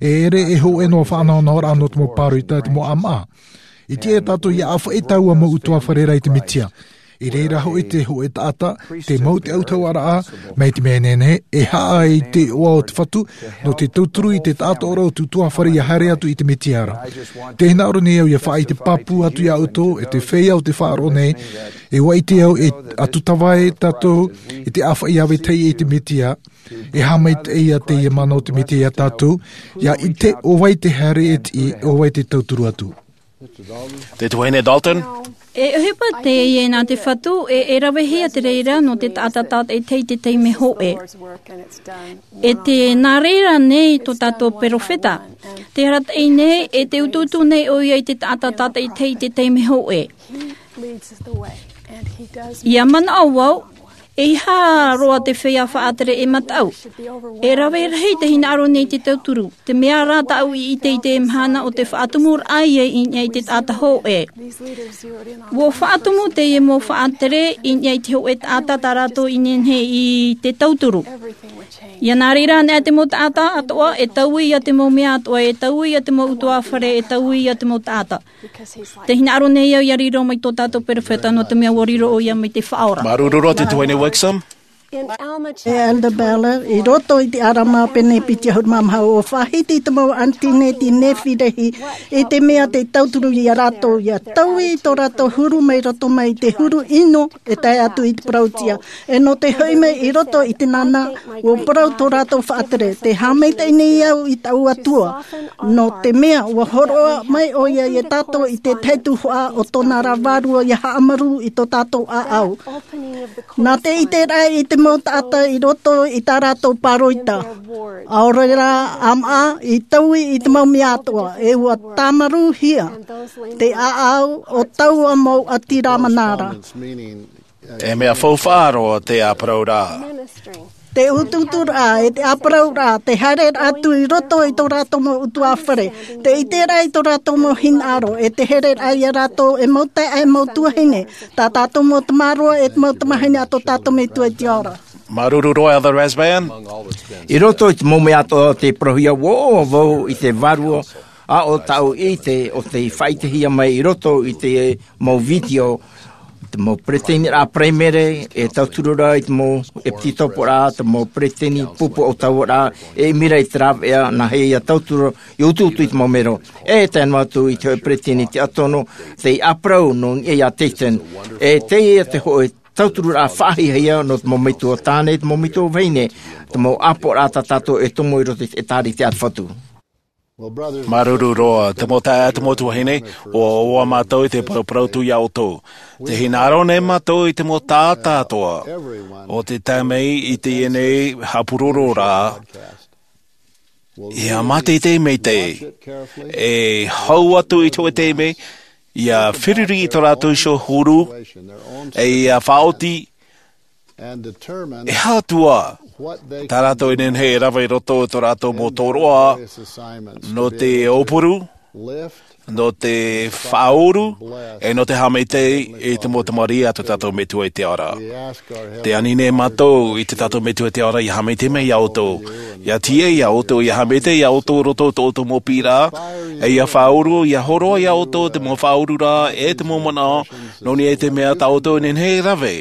E ʻere e hōʻē noa faʻanahonahoraʻa nō te mau pāroita, te mau ʻāmaʻa. I tiʻa ia tātou ʻia ʻāfaʻi taua mau ʻutuāfare ra i te Mesia. I reira hoʻi te hōʻē taʻata, te mau te autahuʻaraʻa, mai te mea nehenehe e haʻa i te iʻoa o te Fatu, nō te tauturu i te taʻatoʻaraʻa o te ʻutuāfare ʻia haere atu i te Mesia ra. Tē hinaʻaro nei au ʻia faʻaʻite pāpū atu ia ʻoutou, e te feiā o te faʻaroʻo nei, e ʻua ʻite au e ʻatu tavae tātou i te ʻāfaʻi ʻāvae teie i te Mesia, e haʻamaitaʻi ia teie mana o te Mesia ia tātou, ʻia ʻite ʻo vai te haere e tiʻi, ʻo vai te tauturu atu. Te tuahine Dalton. E ʻohipa teie nā te Fatu, e, e ravehia te reira nō te taʻata tātaʻitahi i te taime hōʻē. E te nā reira nei tō tātou perofeta. Te arataʻi nei, e te utuutu nei ʻoia i te taʻata tātaʻitahi i te taime hōʻē. ʻIa manaʻo vau, ʻeiaha roa te feiā faʻatere e mataʻu. E rave rahi te hinaʻaro nei i te tauturu. Te mea rā tāʻu i ʻite i te mahana o te faʻatumuraʻa ia i niʻa i te taʻata hōʻē. ʻUa faʻatumu teie mau faʻatere i niʻa i te hōʻē taʻata tā rātou i nehenehe i te tauturu. ʻIa nā reira anaʻe te mau taʻata atoʻa, e taui ia te mau mea atoʻa, e taui ia te mau ʻutuāfare, e taui ia te mau taʻata. Te hinaʻaro nei au ʻia riro mai tō tātou perofeta nō te mea ʻua riro ʻoia mai te Faʻaora. Māuruuru roa te tuahine Wixom. E Elder Ballard, i roto i te ʻĀrama pene piti ʻahuru mā maha, ʻua faʻahiti te mau ʻānitini Nefi-Lehi, i te mea tē tauturu ia rātou, ʻia taui tō rātou huru mai roto mai i te huru ʻino, e tae atu i te parauʻtiʻa. E nō te hoʻi mai i roto i te nānā, ʻua parau tō rātou faʻatere, tē haʻamaitaʻi nei au i tāʻu Atua, nō te mea ʻua hōroʻa mai ʻoia ia tātou i te tahi tuhaʻa o tōna ra vārua ʻia haʻamaru i tō tātou ʻāʻau. Nā te ʻiteraʻa i te mau taʻata i roto i tā rātou pāroita, ʻaore rā ʻāmaʻa i taui i te mau mea atoʻa, e ʻua tāmarūhia te ʻāʻau o taua mau ʻāti Rāmana ra. E mea faufaʻa roa te ʻāparauraʻa. Te utuuturaʻa, e te ʻāparauraʻa, te haereraʻa atu i roto i tō rātou mau ʻutuāfare, te ʻiteraʻa i tō rātou mau hinaʻaro, e te hereraʻa ia rātou e mau taeaʻe, e mau tuahine, tā tātou mau tamaroa, e te mau tamahine a tō tātou Metua i te ao ra. Māuruuru roa, Elder Rasband. I roto i te mau mea atoʻa o te parauhia, ʻua ʻoaʻoa vau i te vārua, ʻa ʻo tāʻu ʻite, ʻo tei faʻaʻitehia mai i roto i te mau vitiō, te mau peretiteniraʻa paraimere, e tauturu ra i te mau ʻepititoporaʻa, te mau peretiteni pupu autahuʻaraʻa, e ʻimi ra i te rāveʻa, nāhea ʻia tauturu, ʻia utuutu i te mau mero. E tae noa atu i te hōʻē peretiteni tiʻatonu, tei ʻāparau nō niʻa iā Dayton. E teie te hōʻē tautururaʻa faʻahiahia nō te mau metua tāne, te mau metua vahine, te mau ʻāpoʻoraʻa tā tātou e tomo i roto i te ʻĒtārētia a te Fatu. Māuruuru roa, te mau taeaʻe, te mau tuahine, ʻua ʻoaʻoa mātou i te paraparau atu iā ʻoutou. Tē hinaʻaro nei mātou i te mau taʻata atoʻa, ʻo tē tae mai i teie nei haʻapuroro ra, ʻia mātaʻitaʻi maitaʻi, e hau atu i te hōʻē taime, ʻia feruri i tō rātou iho huru, e ʻia faʻaoti, e aha atu ā tā rātou e nehenehe e rave i roto i tō rātou mau tōroʻa, nō te aupuru, nō te faʻauru, e nō te haʻamaitaʻi i te mau tamariʻi a tō tātou Metua i te ao ra. Tē ani nei mātou i tō tātou Metua i te ao ra ʻia haʻamaitaʻi mai iā ʻoutou, ʻia tīaʻi iā ʻoutou, ʻia haʻamaitaʻi iā ʻoutou i roto i tō ʻoutou mau piʻiraʻa, e ʻia faʻauru, ʻia hōroʻa iā ʻoutou te mau faʻaururaʻa, e te mau manaʻo, nō niʻa i te mea tā ʻoutou e nehenehe e rave,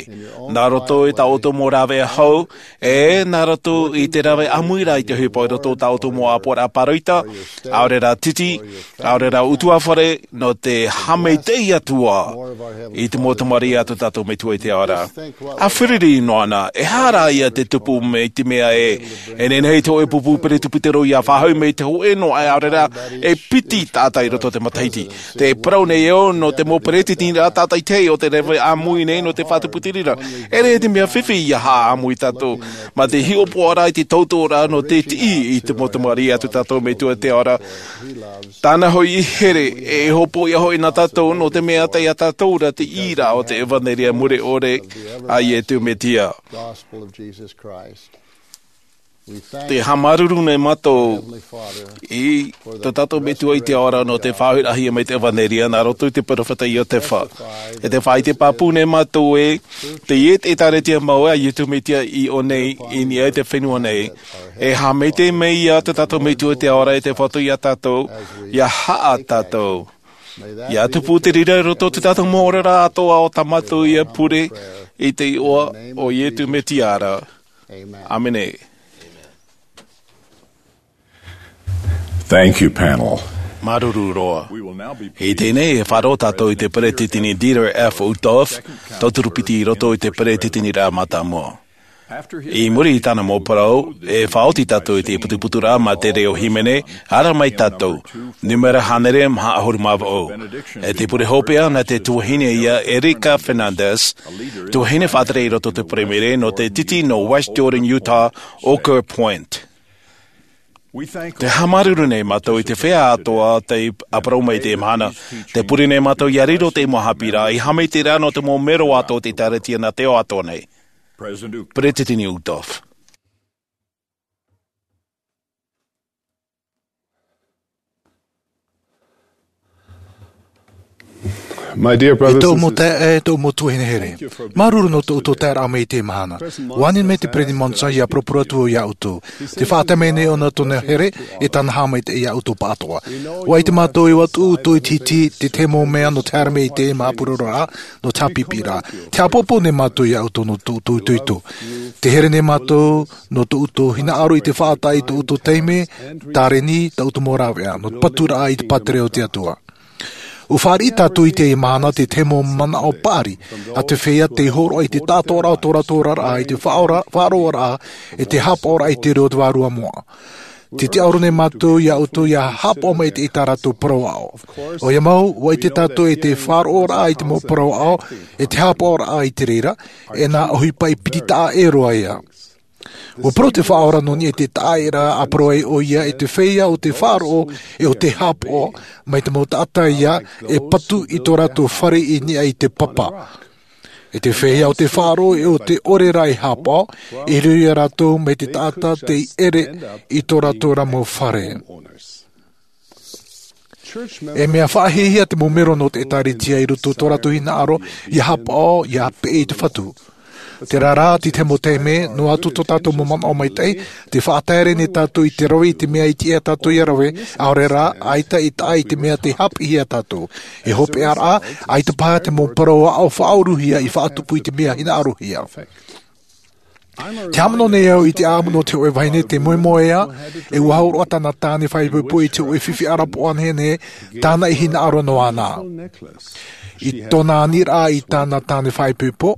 nā roto i tā ʻoutou mau rāveʻa hau, e nā roto i te rave ʻāmui ra i te ʻohipa i roto i tā ʻoutou mau ʻāpoʻoraʻa pāroita, ʻaore rā titi, ʻaore rā utuafare, fare nō te haʻamaitaʻi atu i te mau tamariʻi a tō tātou Metua i te ao ra. ʻA fārerei noa anaʻe, e aha rā ia te tupu mai te mea ē, e nehenehe te hōʻē pupu peretiteni ia faʻahoʻi mai te hōʻē noa, ʻaore rā, e piti taʻata i roto i te matahiti. Te parau nei au nō te mau peretiteni rā tātaʻitahi o te rave ʻāmui nei nō te faʻatuputeni ra. E ʻere te mea fifi ia haʻaʻāmui tātou, mā te hiʻopoʻaraʻa i te tauturu nō te tiʻi i te mau tamariʻi a tō tātou Metua i te ao ra. Tāna hoʻi here, e hopoiʻa hoʻi nā tātou nō te mea tei ia tātou ra te ʻīraʻa o te ʻevanelia mure ʻore a Iesu Mesia. Te haʻamāuruuru nei mātou i tō tātou Metua i te ao ra nō te faʻahoʻiraʻahia mai te ʻevanelia nā roto i te peropheta Iosefa. E te faʻaʻite pāpū nei mātou ē, teie te ʻĒkālesia mau a Iesu Mesia i ʻō nei, i niʻa i te fenua nei. E haʻamaitaʻi mai ia tō tātou Metua i te ao ra e te Fatu ia tātou, ia haʻa tātou. Ia tupu te reira i roto i tō tātou mau oraraʻa atoʻa ʻo tā mātou ia pure i te iʻoa o Iesu Mesia ra. ʻĀmene. Thank you, panel. Māuruuru roa. I teie nei e faʻaroʻo tātou i te peretiteni Dieter F. Uchtdorf, tauturu piti i roto i te peretiteniraʻa mātāmua. I muri i tāna mau parau, e faʻaoti tātou i te putuputuraʻa mā te reo hīmene, ara mai tātou, nūmera hānere maha ʻahuru mā vaʻu. E te pure hopeʻa nā te tuahine ia Erika Fernandez, tuahine faʻatere i roto i te Palemere nō te titi nō West Jordan, Utah, Oquirrh Point. Te haʻamāuruuru nei mātou i te feiā atoʻa tei ʻāparau mai i teie mahana. Te pure nei mātou ia riro te mau haʻapiʻiraʻa i haʻamaitaʻi ra nō te mau melo atoʻa o te ʻĒkālesia nā te ao atoʻa nei. Peretiteni Uchtdorf. My dear brothers and sisters, e tōʻu mau taeaʻe, e tōʻu mau tuahine here. Māuruuru nō tō ʻoutou taeraʻa mai i teie mahana. ʻUa ani mai te Peretiteni Monson ia parapara atu vau ia ʻoutou. Tē faʻatae mai nei ʻōna tōna here, e tāna haʻamaitaʻi ia ʻoutou pāʻatoʻa. ʻUa ʻite mātou ē ʻua tuʻu ʻoutou i te hiti, te tahi mau mea nō te haere mai i teie mau ʻāpurororaʻa, nō te haʻapiʻiraʻa. Tē haʻapāpū nei mātou ia ʻoutou nō tō ʻoutou itoito. Tē here nei mātou nō tō ʻoutou hinaʻaro i te faʻatae i tō ʻoutou taime, tāreni, tō ʻoutou mau rāveʻa, nō te paturaʻa i te pātireia o te Atua. ʻUa fāriʻi tātou i teie mahana te tahi mau manaʻo paʻari a te feiā tei hōroʻa i te taʻatoʻaraʻa o tō rātou oraraʻa i te faʻaora-, faʻaroʻoraʻa, e te haʻapaʻoraʻa i te reo o te Vārua Moʻa. Tē tiʻaoro nei mātou ia ʻoutou ia haʻapaʻo mai i tā rātou parau aʻo. ʻOia mau, ʻua ʻite tātou e te faʻaroʻoraʻa i te mau parau aʻo, e te haʻapaʻoraʻa i te reira, e nā ʻohipa i piti taʻa ʻē roa ia. ʻUa parau te Faʻaora nō niʻa i te taʻaʻēraʻa a parau ai ʻoia e te feiā o te faʻaroʻo e o te haʻapaʻo mai te mau taʻata ia e patu i tō rātou fare i niʻa i te papa. E te feiā o te faʻaroʻo e o te ʻore ra e haʻapaʻo, e riro ia rātou mai te taʻata tei ʻere i tō rātou ra mau fare. E mea faʻahiahia te mau melo nō te ʻĒkālesia i roto i tō rātou hinaʻaro, ia haʻapaʻo, ia peʻe i te Fatu. Terā rā, te tahi mau taime, noa atu tō tātou mau manaʻo maitaʻi, tē faʻatae ra nei tātou i te rave i te mea i tiʻa tātou ia rave, ʻaore rā, ʻaita i taʻa i te mea tei haʻapiʻihia tātou. E hopeʻa rā, ʻaita paha te mau parau aʻo faʻaʻoruhia i faʻatupu i te mea hinaʻarohia. Tē haʻamanaʻo nei au i te ʻāʻamu nō te hōʻē vahine tei moemoeā, e ʻua hōroʻa tāna tāne faʻaipoipo i te hōʻē fifi ʻarapoʻa nehenehe, tāna i hinaʻaro noa na. I tōna aniraʻa i tāna tāne faʻaipoipo,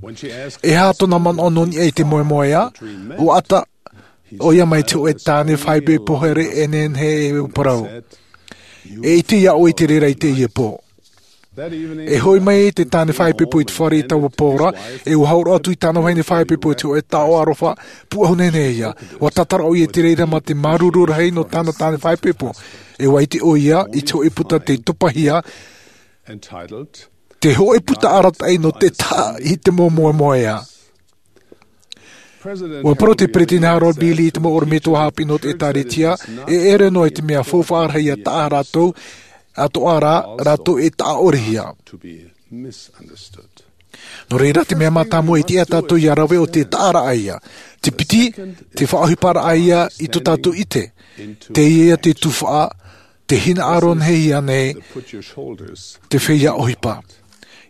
e aha tōna manaʻo nō niʻa i te moemoeā, ʻua ʻata ʻoia mai te hōʻē tāne faʻaipoipo here e nehenehe e parau. E ʻite ʻoe i te reira i teie pō. E hoʻi mai te tāne faʻaipoipo i te fare i taua pō ra, e ʻua hōroʻa atu i tāna vahine faʻaipoipo i te hōʻē taoʻa aroha, pūʻohu nehenehe ia. ʻUa tātara ʻoia i te reira mā te māuruuru rahi nō tāna tāne faʻaipoipo. E ʻua ʻite ʻoia i te hōʻē puta tei topahia, te hōʻē puta arataʻi nō te taʻa i te mau moemoeā. ʻUa parau te Peretiteni Harold B. Lee i te mau ʻorometua haʻapiʻi nō te ʻĒkālesia, e ʻere noa i te mea faufaʻa rahi ia taʻa rātou, atoʻa rā, rātou e taʻa ʻorehia. Nō reira te mea mātāmua i tiʻa tātou ia rave ʻo te taʻaraʻa ia. Te piti, te faʻaʻohiparaʻa ia i tō tātou ʻite. Teie ia te tuhaʻa, te hinaʻaro nehehia nei, te feiā ʻohipa.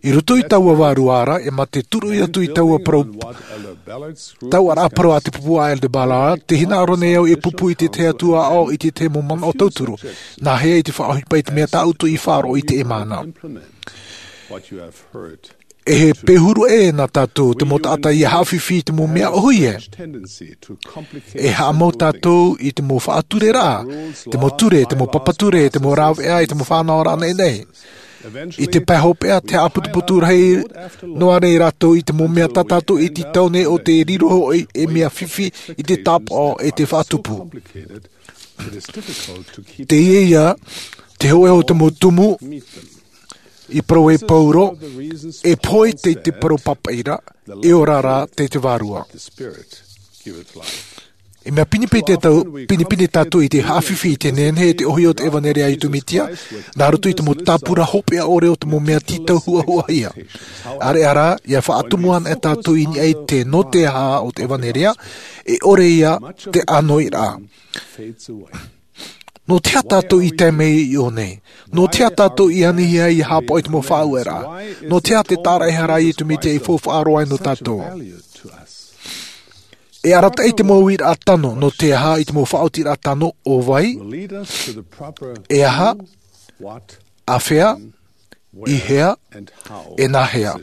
I roto i taua vārua ra, e mā te turuʻi atu i taua parau, taua rā parau a te pupu a Elder Ballard, tē hinaʻaro nei au e pupu i te tahi atu aʻo i te tahi mau manaʻo tauturu. Nāhea i te faʻaʻohipa i te mea tā ʻoutou i faʻaroʻo i teie mahana? E he pēhuru ʻē nā tātou te mau taʻata ia haʻafifi i te mau mea ʻōhie. E haʻamau tātou i te mau faʻatureraʻa, te mau ture, te mau papa ture, te mau rāveʻa, i te mau fānaʻoraʻa naʻinaʻi. I te pae hopeʻa, te haʻaputuputu rahi noa nei rātou i te mau mea tā tātou i tītau nei ʻo te riro hoʻi ei mea fifi i te tāpaʻo e te faʻatupu. Teie ia te hōʻē o te mau tumu i parau e Pauro, e pohe tei te parau pāpaʻi ra, e ora rā tei te Vārua. E mea pinepine tātou, pinepine tātou i te haʻafifi i te nehenehe e te ʻōhie o te ʻevanelia a Iesu Mesia, nā roto i te mau tāpura hopeʻa ʻore o te mau mea tītau huahuahia. ʻĀreʻa rā, ia faʻatumu ana e tātou i niʻa i te nō te aha o te ʻevanelia, e ʻore ia te ʻānoiraʻa. Nō te aha tātou i tae mai i ʻō nei? Nō te aha tātou i anihia ia haʻapaʻo i te mau faʻaueraʻa? Nō te aha te tāraʻehara a Iesu Mesia i faufaʻa roa ai nō tātou? E arataʻi te mau uiraʻa tano, nō te aha i te mau faʻaotiraʻa tano, ʻo vai, e aha, āfea, i hea, e nāhea.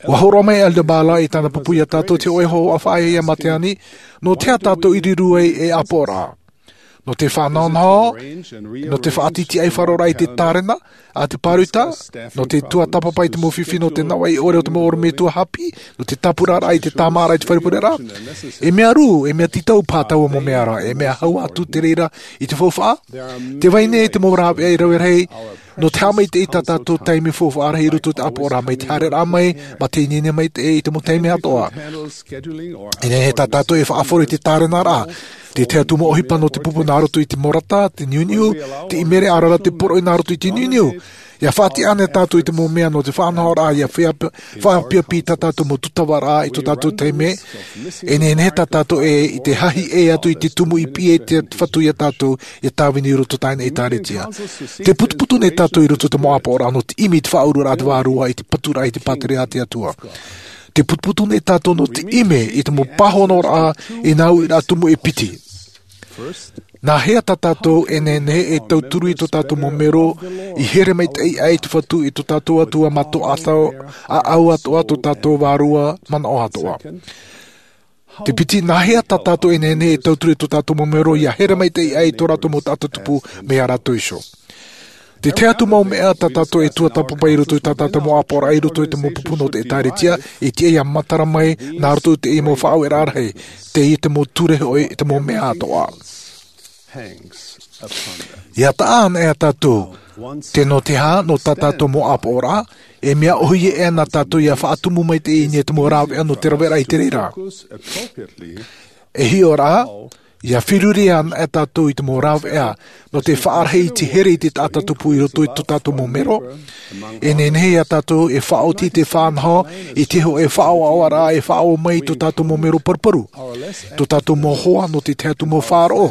ʻUa hōroʻa mai Elder Ballard i tāna pupu ia tātou te hōʻē hōhoʻa faʻaea ia Matiani, nō te aha tātou i riro ai ei ʻāpoʻoraʻa? Nō te faʻanahonaho, nō te faʻatītīʻai faʻaroʻoraʻa i te tārena a te pāruta, nō te tuatāpapa i te mau fifi nō te nawaʻi ʻore o te mau ʻorometua haʻapiʻi, nō te tāpuraraʻa i te tāmāraʻa i te faufaʻa ra. E mea rū, e mea tītau paha taua mau mea ra, e mea hau atu te reira i te faufaʻa. Tē vai nei te mau rāveʻa e rave rahi, nō te haʻamaitaʻi i tā tātou taime faufaʻa rahi i roto i te ʻāpoʻoraʻa mai te haereraʻa mai, mā te ineine maitaʻi i te mau taime atoʻa. E nehenehe tā tātou e faʻaʻore i te tārenaraʻa, te tahi atu mau ʻohipa nō te pupu nā roto i te mau rata, te niuniu, te ʻīmere, ʻaore rā te poroʻi nā roto i te niuniu. ʻIa faʻatiʻa ana tātou i te mau mea nō te faʻanahoraʻa, ʻia faʻaʻapi, faʻaʻapiʻapi i tā tātou mau tūtavaraʻa i tō tātou taime. E nehenehe tā tātou ē, i te hahi ʻē atu i te tumu i piʻi e te Fatu ia tātou, ʻia tāvini i roto i tāna ʻĒtārētia. Tē putuputu nei tātou i roto i te mau ʻāpoʻoraʻa nō te ʻimi i te faʻaururaʻa a te Vārua, i te paturaʻa, i te pātireia a te Atua. Tē putuputu nei tātou nō te ʻimi i te mau pāhonoraʻa, i nā uiraʻa tumu e piti. Nāhea tā tātou e nehenehe e tauturu i tō tātou mau mero, i here maitaʻi aʻe i te Fatu, i tō tātou Atua mā tō ʻātau, ʻāʻau atoʻa, tō tātou Vārua manaʻo atoʻa? Te piti, nāhea tā tātou e nehenehe e tauturu i tō tātou mau mero ʻia here maitaʻi aʻe i tō rātou mau taʻata tupu mai iā rātou iho? Te tahi atu mau mea tā tātou e tuatāpapa i roto i tā tātou mau ʻāpoʻoraʻa i roto i te mau pupu nō te ʻĒtārētia, e tiʻa ʻia matara mai nā roto i te mau faʻaueraʻa rahi, teie te mau ture hoʻi, te mau mea atoʻa. ʻIa taʻa ana e tātou, te nō te aha, nō tā tātou mau ʻāpoʻoraʻa, e mea ʻōhie ʻē nā tātou ʻia faʻatumu maitaʻi i niʻa i te mau rāveʻa nō te raveraʻa i te reira. E hiʻo ra, ʻia feruri ana e tātou i te mau rāveʻa, nō te faʻarahi i te here i te taʻata tupu i roto i tō tātou mau mero. E nehenehe ia tātou e faʻaoti te faʻanaho, i te hōʻē faʻaʻoaʻoaraʻa e faʻaō mai i tō tātou mau mero paruparu. Tō tātou mau hoa nō te tahi atu mau faʻaroʻo.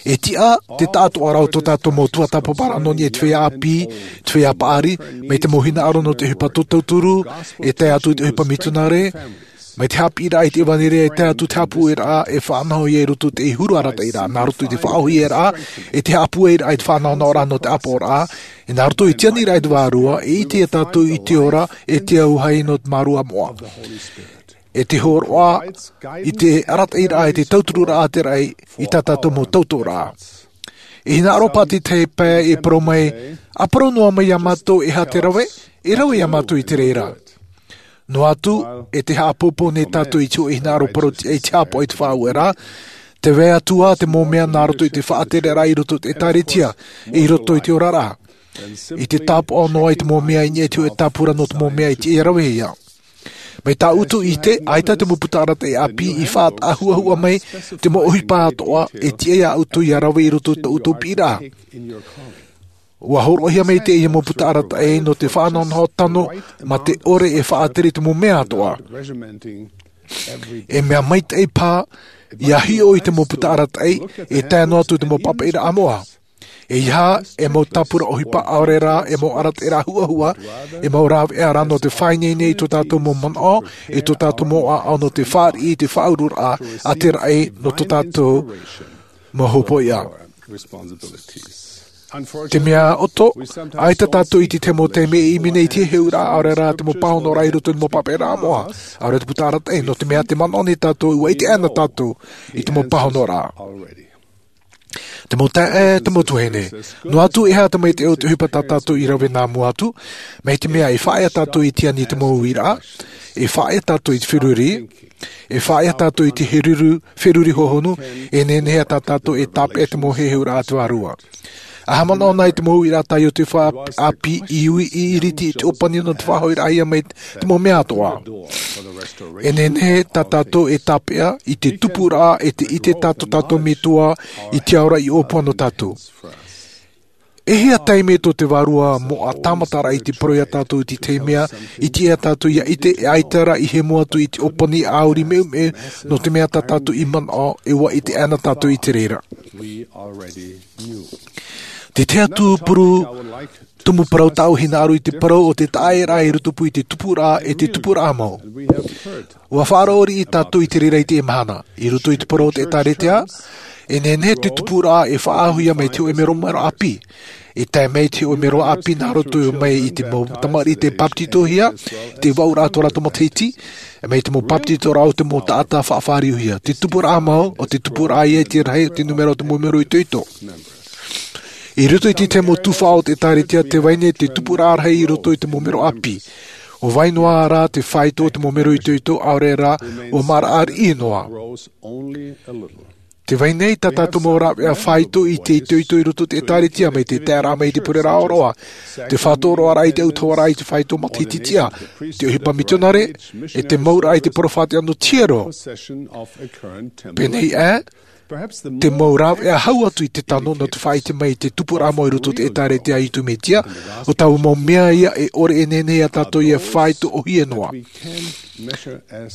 E tiʻa te taʻatoʻaraʻa o tō tātou mau tuatāpaparaʻa nō niʻa i te feiā ʻāpī, te feiā paʻari, mai te mau hinaʻaro nō te ʻohipa tō tauturu, e tae atu i te ʻohipa mitionare, mai te haʻapiʻiraʻa i te ʻevanelia e tae atu te haʻapūʻoiraʻa e faʻanaho ia i roto i te huru arataʻiraʻa, nā roto i te faʻaʻōhieraʻa, e te haʻapūʻoiraʻa i te faʻanahonahoraʻa nō te ʻāpoʻoraʻa, e nā roto i te aniraʻa i te Vārua, e ʻite ia tātou i te ora, e te auahi nō te Vārua moʻa. E te hōroʻa, i te arataʻiraʻa, i te tautururaʻa a te raʻi, i tā tātou mau tautoʻoraʻa. E hinaʻaro paʻi te tahi pae e parau mai, ʻa parau noa mai iā mātou e aha te rave, e rave iā mātou i te reira. Noa atu, e te haʻapōpō nei tātou i te hōʻē hinaʻaro parau tiʻa i te haʻapaʻo i te faʻaueraʻa, tē vai atu ā te mau mea nā roto i te faʻatereraʻa i roto i te ʻĒtārētia, i roto i te oraraʻa. I te tāpaʻo noa i te mau mea i niʻa i te hōʻē tāpura nō te mau mea e tiʻa ʻia ravehia. Mai tā ʻoutou ʻite, ʻaita te mau puta arataʻi ʻāpī i faʻataʻahuahua mai te mau ʻohipa atoʻa e tiʻa iā ʻoutou ʻia rave i roto i tō ʻoutou piʻiraʻa. ʻUa hōroʻahia mai teie mau puta arataʻi nō te faʻanahonaho tano mā te ʻore e faʻatere i te mau mea atoʻa. E mea maitaʻi paha ʻia hiʻo i te mau puta arataʻi, e tae noa atu i te mau pāpaʻiraʻa moʻa. E ia e mau tāpura ʻohipa ʻaore rā e mau arataʻiraʻa huʻahuʻa, e mau rāveʻa rā nō te faʻaineine i tō tātou mau manaʻo, i tō tātou mau ʻaʻau nō te fāriʻi i te faʻaururaʻa a te raʻi nō tō tātou mau hopoiʻa. Te mea ʻoto, ʻaita tātou i te mau taime e ʻimi nei i te heheuraʻa ʻaore rā te mau pāhonoraʻa i roto i te mau papaʻiraʻa moʻa, ʻaore te puta arataʻi, nō te mea te manaʻo nei tātou ua ʻite ana tātou i te mau pāhonoraʻa. Te mau taeaʻe, te mau tuahine, noa atu e aha te maitaʻi o te ʻohipa tā tātou i rave nā mua atu, mai te mea e faʻaea tātou i te ani i te mau uiraʻa, e faʻaea tātou i te feruri, e faʻaea tātou i te heruru, feruri hohonu, e nehenehe tā tātou e tāpeʻa te mau heheuraʻa a te Vārua. ʻA haʻamanaʻo na i te mau uiraʻa tā Iosepha ʻĀpī i ui i iriti i te ʻōpani nō te faʻahoʻiraʻahia mai te mau mea atoʻa. E nehenehe tā tātou e tāpeʻa i te tupuraʻa e te ʻite tā tō tātou Metua i te ao ra i ʻōpua nō tātou. E hia taime tō te Vārua moʻa tāmataraʻa i te parau ia tātou i te tahi mea, i te ia tātou ia ʻite e ʻaita rā i hemo atu i te ʻōpani ʻāuri meumeu nō te mea tā tātou i manaʻo e ua ʻite ana tātou i te reira. Te tahi atu puru tumu parau tāʻu hinaʻaro i te parau o te taʻaʻēraʻa i roto pū i te tupuraʻa e te tupuraʻa mau. Ua faʻaroʻo riʻi tātou i te reira i teie mahana. I roto i te parau o te ʻĒtārētia, e nehenehe te tupuraʻa e faʻaauhia mai te hōʻē mero mero ʻāpī. E tae mai te hōʻē mero ʻāpī nā roto mai i te mau tamariʻi tei bāpetizohia, te vaʻuraʻa tō rātou matahiti, mai te mau bāpetizoraʻa o te mau taʻata faʻafāriohia. Te tupuraʻa mau, o te tupuraʻa ia i te rahi o te nūmera o te mau mero itoito. I roto i te tahi mau tuhaʻa o te ʻĒtārētia, tē vai nei te tupuraʻa rahi i roto i te mau mero ʻāpī. ʻUa vai noa rā te fāito o te mau mero itoito, ʻaore rā, ʻua māraʻa riʻi noa. Tē vai nei tā tātou mau rāveʻa fāito i te itoito i roto i te ʻĒtārētia mai te taeraʻa mai i te pure rāʻauroʻa, te faʻatoroʻaraʻa i te autahuʻaraʻa i te fāito matahiti tiʻa, te ʻohipa mitionare, e te mauraʻa i te peropheta nō te hiero. Pēnei ā, te mau rāveʻa hau atu i te tano nō te faʻaʻite mai i te tupuraʻa mau i roto i te ʻĒtārētia a Iesu Mesia, ʻo taua mau mea ia e ʻore e nehenehe ia tātou ia fāitohia noa.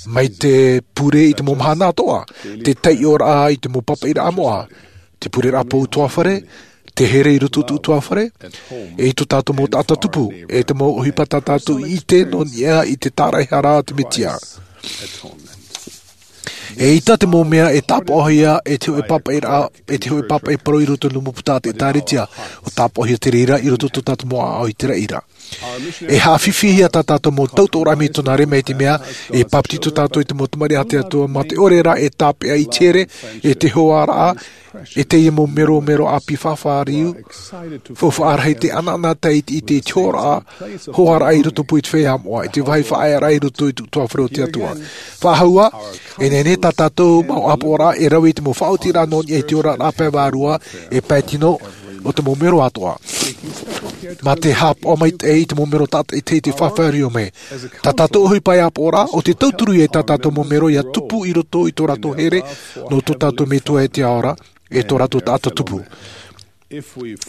Mai te pure i te mau mahana atoʻa, te taiʻoraʻa i te mau papaʻiraʻa moʻa, te pureraʻa pou ʻutuāfare, te here i roto i te ʻutuāfare, e i tō tātou mau taʻata tupu, e te mau ʻohipa tā tātou i ʻite nō niʻa i te tāraʻehara a te Mesia. E ʻita te mau mea e tāpaʻohia e te hōʻē papaʻiraʻa, e te hōʻē papaʻi parau i roto i te mau puta a te ʻĒtārētia, ʻua tāpaʻohia te reira i roto i tō tātou mau ʻaʻau i te raʻi ra. E haʻafifihia tā tātou mau tautoʻoraʻa mitionare mai te mea, e bāpetizo tātou i te mau tamariʻi a te Atua, mā te ʻore rā e tāpeʻa i te here, e te hoaraʻa, e teie mau mero mero ʻāpī faʻafāriu, faufaʻa rahi te ʻanaʻanatae i te ʻite i te hoaraʻa, hoaraʻa i roto pū i te feiā moʻa, i te vāhi faʻaearaʻa i roto i te ʻutuāfare o te Atua. Faʻahou ā, e nehenehe tā tātou mau ʻāpoʻoraʻa e rave i te mau faʻaotiraʻa nō niʻa i te oraraʻa pae vārua, e pae tino, o te mau mero atoʻa. Mā te haʻapaʻo maitaʻi i te mau mero tātaʻitahi i te faʻafāriu mai. Tā tātou ʻohipa e ʻāpoʻoraʻa, ʻo te tauturu ia i tā tātou mau mero ia tupu i roto i tō rātou here, nō tō tātou Metua e te Ao ra, e tō rātou taʻata tupu.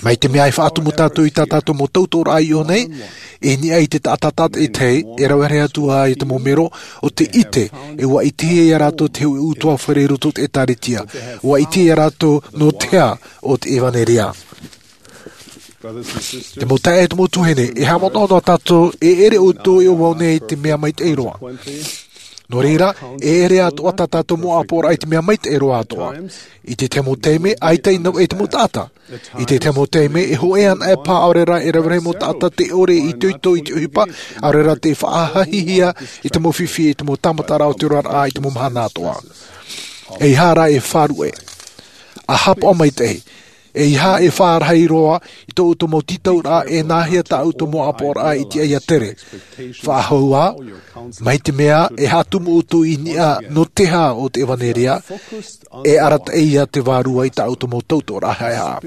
Mai te mea e faʻatumu tātou i tā tātou mau tautoʻoraʻa i ʻō nei, e niʻa i te taʻata tātaʻitahi, e rave rahi atu ā i te mau mero, ʻo te ʻite, e ʻua ʻitehia ia rātou te hōʻē ʻutuāfare i roto i te ʻĒtārētia, ʻua ʻitehia ia rātou nō te aha ʻo te ʻevanelia. Te mau taeaʻe, te mau tuahine, e haʻamanaʻo noa tātou, e ʻere ʻoutou e ʻo vau nei i te mea maitaʻi roa. Nō reira, e ʻere atoʻa tā tātou mau ʻāpoʻoraʻa i te mea maitaʻi roa atoʻa. I te tahi mau taime, ʻaita i navaʻi te mau taʻata. I te tahi mau taime, e hōʻē anaʻe paha, ʻaore rā e rave rahi mau taʻata tē ʻore i itoito i te ʻohipa, ʻaore rā tē faʻahahihia i te mau fifi, i te mau tāmataraʻa o te oraraʻa, i te mau mahana atoʻa. E aha rā e faʻaruʻe? ʻA haʻapaʻo maitaʻi. E aha e faʻarahi roa i tō ʻoutou mau tītauraʻa, e nāhea tā ʻoutou mau ʻāpoʻoraʻa i tiʻa ia tere? Faʻahou ā, mai te mea e haʻatumu ʻoutou i niʻa nō te aha ʻo te ʻevanelia, e arataʻi ia te Vārua i tā ʻoutou mau tautoʻoraʻa haʻehaʻa.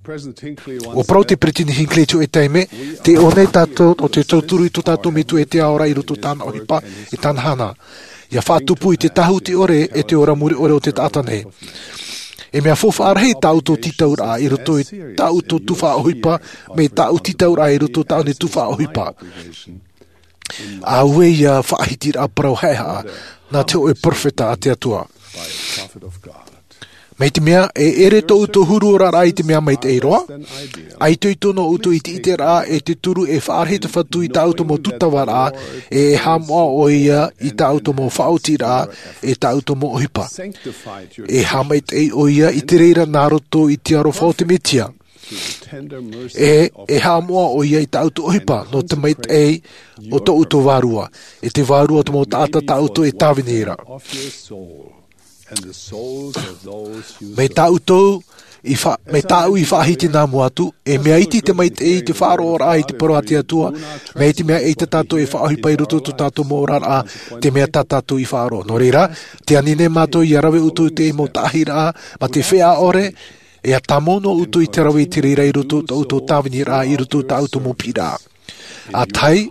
ʻUa parau te Peresideni Hinckley i te hōʻē taime, tē ʻō nei tātou nō te tauturu i tō tātou Metua e te Ao ra i roto i tāna ʻohipa, e tāna hana. ʻIa faʻatupu i te tāhuti ʻore, e te ora mure ʻore o te taʻata nei. E mea faufaʻa rahi tā ʻoutou tītauraʻa i roto i tā ʻoutou tuhaʻa ʻohipa, mai tā ʻoutou tītauraʻa i roto i tāʻu nei tuhaʻa ʻohipa. Auē ia faʻahitiraʻa parau haʻehaʻa, nā te hōʻē peropheta a te Atua. Mai te mea, e ʻere tō ʻoutou huru oraraʻa i te mea maitaʻi roa, ʻaita ʻoutou nō ʻoutou i te ʻiteraʻa e te turu e faʻarahi te Fatu i tā ʻoutou mau tūtavaraʻa, e e haʻamoʻa ʻo ia i tā ʻoutou mau faʻaotiraʻa, e tā ʻoutou mau ʻohipa. E haʻamaitaʻi ʻo ia i te reira nā roto i te aroha o te Mesia. E, e haʻamoʻa ʻo ia i tā ʻoutou ʻohipa, nō te maitaʻi o tō ʻoutou vārua, e te vārua o te mau taʻata tā ʻoutou e tāvini ra. Mai tā ʻoutou, i fa-, mai tāʻu i faʻahiti nā mua atu, e mea iti te maitaʻi i te faʻaroʻoraʻa i te parau a te Atua, mai te mea ʻaita tātou e faʻaʻohipa i roto i tō tātou mau oraraʻa, te mea tā tātou i faʻaroʻo. Nō reira, tē ani nei mātou ʻia rave ʻoutou i te mau taʻahiraʻa, mā te feiā ʻore, e ʻia tāmau nō ʻoutou i te rave i te reira i roto i tō ʻoutou tāviniraʻa, i roto i tā ʻoutou mau piʻiraʻa. ʻA tahi,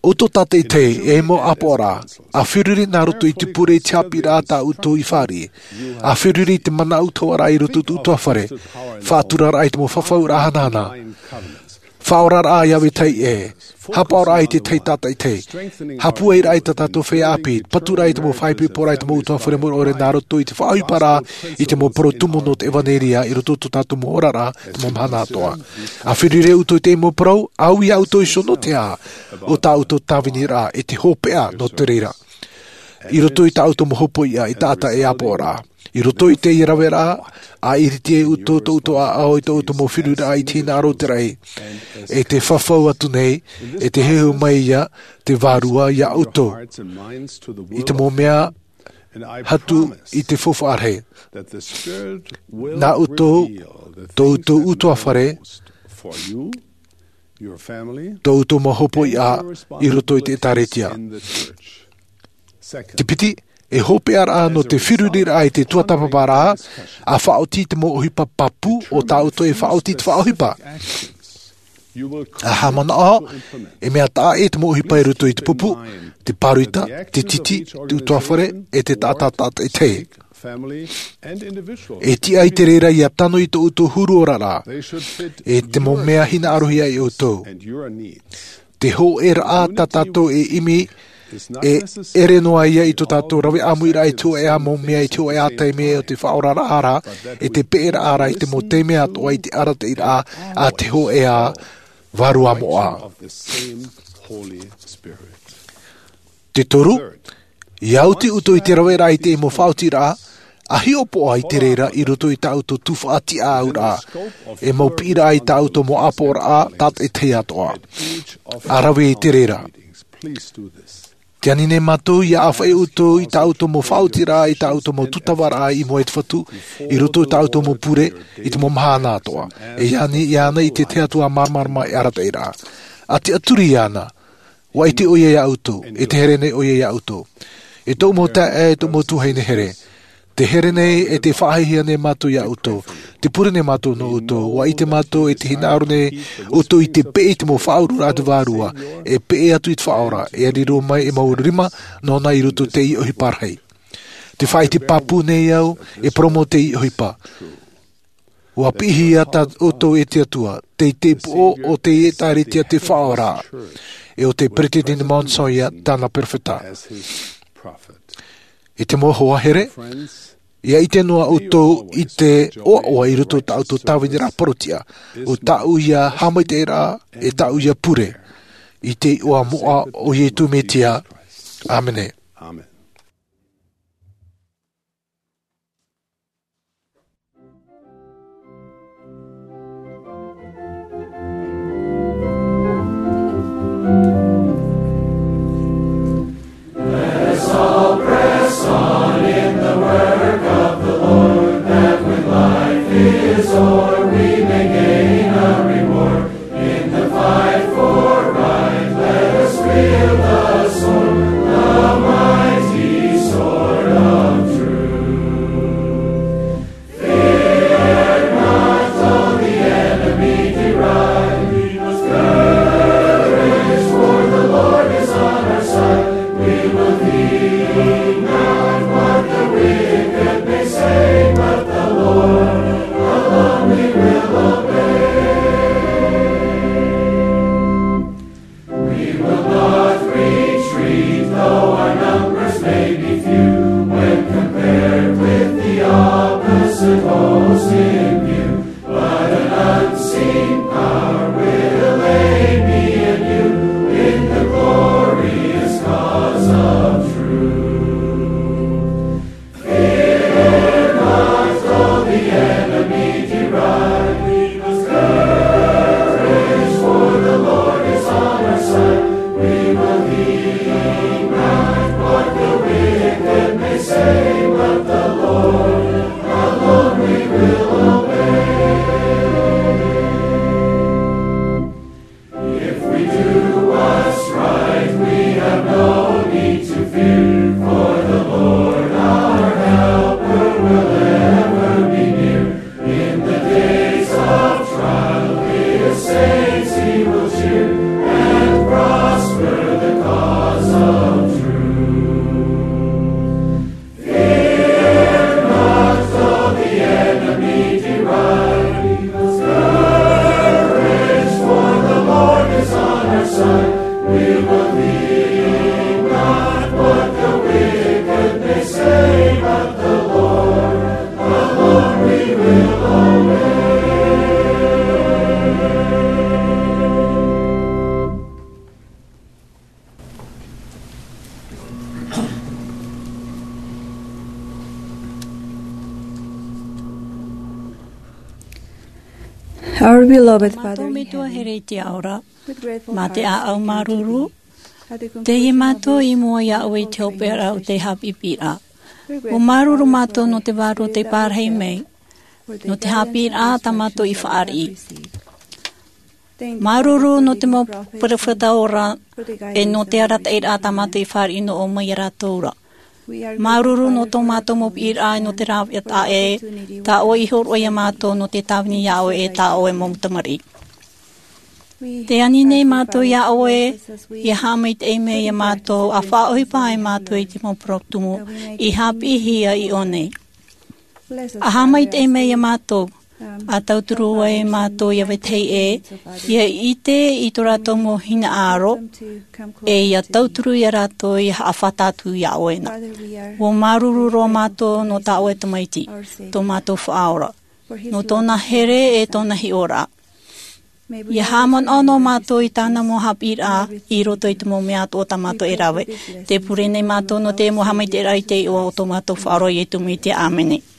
ʻoutou tātaʻitahi, e mau ʻāpoʻoraʻa, ʻa feruri nā roto i te pure i te haʻapiʻiraʻa tā ʻoutou i fāriʻi, ʻa feruri i te mana ʻutuāfare i roto i tō ʻoutou fare, faʻaturaraʻa i te mau fafauraʻa hanahana, faʻaoraraʻa ʻia vetahi ʻē, haʻapaʻoraʻa i te tahi tātaʻitahi, haʻapūairaʻa i tā tātou feiā ʻāpī, paturaʻa i te mau faʻaipoiporaʻa i te mau ʻutuāfare maitaʻi nā roto i te faʻaʻohiparaʻa i te mau parau tumu nō te ʻevanelia i roto i tō tātou mau oraraʻa, te mau mahana atoʻa. ʻA feruri ʻoutou i te mau parau, ʻa ui ʻoutou iho nō te aha o tā ʻoutou tāviniraʻa, e te hopeʻa nō te reira. I roto i tā ʻoutou mau hopoiʻa, e taʻata e ʻāpoʻoraʻa. I roto i teie raveraʻa, ʻa ʻiriti ai ʻoutou tō ʻoutou ʻāʻau i tō ʻoutou mau feruriraʻa i te hinaʻaro o te raʻi. E tē fafau atu nei, e tē heheu mai ia te Vārua ia ʻoutou. I te mau mea hatu i te faufaʻa rahi. Nā ʻoutou, tō ʻoutou ʻutuāfare, tō ʻoutou mau hopoiʻa i roto i te ʻĒtārētia. Te piti, e hopeʻaraʻa nō te feruriraʻa i te tuatāpaparaʻa, ʻa faʻaoti i te mau ʻohipa pāpū o tā ʻoutou e faʻaoti i te faʻaʻohipa. ʻA haʻamanaʻo, e mea taʻa ʻē te mau ʻohipa i roto i te pupu, te pāroita, te titi, te ʻutuāfare, e te taʻata tātaʻitahi. E tiʻa i te reira ʻia tano i tō ʻoutou huru oraraʻa. E te mau mea hinaʻarohia ia ʻoutou. Te hōʻēraʻa tā tātou e ʻimi, e ʻere noa ia i tō tātou rave ʻāmuiraʻa i te hōʻē mau mea i te hōʻē taime o te faʻaoraraʻa ra, e te peʻeraʻa ra i te mau taime atoʻa i te arataʻiraʻa a te hōʻē Vārua moʻa. Te toru, ʻia oti ʻoutou i te raveraʻa i te mau faʻaotiraʻa, ʻa hiʻopoʻa i te reira i roto i tā ʻoutou tufaʻa tiʻaʻauraʻa, e mau piʻiraʻa i tā ʻoutou mau ʻāpoʻoraʻa tātaʻitahi atoʻa. ʻA rave i te reira. Tē ani nei mātou ʻia ʻāfaʻi ʻoutou i tā ʻoutou mau faʻaotiraʻa, i tā ʻoutou mau tūtavaraʻa i mua i te Fatu, i roto i tā ʻoutou mau pure, i te mau mahana atoʻa. E ani iāna i te Atua māramarama e arataʻi ra. ʻA tiʻaturi iāna, ʻua ʻite ʻoia ia ʻoutou, e tē here nei ʻoia ia ʻoutou. E tōʻu mau taeaʻe, e tōʻu mau tuahine here. Tē here nei, e tē faʻahiahia nei mātou ia ʻoutou. Tē pure nei mātou nō ʻoutou, ʻua ʻite mātou e tē hinaʻaro nei ʻoutou i te peʻe i te mau faʻauruaraʻa a te Vārua, e peʻe atu i te Faʻaora, e riro mai e mau rima nōna i roto i teie ʻohipa rahi. Tē faʻaʻite pāpū nei au, e parau mau teie ʻohipa. ʻUa piʻihia tā ʻoutou e te Atua, tei te poʻo o te ʻĒtārētia te Faʻaora, e ʻo te Peresideni Monson ia tāna perofeta. E te mau hoa here, ʻia ʻite noa ʻoutou i te ʻoaʻoa i roto i tā ʻoutou tāviniraʻa parau-tiʻa, ʻo tāʻu ia haʻamaitaʻiraʻa, e tāʻu ia pure, i te iʻoa moʻa o Iesu Mesia. ʻĀmene. Our beloved Father in heaven, here i te ao ra, mā te ʻāʻau māuruuru, teie mātou i mua iā ʻoe i te hopeʻa o te haʻapiʻiraʻa. ʻUa māuruuru mātou nō te vārua tei pārahi mai, nō te haʻapiʻiraʻa tā mātou i fāriʻi. Māuruuru nō te mau peropheta ora, e nō te arataʻiraʻa tā mātou i fāriʻi nō ʻoe mai iā rātou ra. Māuruuru nō tō mātou mau piʻiraʻa e nō te rāveʻa taʻa ʻē, tā ʻoe i hōroʻa iā mātou nō te tāvini iā ʻoe e tā ʻoe mau tamariʻi. Tē ani nei mātou iā ʻoe, ʻia haʻamaitaʻi mai iā mātou, ʻa faʻaʻohipa ai mātou i te mau parau tumu, i haʻapiʻihia i ʻō nei. ʻA haʻamaitaʻi mai iā mātou, ʻa tauturu ai mātou iā vetahi ʻē, ʻia ʻite i tō rātou mau hinaʻaro, e ʻia tauturu iā rātou ʻia haʻafātata atu iā ʻoe na. ʻUa māuruuru roa mātou nō tā ʻoe tamaiti, tō mātou Faʻaora, nō tōna here e tōna hiʻoraʻa. ʻIa haʻamanaʻo noa mātou i tāna mau haʻapiʻiraʻa i roto i te mau mea atoʻa tā mātou e rave. Tē pure nei mātou nō te mau haʻamaitaʻiraʻa i te iʻoa o tō mātou Faʻaora Iesu Mesia. ʻĀmene.